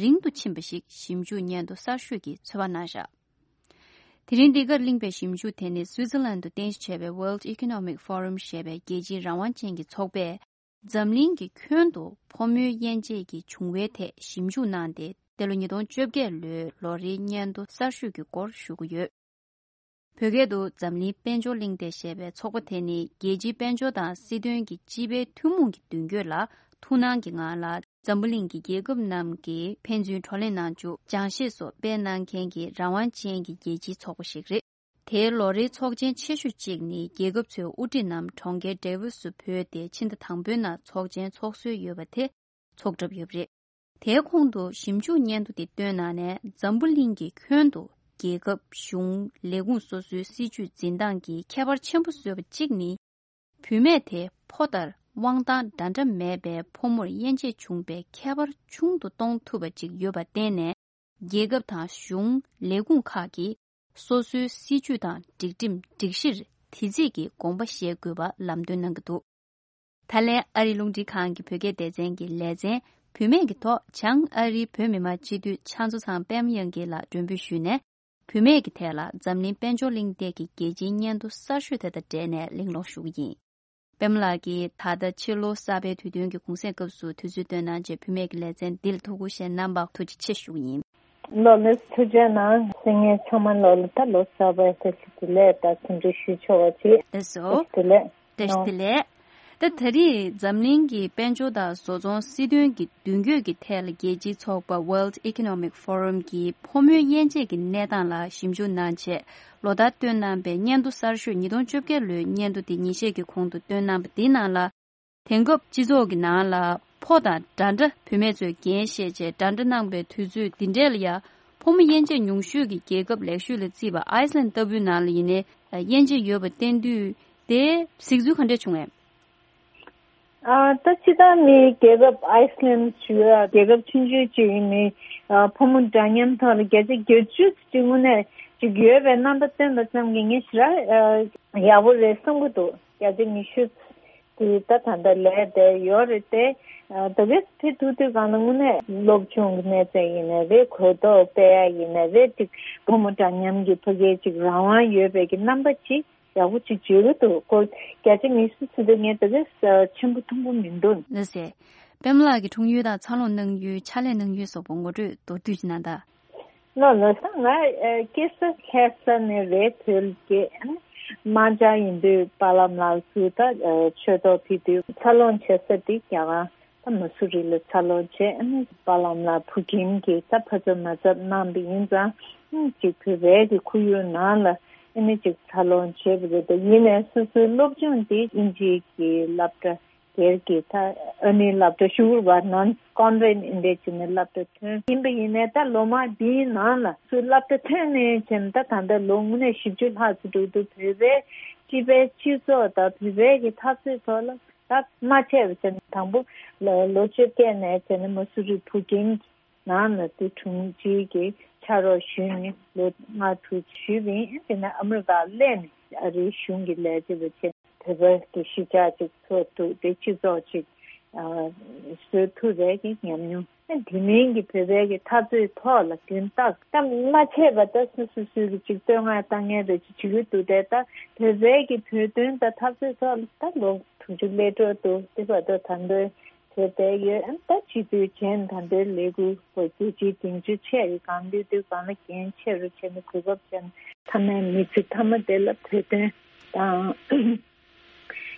རིང་དུ་ཕྱིན་པ་ཞིག་ཞིབ་འཇུག་སྙན་ཐོ་གསར་ཤོས་ཀྱིས་ཚོད་དཔག་གནང་བཞག་དེ་རིང་འདི་གར་གླེང་པའི་ཞིབ་འཇུག་དེ་ནི་སུའི་ཙི་ལན་དུ་རྟེན་གཞི་བྱས་པའི་World Economic Forum ཞེས་པའི་རྒྱལ་སྤྱིའི་རང་དབང་ཅན་གྱི་ཚོགས་པས། འཛམ་གླིང་གི་ཁྱོན་དུ་ཕོ་མོའི་དབྱེ་འབྱེད་ཀྱི་བྱུང་བའི་ཐད་ཞིབ་འཇུག་གནང་སྟེ། འདི་ལོ་ཉིས་སྟོང་བཅོ་བརྒྱད་ལོའི་ལོ་རེའི་སྙན་ཐོ་གསར་ཤོས་ཀྱི་སྐོར་ཞུ་གི་ཡོད། བོད་སྐད་དུ་འཛམ་གླིང་དཔལ་འབྱོར་གླེང་སྟེགས་ཞེས་པའི་ཚོགས་པ་དེ་ནི། རྒྱལ་སྤྱིའི་དཔལ་འབྱོར་དང་སྲིད་དོན་གྱི་སྤྱི་པའི་ཐུན་མོང་གི་མདུན་སྐྱོད་ལ་ཐུགས་སྣང་གི་ངང་ལ། འཛམ་བུ་གླིང་གི་རྒྱལ་ཁབ་རྣམས་ཀྱིས་ཕན་ཚུན་བགྲོ་གླེང་གནང་རྒྱུ། སྦྱང་ཤེས་སོགས་སྤེལ་གནང་མཁན་གྱི་རང་དབང་ཅན་གྱི་རྒྱལ་སྤྱིའི་ཚོགས་པ་ཞིག་རེད། དེའི་ལོ་རེའི་ཚོགས་ཆེན་ཆེ་ཤོས་གཅིག་ནི་རྒྱལ་ཁབ་ཚོའི་དབུ་ཁྲིད་རྣམས་གྲོང་ཁྱེར་ཌེ་ཝོ་སུ་བོད་དེ་ཕྱི་ཟླ་དང་པོའི་ནང་ཚོགས་ཆེན་ཚོགས་སྲོལ་ཡོད་པ་དེ་ཚོགས་གྲབས་ཡོད་པ་རེད། དེའི་གོང་དུ་ཞིབ་འཇུག་སྙན་ཐོ་དེ་བཏོན་གནང་ནས་འཛམ་བུ་གླིང་གི་ཁྱོན་དུ་རྒྱལ་ཁབ་གཞུང་ལས་ཁུངས་སོ་སོའི་སྲིད་ཇུས་འཛིན་སྟངས་ཀྱི་ཁྱད་པར་ཆེན་པོ་བཟོས་པ་གཅིག་ནི། བུད་མེད་དེ་ཕོ་ལྟར་དབང་ཐང་འདྲ་འདྲ་མེད་པའི་ཕོ་མོར་དབྱེ་འབྱེད་བྱུང་བའི་ཁྱད་པར་ཆུང་དུ་གཏོང་ཐུབ་པ་ཅིག་ཡོད་པར་བརྟེན་ནས། རྒྱལ་ཁབ་དང་གཞུང་ལས་ཁུངས་ཁག་གིས་སོ་སོའི་སྲིད་ཇུས་དང་སྒྲིག་ཁྲིམས་སྒྲིག་གཞིར་དེ་རྩིས་ཀྱི་དགོངས་པ་བཞེས་དགོས་པ་ལམ་སྟོན་གནང་གི་འདུག་ད་ལན་ཨ་རིའི་རླུང་འཕྲིན་ཁང་གི་བོད་སྐད་སྡེ་ཚན་གྱི་ལེ་ཚན་བུད་མེད་ཀྱི་ཐོག་བྱང་ཨ་རིའི་བོད་མི་མང་སྤྱི་འཐུས་ཕྱག་མཛོད་ཚང་པད་མ་དབྱངས་སྐྱིད་ལགས་མགྲོན་འབོད་ཞུས་ནས། བུད་མེད་ཀྱི་ཐད་ལ་འཛམ་གླིང་དཔལ་འབྱོར་གླེང་སྟེགས་ཀྱི་རྒྱལ་སྤྱིའི་སྙན་ཐོ་གསར་ཤོས་དེ་དང་འབྲེལ་ནས་གླེང་སློང་ཞུ་གི་ཡིན། པད་མ་ལགས་ཀྱིས་ད་ལྟ་ཕྱི་ལོ་གསར་པའི་དུས་སྟོན་གྱི་གུང་སེང་སྐབས་སུ་དུས་ཚོད་བཏོན་གནང་བྱས་བུད་མེད་ཀྱི་ལེ་ཚན་འདི་ལ་ཐུགས་ཁུར་བཞེས་གནང་བར་ཐུགས་རྗེ་ཆེ་ཞུ་གི་ཡིན། ལོ་ལེགས། ཐུགས་རྗེ་གནང་། གསན་མཁན་ཚང་མ་ལོ་ལ་ད་ལོ་གསར་པའི་བཀྲ་ཤིས་བདེ་ལེགས་དང་འཚམས་འདྲི་ཞུ་ཆོག་པ་བྱེད། ལགས་སོ། བཀྲ་ཤིས་བདེ་ལེགས། བཀྲ་ཤིས་བདེ་ལེགས། ད་ད་རེས་འཛམ་གླིང་གི་དཔལ་འབྱོར་དང་བཟོ་ཚོང་སྲིད་དོན་གྱི་མདུན་སྐྱོད་ཀྱི་ཐད་ལ་རྒྱལ་སྤྱིའི་ཚོགས་པ་World Economic Forum གྱིས་ཕོ་མོའི་དབྱེ་འབྱེད་ཀྱི་གནས་སྟངས་ལ་ཞིབ་འཇུག་གནང་བྱས་ལོ་ལྟར་བཏོན་གནང་པའི་སྙན་ཐོ་གསར་ཤོས་ཉིས་སྟོང་བཅོ་བརྒྱད་ལོའི་སྙན་ཐོ་དེ་ཉིན་ཤས་ཀྱི་གོང་དུ་བཏོན་གནང་པ་འདིའི་ནང་ལ། དེང་སྐབས་སྤྱི་ཚོགས་ཀྱི་ནང་ལ་ཕོ་དང་འདྲ་འདྲ་བུད་མེད་ཚོས་འགན་བཞེས་བྱས་འདྲ་འདྲ་གནང་པའི་དུས་ཚོད་འདི་འདྲས་ལ་ཡང་ཕོ་མོ་དབྱེ་འབྱེད་ཉུང་ཤོས་ཀྱི་རྒྱལ་ཁབ་ལེགས་ཤོས་ལ་བརྩིས་པ་ཨའི་སི་ལན་ལྟ་བུའི་ནང་ལ་ཡིན་ནའི་དབྱེ་འབྱེད་ཡོད་པ་བསྟན་དུས་དེ་གཟིགས་ཚུལ་ག་འདྲས་བྱུང་ངས། ཨ། ད་སྤྱིར་བཏང་ནི་རྒྱལ་ཁབ་ཨའི་སི་ལན་ཞུ་ཡ་རྒྱལ་ཁབ་ཆུང་ཆུང་ཅིག་ཡིན་ནའི་ཨ། ཕོ་མོ་འདྲ་མཉམ་ཐོག་ལ་བརྒྱ་ཆ་བརྒྱད་ཅུ་ཅིག་དངོས་གནས་ཅིག་ཡོད་པའི་རྣམ་པ་སྟོན་པ་ཙམ་གྱིས་ངས་ཞེ་དྲག་ཨ། ཡག་པོ་རེད་བསམ་གྱི་འདུག་བརྒྱ་ཆ་ཉི་ཤུ་དེ་ད་ད་ལྟ་ལས་དེ་ཡོད་རེད་དེ། ཨ། ད་ག་ཕེབས་ཐུབ་དུས་གང་ལ་དངོས་གནས་སློབ་སྦྱོང་གི་གནས་ཚད་ཡིན་ནའི་རེད། གོ་རྟོགས་སྤེལ་ཡ་ཡིན་ནའི་རེད། ཅིག་ཕོ་མོ་འདྲ་མཉམ་གྱི་ཕ་གིའི་ཅིག་རང་དབང་ཡོད་པའི་གི་རྣམ་པ་ཅིག་ཡག་པོ་ཅིག་བརྗོད་ཀྱི་འདུག་སྐོར་བརྒྱ་ཆ་ཉི་ཤུ་ཟེར་དུས་ངས་ད་ག་ཆེན་པོ་ཐུང་པོ་མི་འདུག་ལགས་སེ། པད་མ་ལགས་ཀྱི་འཁྲུངས་ཡུལ་དང་འཚར་ལོངས་གནང་ཡུལ་ཕྱག་ལས་གནང་ཡུལ་སོགས་པ་ངོ་སྤྲོད་མདོར་བསྡུས་ཤིག་གནང་དང་། ལགས་ལགས་སོ། ང་ཨ། སྐྱེས་ས་ལྷ་ས་ནས་རེད། བོད་ཀྱི་ཨ་ནི་རྨ་བྱ་ཡིན་དུས་པཱ་ལགས་ལགས་སུ་ད་ཨ། ཆོས་ཐོག་ཕེབས་དུས་འཚར་ལོངས་བྱེད་ས་དེ་རྒྱ་གར་ད་མ་སུ་རི་ལ་འཚར་ལོངས་བྱས། ཨ་ནི་པཱ་ལགས་ལགས་བུ་རྒན་གྱིས་ད་ཕ་ཚབ་མ་ཚབ་གནང་བ་ཡིན་ཙང་ཨ་ནི་ཅིག་བོད་པའི་གི་ཁོར་ཡུག་ནང་ལ་ཨ་ནི་ཅིག་འཚར་ལོངས་བྱས་པ་རེད། ད་ཡིན་ནའི་སོ་སོའི་སློབ་སྦྱོང་དེ་དབྱིན་ཇིའི་གི་སློབ་གྲྭ་སྒེར་གྱི་ད་ཨ་ནི་སློབ་གྲྭ་ཤུ་གུར་བར་ནོན་ཀོན་ཝེན་ཨིན་འདྲས་བྱས་ནས་སློབ་གྲྭ་ཐོན་ཡིན་པ་ཡིན་ནའི་ད་ལོ་མང་འདིའི་ནང་ལ་སུ་སློབ་གྲྭ་ཐོན་ནས་བྱས་ནས་ད་ད་ལྟ་ལོ་དངོས་གནས་བཞི་བཅུ་ལྷག་ཙམ་འགྲོ་འདུག་བོད་པའི་སྤྱི་པའི་སྤྱི་ཚོགས་དང་བོད་པའི་གི་འཐབ་རྩོད་ཐོག་ལ་ད་མ་ཆད་པ་བྱས་ནས་དང་པོ་ལོ་བཅོ་བརྒྱད་ནས་བྱས་ནས་མ་སུ་རི་བུ་རྒན་གྱི་ནང་ལ་དེ་དྲུང་ཆེ་གི་ཕྱག་རོགས་ཞུས་ནས་ལོ་ལྔ་དྲུག་ཞུས་པ་ཡིན། དེ་ནས་ཨ་མི་རི་ཀར་སླེབས་ནས་ཨ་རིའི་གཞུང་གི་ལས་བྱེད་པ་བྱས། བོད་པ་གི་གཞིས་ཆགས་ཅིག་ཚོགས་ཐུབ་དེ་སྤྱི་ཚོགས་ཅིག་ཨ། བཟོ་ཐུབ་པའི་གི་ཉམས་མྱོང་། དེ་མིན་གྱི་བོད་པའི་གི་འཐབ་རྩོད་ཐོག་ལ་དོན་དག་གཏམ་མ་ཆད་པ་ད་སུ་སུ་སུ་གི་ཅིག་བསྟོད་བསྔགས་བཏང་མཁན་རེ་ཅིག་བྱེད་ཀྱི་འདུག་དེ་ད་བོད་པའི་གི་བོད་དོན་དང་འཐབ་རྩོད་ཐོག་ལ་ད་ལོ་དྲུག་ཅུ་སླེབས་འགྲོ་འདུག་དེ་བར་དུ་ད་འདོད་བྱས་བསྡད་ཡོད། ཨ་ནི་ད་སྤྱི་འཐུས་བྱས་ནས་ད་ལྟའི་ལས་འགུལ་སྐོར་རྒྱལ་སྤྱིའི་སྡིངས་ཆ་ཆེ་རིགས་གང་འདུས་འདུས་གང་ལ་འགན་ཆེ་རུ་བྱས་ནས་གོ་སྐབས་བྱས་ནས་ཐ་མའི་མི་ཚེ་མཐའ་མ་དེ་ལ་བོད་དོན་དང་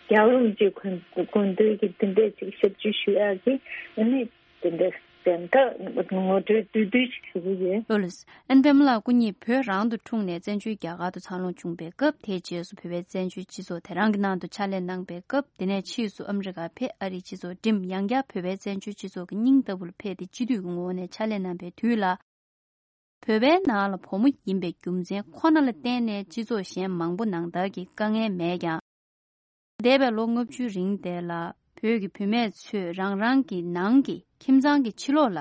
རྒྱལ་བ་རིན་པོ་ཆེའི་དགོངས་དོན་གྱི་འདི་འདྲས་ཅིག་ཞབས་ཕྱི་ཞུ་ཡག་གི་ཨ་ནི་དེ་འདྲ་དེ་འདྲ་ངོ་སྤྲོད་བསྡུས་བསྡུས་ཤིག་ཞུ་གི་ཡོད། ལགས་སོ། ཨན་པད་མ་ལགས་སྐུ་ཉིད་བོད་རང་དུ་འཁྲུངས་ནས་བཙན་བྱོལ་རྒྱ་གར་དུ་འཚར་ལོངས་བྱུང་པའི་སྐབས། དེའི་རྗེས་སུ་བོད་པའི་བཙན་བྱོལ་སྤྱི་ཚོགས་དེ་རང་གི་ནང་དུ་ཕྱག་ལས་གནང་པའི་སྐབས། དེ་ནས་ཕྱིས་སུ་ཨ་མི་རི་ཀར་ཕེབས། ཨ་རིའི་སྤྱི་ཚོགས་འགྲིམས། ཡང་བསྐྱར་བོད་པའི་བཙན་བྱོལ་སྤྱི་ཚོགས་ཀྱི་སྙིང་ལྟ་བུར་ཕེབས་ཏེ་སྤྱི་འཐུས་ཀྱི་ངོ་བོ་ནས་ཕྱག་ལས་གནང་པའི་དུས་ལ། བོད་པའི་ནང་ལ་བུ་མོ་ཡིན་པའི་རྒྱུ་མཚན་ཁོ་ན་ལ་བརྟེན་ནས་སྤྱི་ཚོགས་གཞན་མང་པོ་ནང་ལྟར་གྱི་དཀའ་ངལ་མེད་ཀྱང་། འདས་པའི་ལོ་ལྔ་བཅུའི་རིང་དེ་ལ་བོད་ཀྱི་བུད་མེད་ཚོས་རང་རང་གི་ནང་གི་ཁྱིམ་ཚང་གི་ཕྱི་ལོགས་ལ་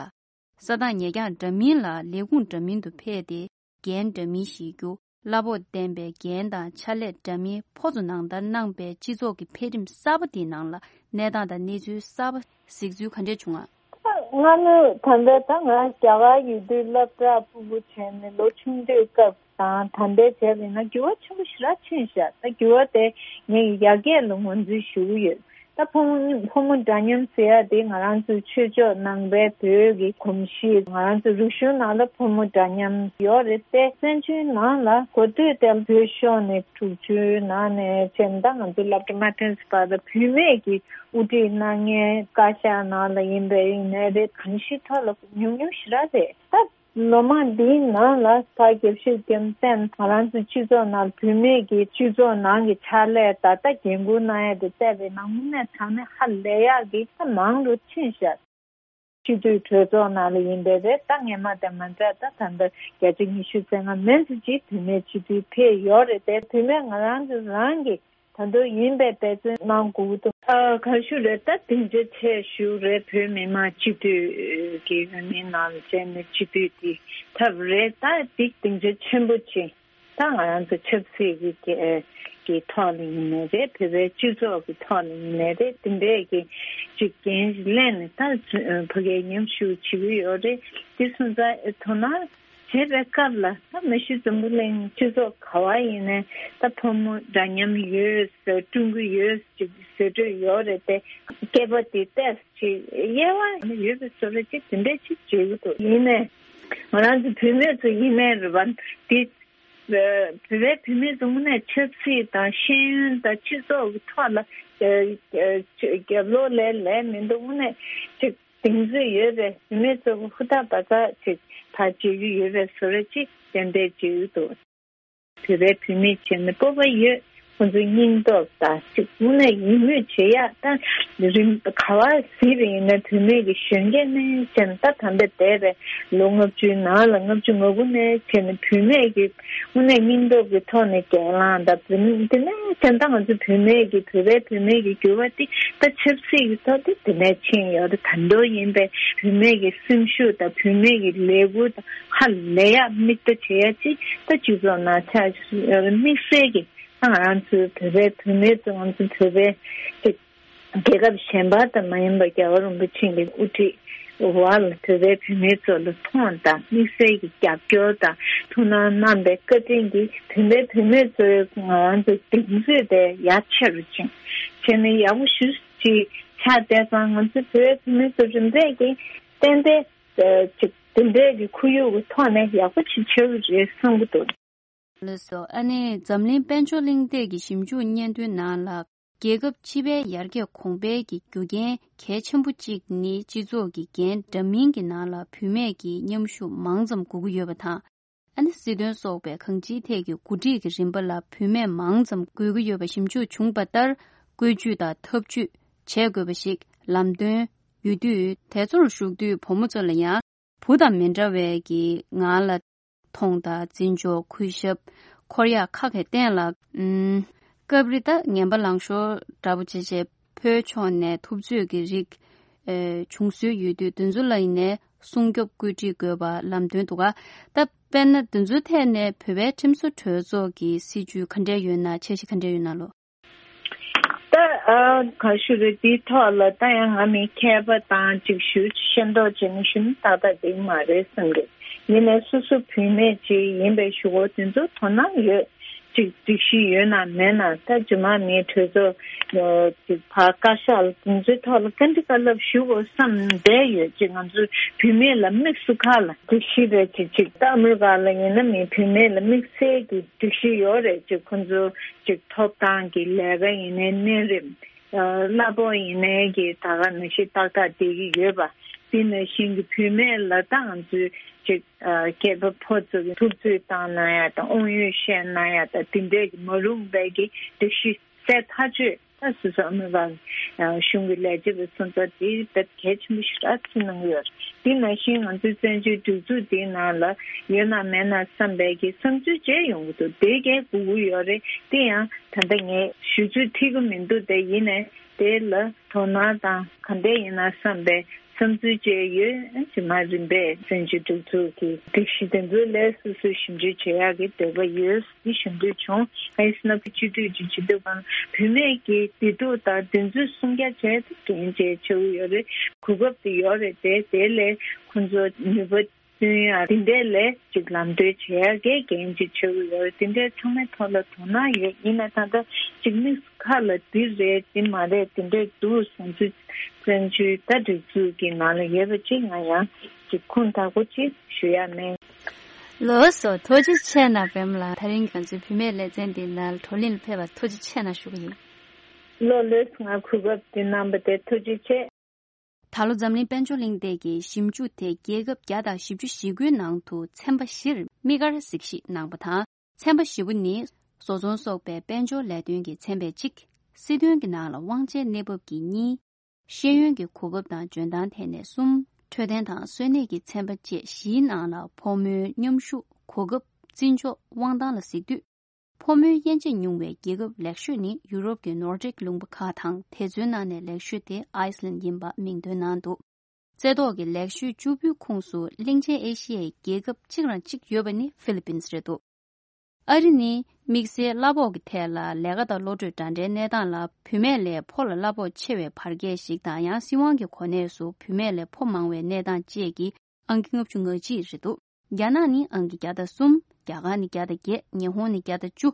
ས་ཐག་ཉེ་རྐྱང་འདྲ་མིན་ལ་ལས་ཁུངས་འདྲ་མིན་དུ་ཕེབས་ཏེ་འགན་འདྲ་མིན་བཞེས་རྒྱུ། གླ་ཕོགས་ལྡན་པའི་འགན་དང་ཕྱག་ལས་འདྲ་མིན་ཕོ་ཚོ་ནང་ལྟར་གནང་པའི་སྤྱི་ཚོགས་ཀྱི་འཕེལ་རིམ་གསར་པ་དེའི་ནང་ལ་གནས་སྟངས་དང་གནས་ཚུལ་གསར་པ་གཟིགས་ཚུལ་ག་འདྲས་བྱུང་ང་། སྔ་མོ་ད་ལྟ་ད་ང་རྒྱ་གར་ཡོད་དུས་སློབ་གྲྭ་ཕྲུ་གུ་བྱས་ནས་ལོ་ཆུང་དུས་སྐབས་དང་ད་ལྟའི་བྱས་པ་ཡིན་ན་འགྱུར་བ་ཆེན་པོ་ཞེ་དྲག་ཕྱིན་ཤག་ད་འགྱུར་བ་དེ་ངས་ཡར་རྒྱས་ལ་ངོས་འཛིན་ཞུ་གི་ཡོད། ད་ཕོ་མོ་ཕོ་མོ་འདྲ་མཉམ་ཟེར་ཡ་དེ་ང་རང་ཚོའི་ཆོས་ཕྱོགས་ནང་པའི་བོད་ཀྱི་གོམས་གཤིས། ང་རང་ཚོའི་རིག་གཞུང་ནང་ལ་ཕོ་མོ་འདྲ་མཉམ་ཡོད་རེད་དེ། བཙན་བྱོལ་ནང་ལ་གོ་ཐོས་དེ་བོད་ཤོར་ནས་དྲུག་ཅུའི་ནང་ནས་བྱས་ན་ད་ང་ཚོའི་སློབ་གྲྭ་མ་ཐོན་བར་དུ་བུད་མེད་ཀྱི་དབུ་ཁྲིད་གནང་མཁན་བཀའ་ཤག་ནང་ལ་ཡིན་པའི་ཡིན་ནའི་རེད། གང་ཞིག་ཐོག་ལ་ཉུང་ཉུང་ཞེ་དྲག་རེད། ད་ ལོ་མང་འདིའི་ནང་ལ་ཕ་དགེ་བཤེས་རྒྱལ་མཚན་ང་རང་ཚོའི་སྤྱི་ཚོགས་ནང་བུད་མེད་ཀྱི་སྤྱི་ཚོགས་ནང་གི་ཕྱག་ལས་ད་ལྟ་འགན་འཁུར་གནང་ཡ་དེ་བལྟས་པའི་ནང་དངོས་གནས་དྲང་གནས་ཧ་ལས་ཡག་གི་ད་མང་རུ་ཕྱིན་ཤག་སྤྱི་འཐུས་གྲོས་ཚོགས་ནང་ལ་ཡིན་པའི་རེད། ད་སྔས་མ་དང་མ་འདྲ་ད་ད་ལྟ་བརྒྱ་ཆ་ཉི་ཤུ་རྩ་ལྔ་མན་ཙམ་ཅིག་བུད་མེད་སྤྱི་འཐུས་ཕེབས་ཡོད་རེད་དེ། བུད་མེད་ང་རང་ཚོ་རང་གི་ད་དུང་ཡིན་པའི་འབད་བརྩོན་གནང་དགོས་ཀྱི་འདུག་ཨ་ག་ཞུ་རེད། ད་སྡིངས་ཆ་ཆེ་ཞུ་རེད། བོད་མི་མང་སྤྱི་འཐུས་ཀྱི་འོས་མིའི་ནང་ལ་བྱས་ནས་སྤྱི་འཐུས་དེ་ཐོབ་རེད། ད་འདི་སྡིངས་ཆ་ཆེན་པོ་ཅིག་ད་ང་རང་ཚོ་ཆབ་སྲིད་ཀྱི་ཀྱི་ཐོག་ལ་ཡིན་ནའི་རེད། བོད་པའི་སྤྱི་ཚོགས་ཀྱི་ཐོག་ལ་ཡིན་ནའི་རེད། དེ་འདྲས་ཀྱི་ཅིག་འགན་ལེན་ནས་ད་ཕ་གིར་མཉམ་ཞུགས་བྱེད་ཀྱི་ཡོད་རེད། དེ་སོང་ཙང་དོ་སྣང་བྱེད་པའི་སྐབས་ལ་ད་མ་གཞི་འཛམ་བུ་གླིང་སྤྱི་ཚོགས་ག་བ་ཡིན་ནའི་ད་ཕོ་མོ་འདྲ་མཉམ་ཡོད་ཟེར། སྤྲུལ་སྐུ་ཡོད་ཅིག་ཟེར་འདོད་ཡོད་རེད་དེ། སྐྱེས་པ་དེ་ཏོག་ཙམ་ཅིག་དབྱེ་བ་ཡོད་པའི་བཟོ་འདྲ་ཅིག་དེ་འདྲས་ཅིག་བྱེད་ཀྱི་འདུག་ཡིན་ནའི་ང་རང་ཚོ་བུད་མེད་ཚོ་ཡིན་ནའི་རེད་པ། དེ་བོད་པའི་བུད་མེད་ཚོ་དངོས་གནས་ཆབ་སྲིད་དང་ཤེས་ཡོན་དང་སྤྱི་ཚོགས་ཀྱི་ཐོག་ལ་རྒྱབ་ལོགས་ལས་ལས་མི་འདུག་དངོས་གནས་ཅིག་གདེང་ཚོད་ཡོད་པའི་བུད་མེད་ཚོ་ཧུར་ཐག་འབད་ཐག་ཅིག་ད་བྱེད་རྒྱུ་ཡོད་པའི་བཟོ་འདྲ་ཅིག་ཏན་ཏན་བྱེད་ཀྱི་འདུག་བོད་པའི་བུད་མེད་བྱས་ནས་སྤོབས་པ་ཡོད། ཁོང་ཚོའི་སྙིང་སྟོབས་དང་ཅིག་དངོས་གནས་ཡིད་སྨོན་བྱེད་ཡག་ད་རིམ་ག་བ་གཟིགས་པ་ཡིན་ན་བུད་མེད་ཀྱི་གཞོན་སྐྱེས་ནས་བྱས་ནས་ད་ད་ལྟ་འདས་པའི་ལོ་ལྔ་བཅུའི་ནང་ལ་ལྔ་བཅུ་ང་དགུ་ནས་བྱས་ནས་བུད་མེད་ཀྱི་དངོས་གནས་སྙིང་སྟོབས་ཀྱི་ཐོག་ནས་སྒེར་ལངས་དང་བུད་མེད་དེ་ནས་བྱས་ད་ང་ཚོ་བུད་མེད་ཀྱི་བོད་པའི་བུད་མེད་ཀྱི་འགྱུར་བ་དེ་ད་ཆབ་སྲིད་ཀྱི་ཐོག་དེ་དེ་ནས་ཕྱིན་ཡོད་རེད། ད་དུང་ཡིན་པའི་བུད་མེད་ཀྱི་སེམས་ཤུགས་དང་བུད་མེད་ཀྱི་ལས་འགུལ་དང་ཧ་ལས་ཡག་མིག་ལྟ་བྱེད་ཡག་ཅིག་ད་སྤྱི་ཚོགས་ནང་ཆགས་ཡོད་རེད། དམིགས་བསལ་གྱི་ད་ང་རང་ཚོའི་བོད་པའི་བུད་མེད་ཚོ་ང་ཚོ་བོད་པའི་ཅིག་རྒྱལ་ཁབ་གཞན་པ་དང་མ་ཡིན་པར་རྒྱལ་བ་རིན་པོ་ཆེ་གི་དབུ་ཁྲིད་འོག་ལ་བོད་པའི་བུད་མེད་ཚོ་ལ་མཐོང་དང་དམིགས་བསལ་གྱི་རྒྱབ་སྐྱོར་དང་ཐུགས་སྣང་གནང་པའི་བཀའ་དྲིན་གྱིས་བོད་པའི་བུད་མེད་ཚོའི་ང་རང་ཚོའི་གདེང་ཚོད་དེ་ཡར་ཆེ་རུ་ཕྱིན། བྱས་ནས་ཡག་པོ་ཞེ་པོ་ཅིག་ཆགས་བསྡད་ཙང་ང་ཚོའི་བོད་པའི་བུད་མེད་ཚོ་རིམ་པས་ཀྱིས་ཏན་ཏན་ཅིག་དེ་འདྲའི་གི་ཁོར་ཡུག་གི་ཐོག་ནས་ཡག་པོ་ཞིག་ཆགས་ཀྱི་རེད་བསམ་གྱི་འདུག་ལགས་སོ། ཨ་ནི་འཛམ་གླིང་དཔལ་འབྱོར་གླེང་སྟེགས་ཀྱི་ཞིབ་འཇུག་སྙན་ཐོའི་ནང་ལ། རྒྱལ་ཁབ་སྤྱི་པའི་ཡར་རྒྱས་གོང་འཕེལ་གྱི་རྒྱུ་རྐྱེན་གལ་ཆེན་པོ་གཅིག་ནི་སྤྱི་ཚོགས་ཀྱི་འགན་འདྲ་མིན་གྱི་ནང་ལ་བུད་མེད་ཀྱི་མཉམ་ཞུགས་མང་ཙམ་དགོས་ཀྱི་ཡོད་པ་དང་། ཨ་ནི་སྲིད་དོན་སོགས་པའི་གང་ཅིའི་ཐད་ཀྱི་འགོ་ཁྲིད་ཀྱི་རིམ་པ་ལ་བུད་མེད་མང་ཙམ་དགོས་ཀྱི་ཡོད་པ་ཞིབ་འཇུག་བྱུང་བ་ལྟར། བཀོད་ཇུས་དང་ཐབས་ཇུས་བྱེད་དགོས་པ་ཞིག་ལམ་སྟོན་ཡོད་དུས། དེ་ཚོར་ཞུགས་དུས་བུ་མོ་ཚོ་ལ་ཡང་བུ་དང་མི་འདྲ་བའི་གི་ངང་ལ་མཐོང་དང་། བརྩི་འཇོག་གུས་ཞབས་འཁོར་ཡག་ཁ་གི་སྟེང་ལ། ཨུམ། སྐབས་རེ་ད་ངན་པ་ལངས་ཤོར་འདྲ་པོ་བྱས་བྱས་བུའི་ཕྱོགས་ནས་ཐུབ་ཚོད་ཀྱི་རིགས་ཨེ་བྱུང་སྲོལ་ཡོད་དུས། དེ་ཚོ་ལ་ཡིན་ནའི་སྲུང་སྐྱོབ་བཀོད་སྒྲིག་དགོས་པ་ལམ་སྟོན་འདུག་ག་ད་དཔེར་ན་དེ་ཚོའི་ཐད་ནས་བོད་པའི་ཁྲིམས་བཟོ་གྲོས་ཚོགས་ཀྱི་སྲིད་ཇུས་ག་འདྲས་ཡོད་ན། འཆར་གཞི་ག་འདྲས་ཡོད་ན་ལོ། ད་ཨ་ག་ཞུ་རེད། དེའི་ཐོག་ལ་ད་ཡང་ང་མི་མཁས་པ་དང་ཅིག་ཞུ་ཤེས་མདོག་བྱས་ནས་ཞུ་ན་ཏག་ཏག་འགྲིག་མ་རེད་བསམ་གི། ཡིན་ནའི་སོ་སོ་བུད་མེད་ཅིག་ཡིན་པའི་གཞུག་གུ་དེ་ཚོ་དོ་སྣང་ཡོད་ཅིག་སྒྲིག་གཞི་ཡོད་ན་མེད་ན། ད་རྗེས་མ་མིའི་གྲོས་ཚོགས་ཅིག་ཕར་བཀའ་ཤག་ལ་དེ་ཚོའི་ཐོག་ལ་བཀའ་འདྲི་བཀའ་སློབ་ཞུ་དགོས་བསམ་བསྡད་ཡོད་ཅིག་ང་ཚོ་བུད་མེད་ལ་དམིགས་སུ་ཁ་ལ་སྒྲིག་གཞི་རེད་ཅིག་ཅིག་ད་ཨ་མི་རི་ཀ་ལ་ཡིན་ན་མི་བུད་མེད་ལ་དམིགས་བསལ་གྱི་སྒྲིག་གཞི་ཡོད་རེད་ཅིག་ཁོ་ཚོ་ཅིག་ཐོབ་ཐང་གི་ལས་ཀ་ཡིན་ནའི་གནས་རིམ། གླ་ཕོགས་ཡིན་ནའི་གི་ད་ག་ནང་བཞིན་ཏག་ཏག་བསྡད་ཀྱི་ཡོད་པ། དེ་ནང་བཞིན་གྱི་བུད་མེད་ལ་ད་ང་ཚོས་ཅིག་སྐྱེས་པ་ཕོ་ཚོ་གི་ཐུབ་ཚོད་བཏང་གནང་ཡ་དང་དབང་ཡོད་བཤད་གནང་ཡ་དང་དེ་འདྲས་ཀྱི་མ་རུངས་པའི་གི་སྒྲིག་གཞི་གསལ་ཐག་ཆོད། ད་སོ་སོ་ཨ་མི་རི་ཀ་གཞུང་གི་ལས་བྱེད་པ་སོང་ཙང་དེ་དཔེ་གལ་ཆེན་པོ་ཞེ་དྲག་བརྩི་གནང་གི་ཡོད་རེད། དེ་ནང་བཞིན་ང་ཚོའི་བཙན་བྱོལ་སྒྲིག་འཛུགས་འདིའི་ནང་ལ་ཡོད་ན་མེད་ན་བསམ་པའི་གི་བསམ་ཚུལ་བརྗེ་ཡོང་གི་འདུག་དེ་གས་དགོས་ཀྱི་ཡོད་རེད། དེ་ཡང་ད་ལྟ་ངས་ཞུ་ཚོད་ཐིག་གི་མི་འདུག་དེ་ཡིན་ནའི་དེ་ལ་དོ་སྣང་དང་ག་འདྲས་ཡིན་ན་བསམ་པའི་བསམ་ཚུལ་བཅས་ཡོད། རྗེས་མ་རིམ་པས་བཙན་བྱོལ་སྒྲིག་འཛུགས་ཀྱི་སྒྲིག་གཞི་དེ་ཚོའི་ལས་སོ་སོས་ཞིབ་འཇུག་བྱེད་ཡག་གི་འདོད་པ་ཡོད། འདི་ཞུ་འདོད་བྱུང་། གང་ཡིན་ཟེར་ན་སྤྱི་འཐུས་ཀྱི་སྤྱི་འཐུས་ཁང་བུད་མེད་ཀྱི་བདེ་སྡུག་དང་བདེན་རྫུན་གསུང་རྒྱ་བྱས་ཏེ་འགན་བཞེས་བྱེད་ཀྱི་ཡོད་རེད། གོ་སྐབས་དེ་ཡོད་རེད་དེ། དེ་ལས་ཁོང་ཚོ་ནུས་པ་བཏོན་ཡ་དེ་འདྲས་ལས་ཅིག་ལམ་སྟོན་བྱེད་ཡ་གི་འགན་ཅིག་བྱེད་ཀྱི་ཡོད་རེད། དེ་འདྲས་ཚང་མའི་ཐོག་ལ་དོ་སྣང་ཡོད། ཡིན་ན་ད་ལྟ་ཅིག་དམིགས་ཁ་ལ་འདི་རེད་འདི་མ་རེད་དེ་འདྲས་འདུག་བཟང་ཚུལ་བཙན་བྱོལ་ད་སྒྲིག་འཛུགས་ཀྱི་ནང་ལ་ཡོད་པ་ཅིག་ང་ཡང་ཅིག་ཁུངས་དག་པོ་ཅིག་ཞུ་ཡ་མེད། ལགས་སོ། ཐུགས་རྗེ་ཆེ་གནང་པད་མ་ལགས། ད་རིང་ང་ཚོའི་བུད་མེད་ལེ་ཚན་འདི་ནང་བགྲོ་གླེང་ལ་ཕེབས་པར་ཐུགས་རྗེ་ཆེ་གནང་ཞུ་གི་ཡིན། ལགས་ལགས། ང་གོ་སྐབས་འདི་གནང་བ་དེ་ཐུགས་རྗེ་ཆེ། ད་ལོ་འཛམ་གླིང་དཔལ་འབྱོར་གླེང་སྟེགས་ཀྱི་ཞིབ་འཇུག་དེ་རྒྱལ་ཁབ་བརྒྱ་དང་བཞི་བཅུ་ཞེ་དགུའི་ནང་དུ་ཚན་པ་བཞིར་དམིགས་བཀར་གཟིགས་ཞིབ་གནང་པ་དང་། ཚན་པ་བཞི་པོ་ནི་བཟོ་ཚོང་སོགས་པའི་དཔལ་འབྱོར་ལས་དོན་གྱི་ཚན་པས་གཅིག་སྲིད་དོན་གྱི་ནང་ལ་དབང་ཆའི་གནས་བབ་ཀྱིས་གཉིས། ཤེས་ཡོན་གྱི་གོ་སྐབས་དང་འཇོན་ཐང་ཐད་ནས་གསུམ། འཕྲོད་བསྟེན་དང་གསོ་གནས་ཀྱི་ཚན་པ་བཅས་བཞིའི་ནང་ལ་ཕོ་མོའི་མཉམ་ཞུགས་གོ་སྐབས་བརྩི་འཇོག་དབང་ཐང་ལ་གཟིགས་དུས། ཕོ་མོའི་དབྱེ་འབྱེད་ཉུང་བའི་རྒྱལ་ཁབ་ལེགས་ཤོས་ནི་ཡུ་རོབ་ཀྱི་ནོར་ཌིག་ལུང་པ་ཁག་དང་། དེ་ཚོའི་ནང་ནས་ལེགས་ཤོས་དེ་ཨའི་སི་ལན་ཡིན་པ་མིང་འདོན་གནང་འདུག་རྩེ་ཐོག་གི་ལེགས་ཤོས་བཅུ་པོའི་ཁོངས་སུ་གླིང་ཆེན་ཨེ་ཤི་ཡའི་རྒྱལ་ཁབ་གཅིག་རང་གཅིག་ཡོད་པ་ནི་ཧྥི་ལི་པིན་སི་རེད་འདུག་ཨ་རི་ནི་དམིགས་བསལ་གླ་ཕོགས་ཀྱི་ཐད་ལ་ལས་ཀ་དང་བློ་གྲོས་འདྲ་འདྲའི་གནས་སྟངས་ལ་བུད་མེད་ལས་ཕོ་ལ་གླ་ཕོགས་ཆེ་བའི་བར་བརྒལ་ཞིག་དང་། ཡང་སྲིད་དབང་གི་གོ་གནས་སུ་བུད་མེད་ལས་ཕོ་མང་བའི་གནས་སྟངས་བཅས་ཀྱིས་ཨང་ཀི་ལྔ་བཅུ་ང་གཅིག་རེད་འདུག་རྒྱ་ནག་ནི་ཨང་ཀི་བརྒྱ་དང་གསུམ། རྒྱ་གར་ནི་བརྒྱ་དང་བརྒྱད། ཉི་ཧོང་ནི་བརྒྱ་དང་བཅུ།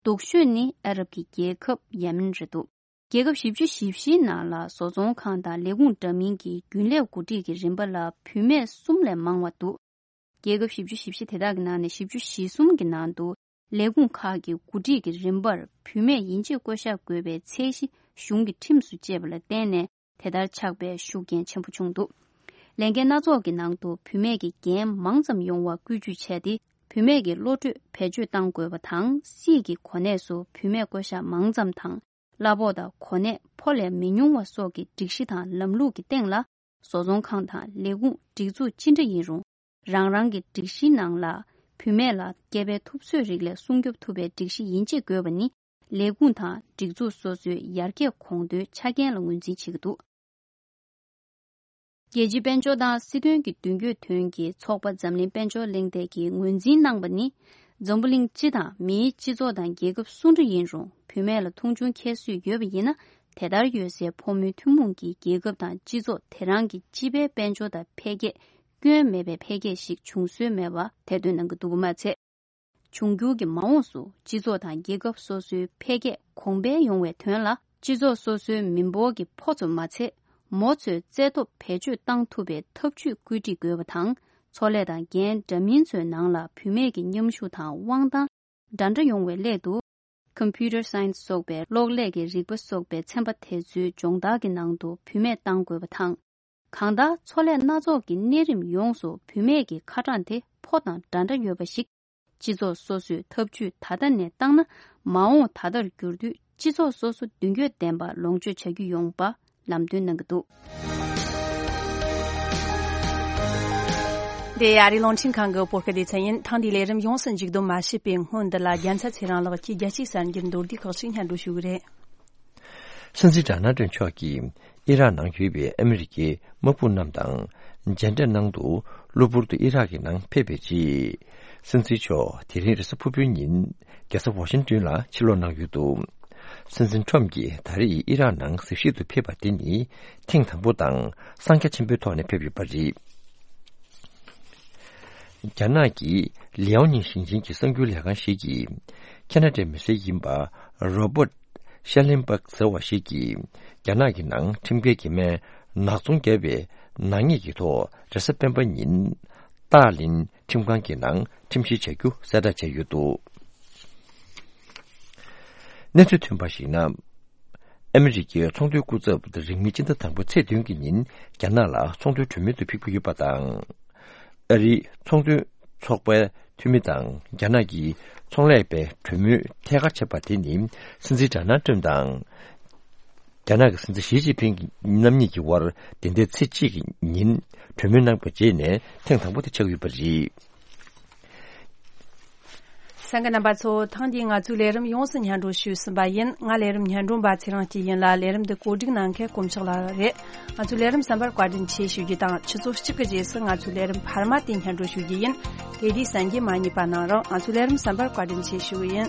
སྡུག་ཤོས་ནི་ཨ་རབ་ཀྱི་རྒྱལ་ཁབ་ཡེ་མེན་རེད་འདུག་རྒྱལ་ཁབ་བཞི་བཅུ་ཞེ་བཞིའི་ནང་ལ་བཟོ་ཚོང་ཁང་དང་ལས་ཁུངས་འདྲ་མིན་གྱི་རྒྱུན་ལས་འགོ་ཁྲིད་ཀྱི་རིམ་པ་ལ་བུད་མེད་གསུམ་ལས་མང་བ་འདུག་རྒྱལ་ཁབ་བཞི་བཅུ་ཞེ་བཞི་དེ་དག་གི་ནང་ནས་བཞི་བཅུ་ཞེ་གསུམ་གྱི་ནང་དུ་ལས་ཁུངས་ཁག་གི་འགོ་ཁྲིད་ཀྱི་རིམ་པར་བུད་མེད་ཡིན་གཅིག་བསྐོ་བཞག་དགོས་པའི་ཚད་གཞི་གཞུང་གིས་ཁྲིམས་སུ་བཅད་པ་ལ་བརྟེན་ནས། དེ་ལྟར་ཆགས་པའི་ཤུགས་རྐྱེན་ཆེན་པོ་བྱུང་འདུག་ལས་འགན་སྣ་ཚོགས་ཀྱི་ནང་དུ་བུད་མེད་ཀྱི་འགན་མང་ཙམ་ཡོང་བར་སྐུལ་ཇུས་བྱས་ཏེ། བུད་མེད་ཀྱི་བློ་གྲོས་བེད་སྤྱོད་གཏང་དགོས་པ་དང་། སྲིད་ཀྱི་གོ་གནས་སུ་བུད་མེད་བསྐོ་བཞག་མང་ཙམ་དང་། གླ་ཕོགས་དང་གོ་གནས་ཕོ་ལས་མི་ཉུང་བ་སོགས་ཀྱི་སྒྲིག་གཞི་དང་ལམ་ལུགས་ཀྱི་སྟེང་ལ། བཟོ་ཚོང་ཁང་དང་ལས་ཁུངས་སྒྲིག་འཛུགས་ཅི་འདྲ་ཡིན་རུང་། རང་རང་གི་སྒྲིག་གཞིའི་ནང་ལ་བུད་མེད་ལ་སྐྱེ་འཕེལ་ཐུབ་ཚོད་རིགས་ལས་སྲུང་སྐྱོབ་ཐུབ་པའི་སྒྲིག་གཞི་ཡིན་གཅིག་དགོས་པ་ནི། ལས་ཁུངས་དང་སྒྲིག་འཛུགས་སོ་སོའི་ཡར་རྒྱས་གོང་མཐོའི་ཆ་རྐྱེན་ལ་ངོས་འཛིན་བྱེད་ཀྱི་འདུག་རྒྱལ་སྤྱིའི་དཔལ་འབྱོར་དང་སྲིད་དོན་གྱི་མདུན་སྐྱོད་དོན་གྱི་ཚོགས་པ་འཛམ་གླིང་དཔལ་འབྱོར་གླེང་སྟེགས་ཀྱིས་ངོས་འཛིན་གནང་པ་ནི། འཛམ་བུ་གླིང་སྤྱི་དང་མིའི་སྤྱི་ཚོགས་དང་རྒྱལ་ཁབ་སུ་འདྲ་ཡིན་རུང་། བུད་མེད་ལ་མཐོང་ཆུང་ཁྱད་གསོད་ཡོད་པ་ཡིན་ན། དེ་ལྟར་ཡོད་སའི་ཕོ་མོའི་ཐུན་མོང་གི་རྒྱལ་ཁབ་དང་སྤྱི་ཚོགས་དེ་རང་གི་སྤྱི་པའི་དཔལ་འབྱོར་དང་འཕེལ་རྒྱས་སྐྱོན་མེད་པའི་འཕེལ་རྒྱས་ཤིག་བྱུང་སྲོལ་མེད་པ་དེ་སྟོན་གནང་གི་འདུག་པ་མ་ཚད། འབྱུང་འགྱུར་གྱི་མ་འོངས་སུ་སྤྱི་ཚོགས་དང་རྒྱལ་ཁབ་སོ་སོའི་འཕེལ་རྒྱས་གོང་འཕེལ་ཡོང་བའི་དོན་ལ། སྤྱི་ཚོགས་སོ་སོའི་མི་འབོར་གྱི་ཕོ་ཚོ་མ་ཚད། མོ་ཚོའི་རྩལ་སྟོབས་བེད་སྤྱོད་གཏང་ཐུབ་པའི་ཐབས་ཇུས་བཀོད་སྒྲིག་དགོས་པ་དང་། ཚོང་ལས་དང་འགན་འདྲ་མིན་ཚོའི་ནང་ལ་བུད་མེད་ཀྱི་མཉམ་ཞུགས་དང་དབང་ཐང་འདྲ་འདྲ་ཡོང་བའི་སླད་དུ། Computer Science སོགས་པའི་གློག་ཀླད་ཀྱི་རིག་པ་སོགས་པའི་ཚན་པ་དེ་ཚོའི་སྦྱོང་བརྡར་གྱི་ནང་དུ་བུད་མེད་གཏང་དགོས་པ་དང་། གང་ལྟར། ཚོང་ལས་སྣ་ཚོགས་ཀྱི་གནས་རིམ་ཡོངས་སུ་བུད་མེད་ཀྱི་ཁ་གྲངས་དེ་ཕོ་དང་འདྲ་འདྲ་ཡོད་པ་ཞིག་སྤྱི་ཚོགས་སོ་སོས་ཐབས་ཇུས་ད་ལྟ་ནས་བཏང་ན། མ་འོངས་ད་ལྟར་འགྱུར་དུས་སྤྱི་ཚོགས་སོ་སོ་མདུན་སྐྱོད་ལྡན་པ་ལོངས་སྤྱོད་བྱ་རྒྱུ་ཡོང་བ་ལམ་སྟོན་གནང་གི་འདུག་འདི་ཨ་རིའི་རླུང་འཕྲིན་ཁང་གི་བོད་སྐད་སྡེ་ཚན་ཡིན། ཐེངས་འདིའི་ལས་རིམ་ཡོངས་སུ་མཇུག་བསྡོམས་མ་བྱས་པའི་སྔོན། འདི་ལ་རྒྱལ་མཚན་ཚེ་རིང་ལགས་ཀྱིས་རྒྱལ་སྤྱིའི་གསར་འགྱུར་མདོར་བསྡུས་ཁག་ཅིག་སྙན་སྒྲོན་ཞུ་གི་རེད། སྲིད་འཛིན་ཌོ་ནལ་ཊམ་མཆོག་གིས་ཨི་རག་ནང་ཡོད་པའི་ཨ་མི་རི་ཀའི་དམག་དཔུང་རྣམས་དང་མཇལ་འཕྲད་གནང་འདུག་གློ་བུར་དུ་ཨི་རག་གི་ནང་ཕེབས་པའི་རྗེས། སྲིད་འཛིན་མཆོག་དེ་རིང་རེས་གཟའ་ཕུར་བུའི་ཉིན་རྒྱལ་ས་ཝ་ཤིང་ཏོན་ལ་ཕྱིར་ལོག་གནང་ཡོད་འདུག་སྲིད་འཛིན་ཊམ་གྱིས་ད་རེས་ཨི་རག་ནང་གཟིགས་ཞིབ་ཏུ་ཕེབས་པ་དེ་ནི་ཐེངས་དང་པོ་དང་། གསང་རྒྱ་ཆེན་པོའི་ཐོག་ནས་ཕེབས་ཡོད་པ་རེད། རྒྱ་ནག་གི་ལིའོ་ནིང་ཞིང་ཆེན་གྱི་གསར་འགྱུར་ལས་ཁང་ཞིག་གིས། ཁ་ན་ཌའི་མི་སེར་ཡིན་པ་རོ་བྷར་ཤ་ལིན་སྦག་ཟེར་བ་ཞིག་གིས། རྒྱ་ནག་གི་ནང་ཁྲིམས་འགལ་གྱི་སྨན་ནག་ཚོང་བརྒྱབ་པའི་ནག་ཉེས་ཀྱི་ཐོག་རེས་གཟའ་སྤེན་པ་ཉིན། ཏཱ་ལིན་ཁྲིམས་ཁང་གི་ནང་ཁྲིམས་བཤེར་བྱ་རྒྱུ་གསལ་བསྒྲགས་བྱས་ཡོད་འདུག་གནས་ཚུལ་ཐོན་པར་གཞིགས་ན། ཨ་མི་རི་ཀའི་ཚོང་དོན་སྐུ་ཚབ་རིང་མིན་སྤྱི་ཟླ་དང་པོའི་ཚེས་བདུན་གྱི་ཉིན་རྒྱ་ནག་ལ་ཚོང་དོན་གྲོས་མོལ་དུ་ཕེབས་ཀྱི་ཡོད་པ་དང་། ཨ་རིའི་ཚོང་དོན་ཚོགས་པའི་འཐུས་མི་དང་རྒྱ་ནག་གི་ཚོང་ལས་པའི་གྲོས་མོལ་ཐད་ཀར་བྱས་པ་དེ་ནི། སྲིད་འཛིན་ཌོ་ནལ་ཊམ་དང་རྒྱ་ནག་གི་སྲིད་འཛིན་ཞི་ཅིན་ཕིང་རྣམ་གཉིས་ཀྱི་དབར་འདི་ཟླའི་ཚེས་གཅིག་གི་ཉིན་གྲོས་མོལ་གནང་བའི་རྗེས་ནས་ཐེངས་དང་པོ་དེ་ཆགས་ཡོད་པ་རེད། གསན་མཁན་རྣམ་པ་ཚོ། ཐེངས་འདིའི་ང་ཚོའི་ལས་རིམ་ཡོངས་སུ་སྙན་སྒྲོན་ཞུས་ཟིན་པ་ཡིན། ང་ལས་རིམ་སྙན་སྒྲོན་པ་ཚེ་རིང་སྐྱིད་ཡིན་ལ། ལས་རིམ་འདི་གོ་སྒྲིག་གནང་མཁན་དཀོན་མཆོག་ལགས་རེད། ང་ཚོའི་ལས་རིམ་གསན་པར་བཀའ་དྲིན་ཆེ་ཞུ་རྒྱུ་དང་། ཆུ་ཚོད་གཅིག་གི་རྗེས་སུ་ང་ཚོའི་ལས་རིམ་འཕར་མ་དེ་སྙན་སྒྲོན་ཞུ་རྒྱུ་ཡིན། དེ་དུས་གསན་རྒྱུ་མ་བསྙེལ་བ་གནང་རོགས། ང་ཚོའི་ལས་རིམ་གསན་པར་བཀའ་དྲིན་ཆེ་ཞུ་གི་ཡིན།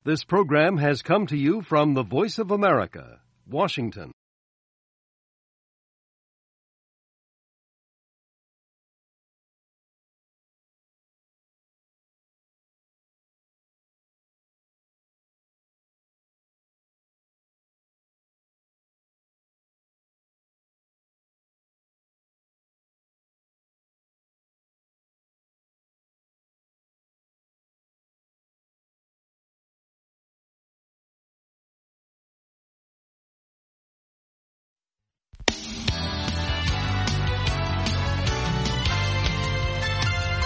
This program has come to you from the Voice of America, Washington.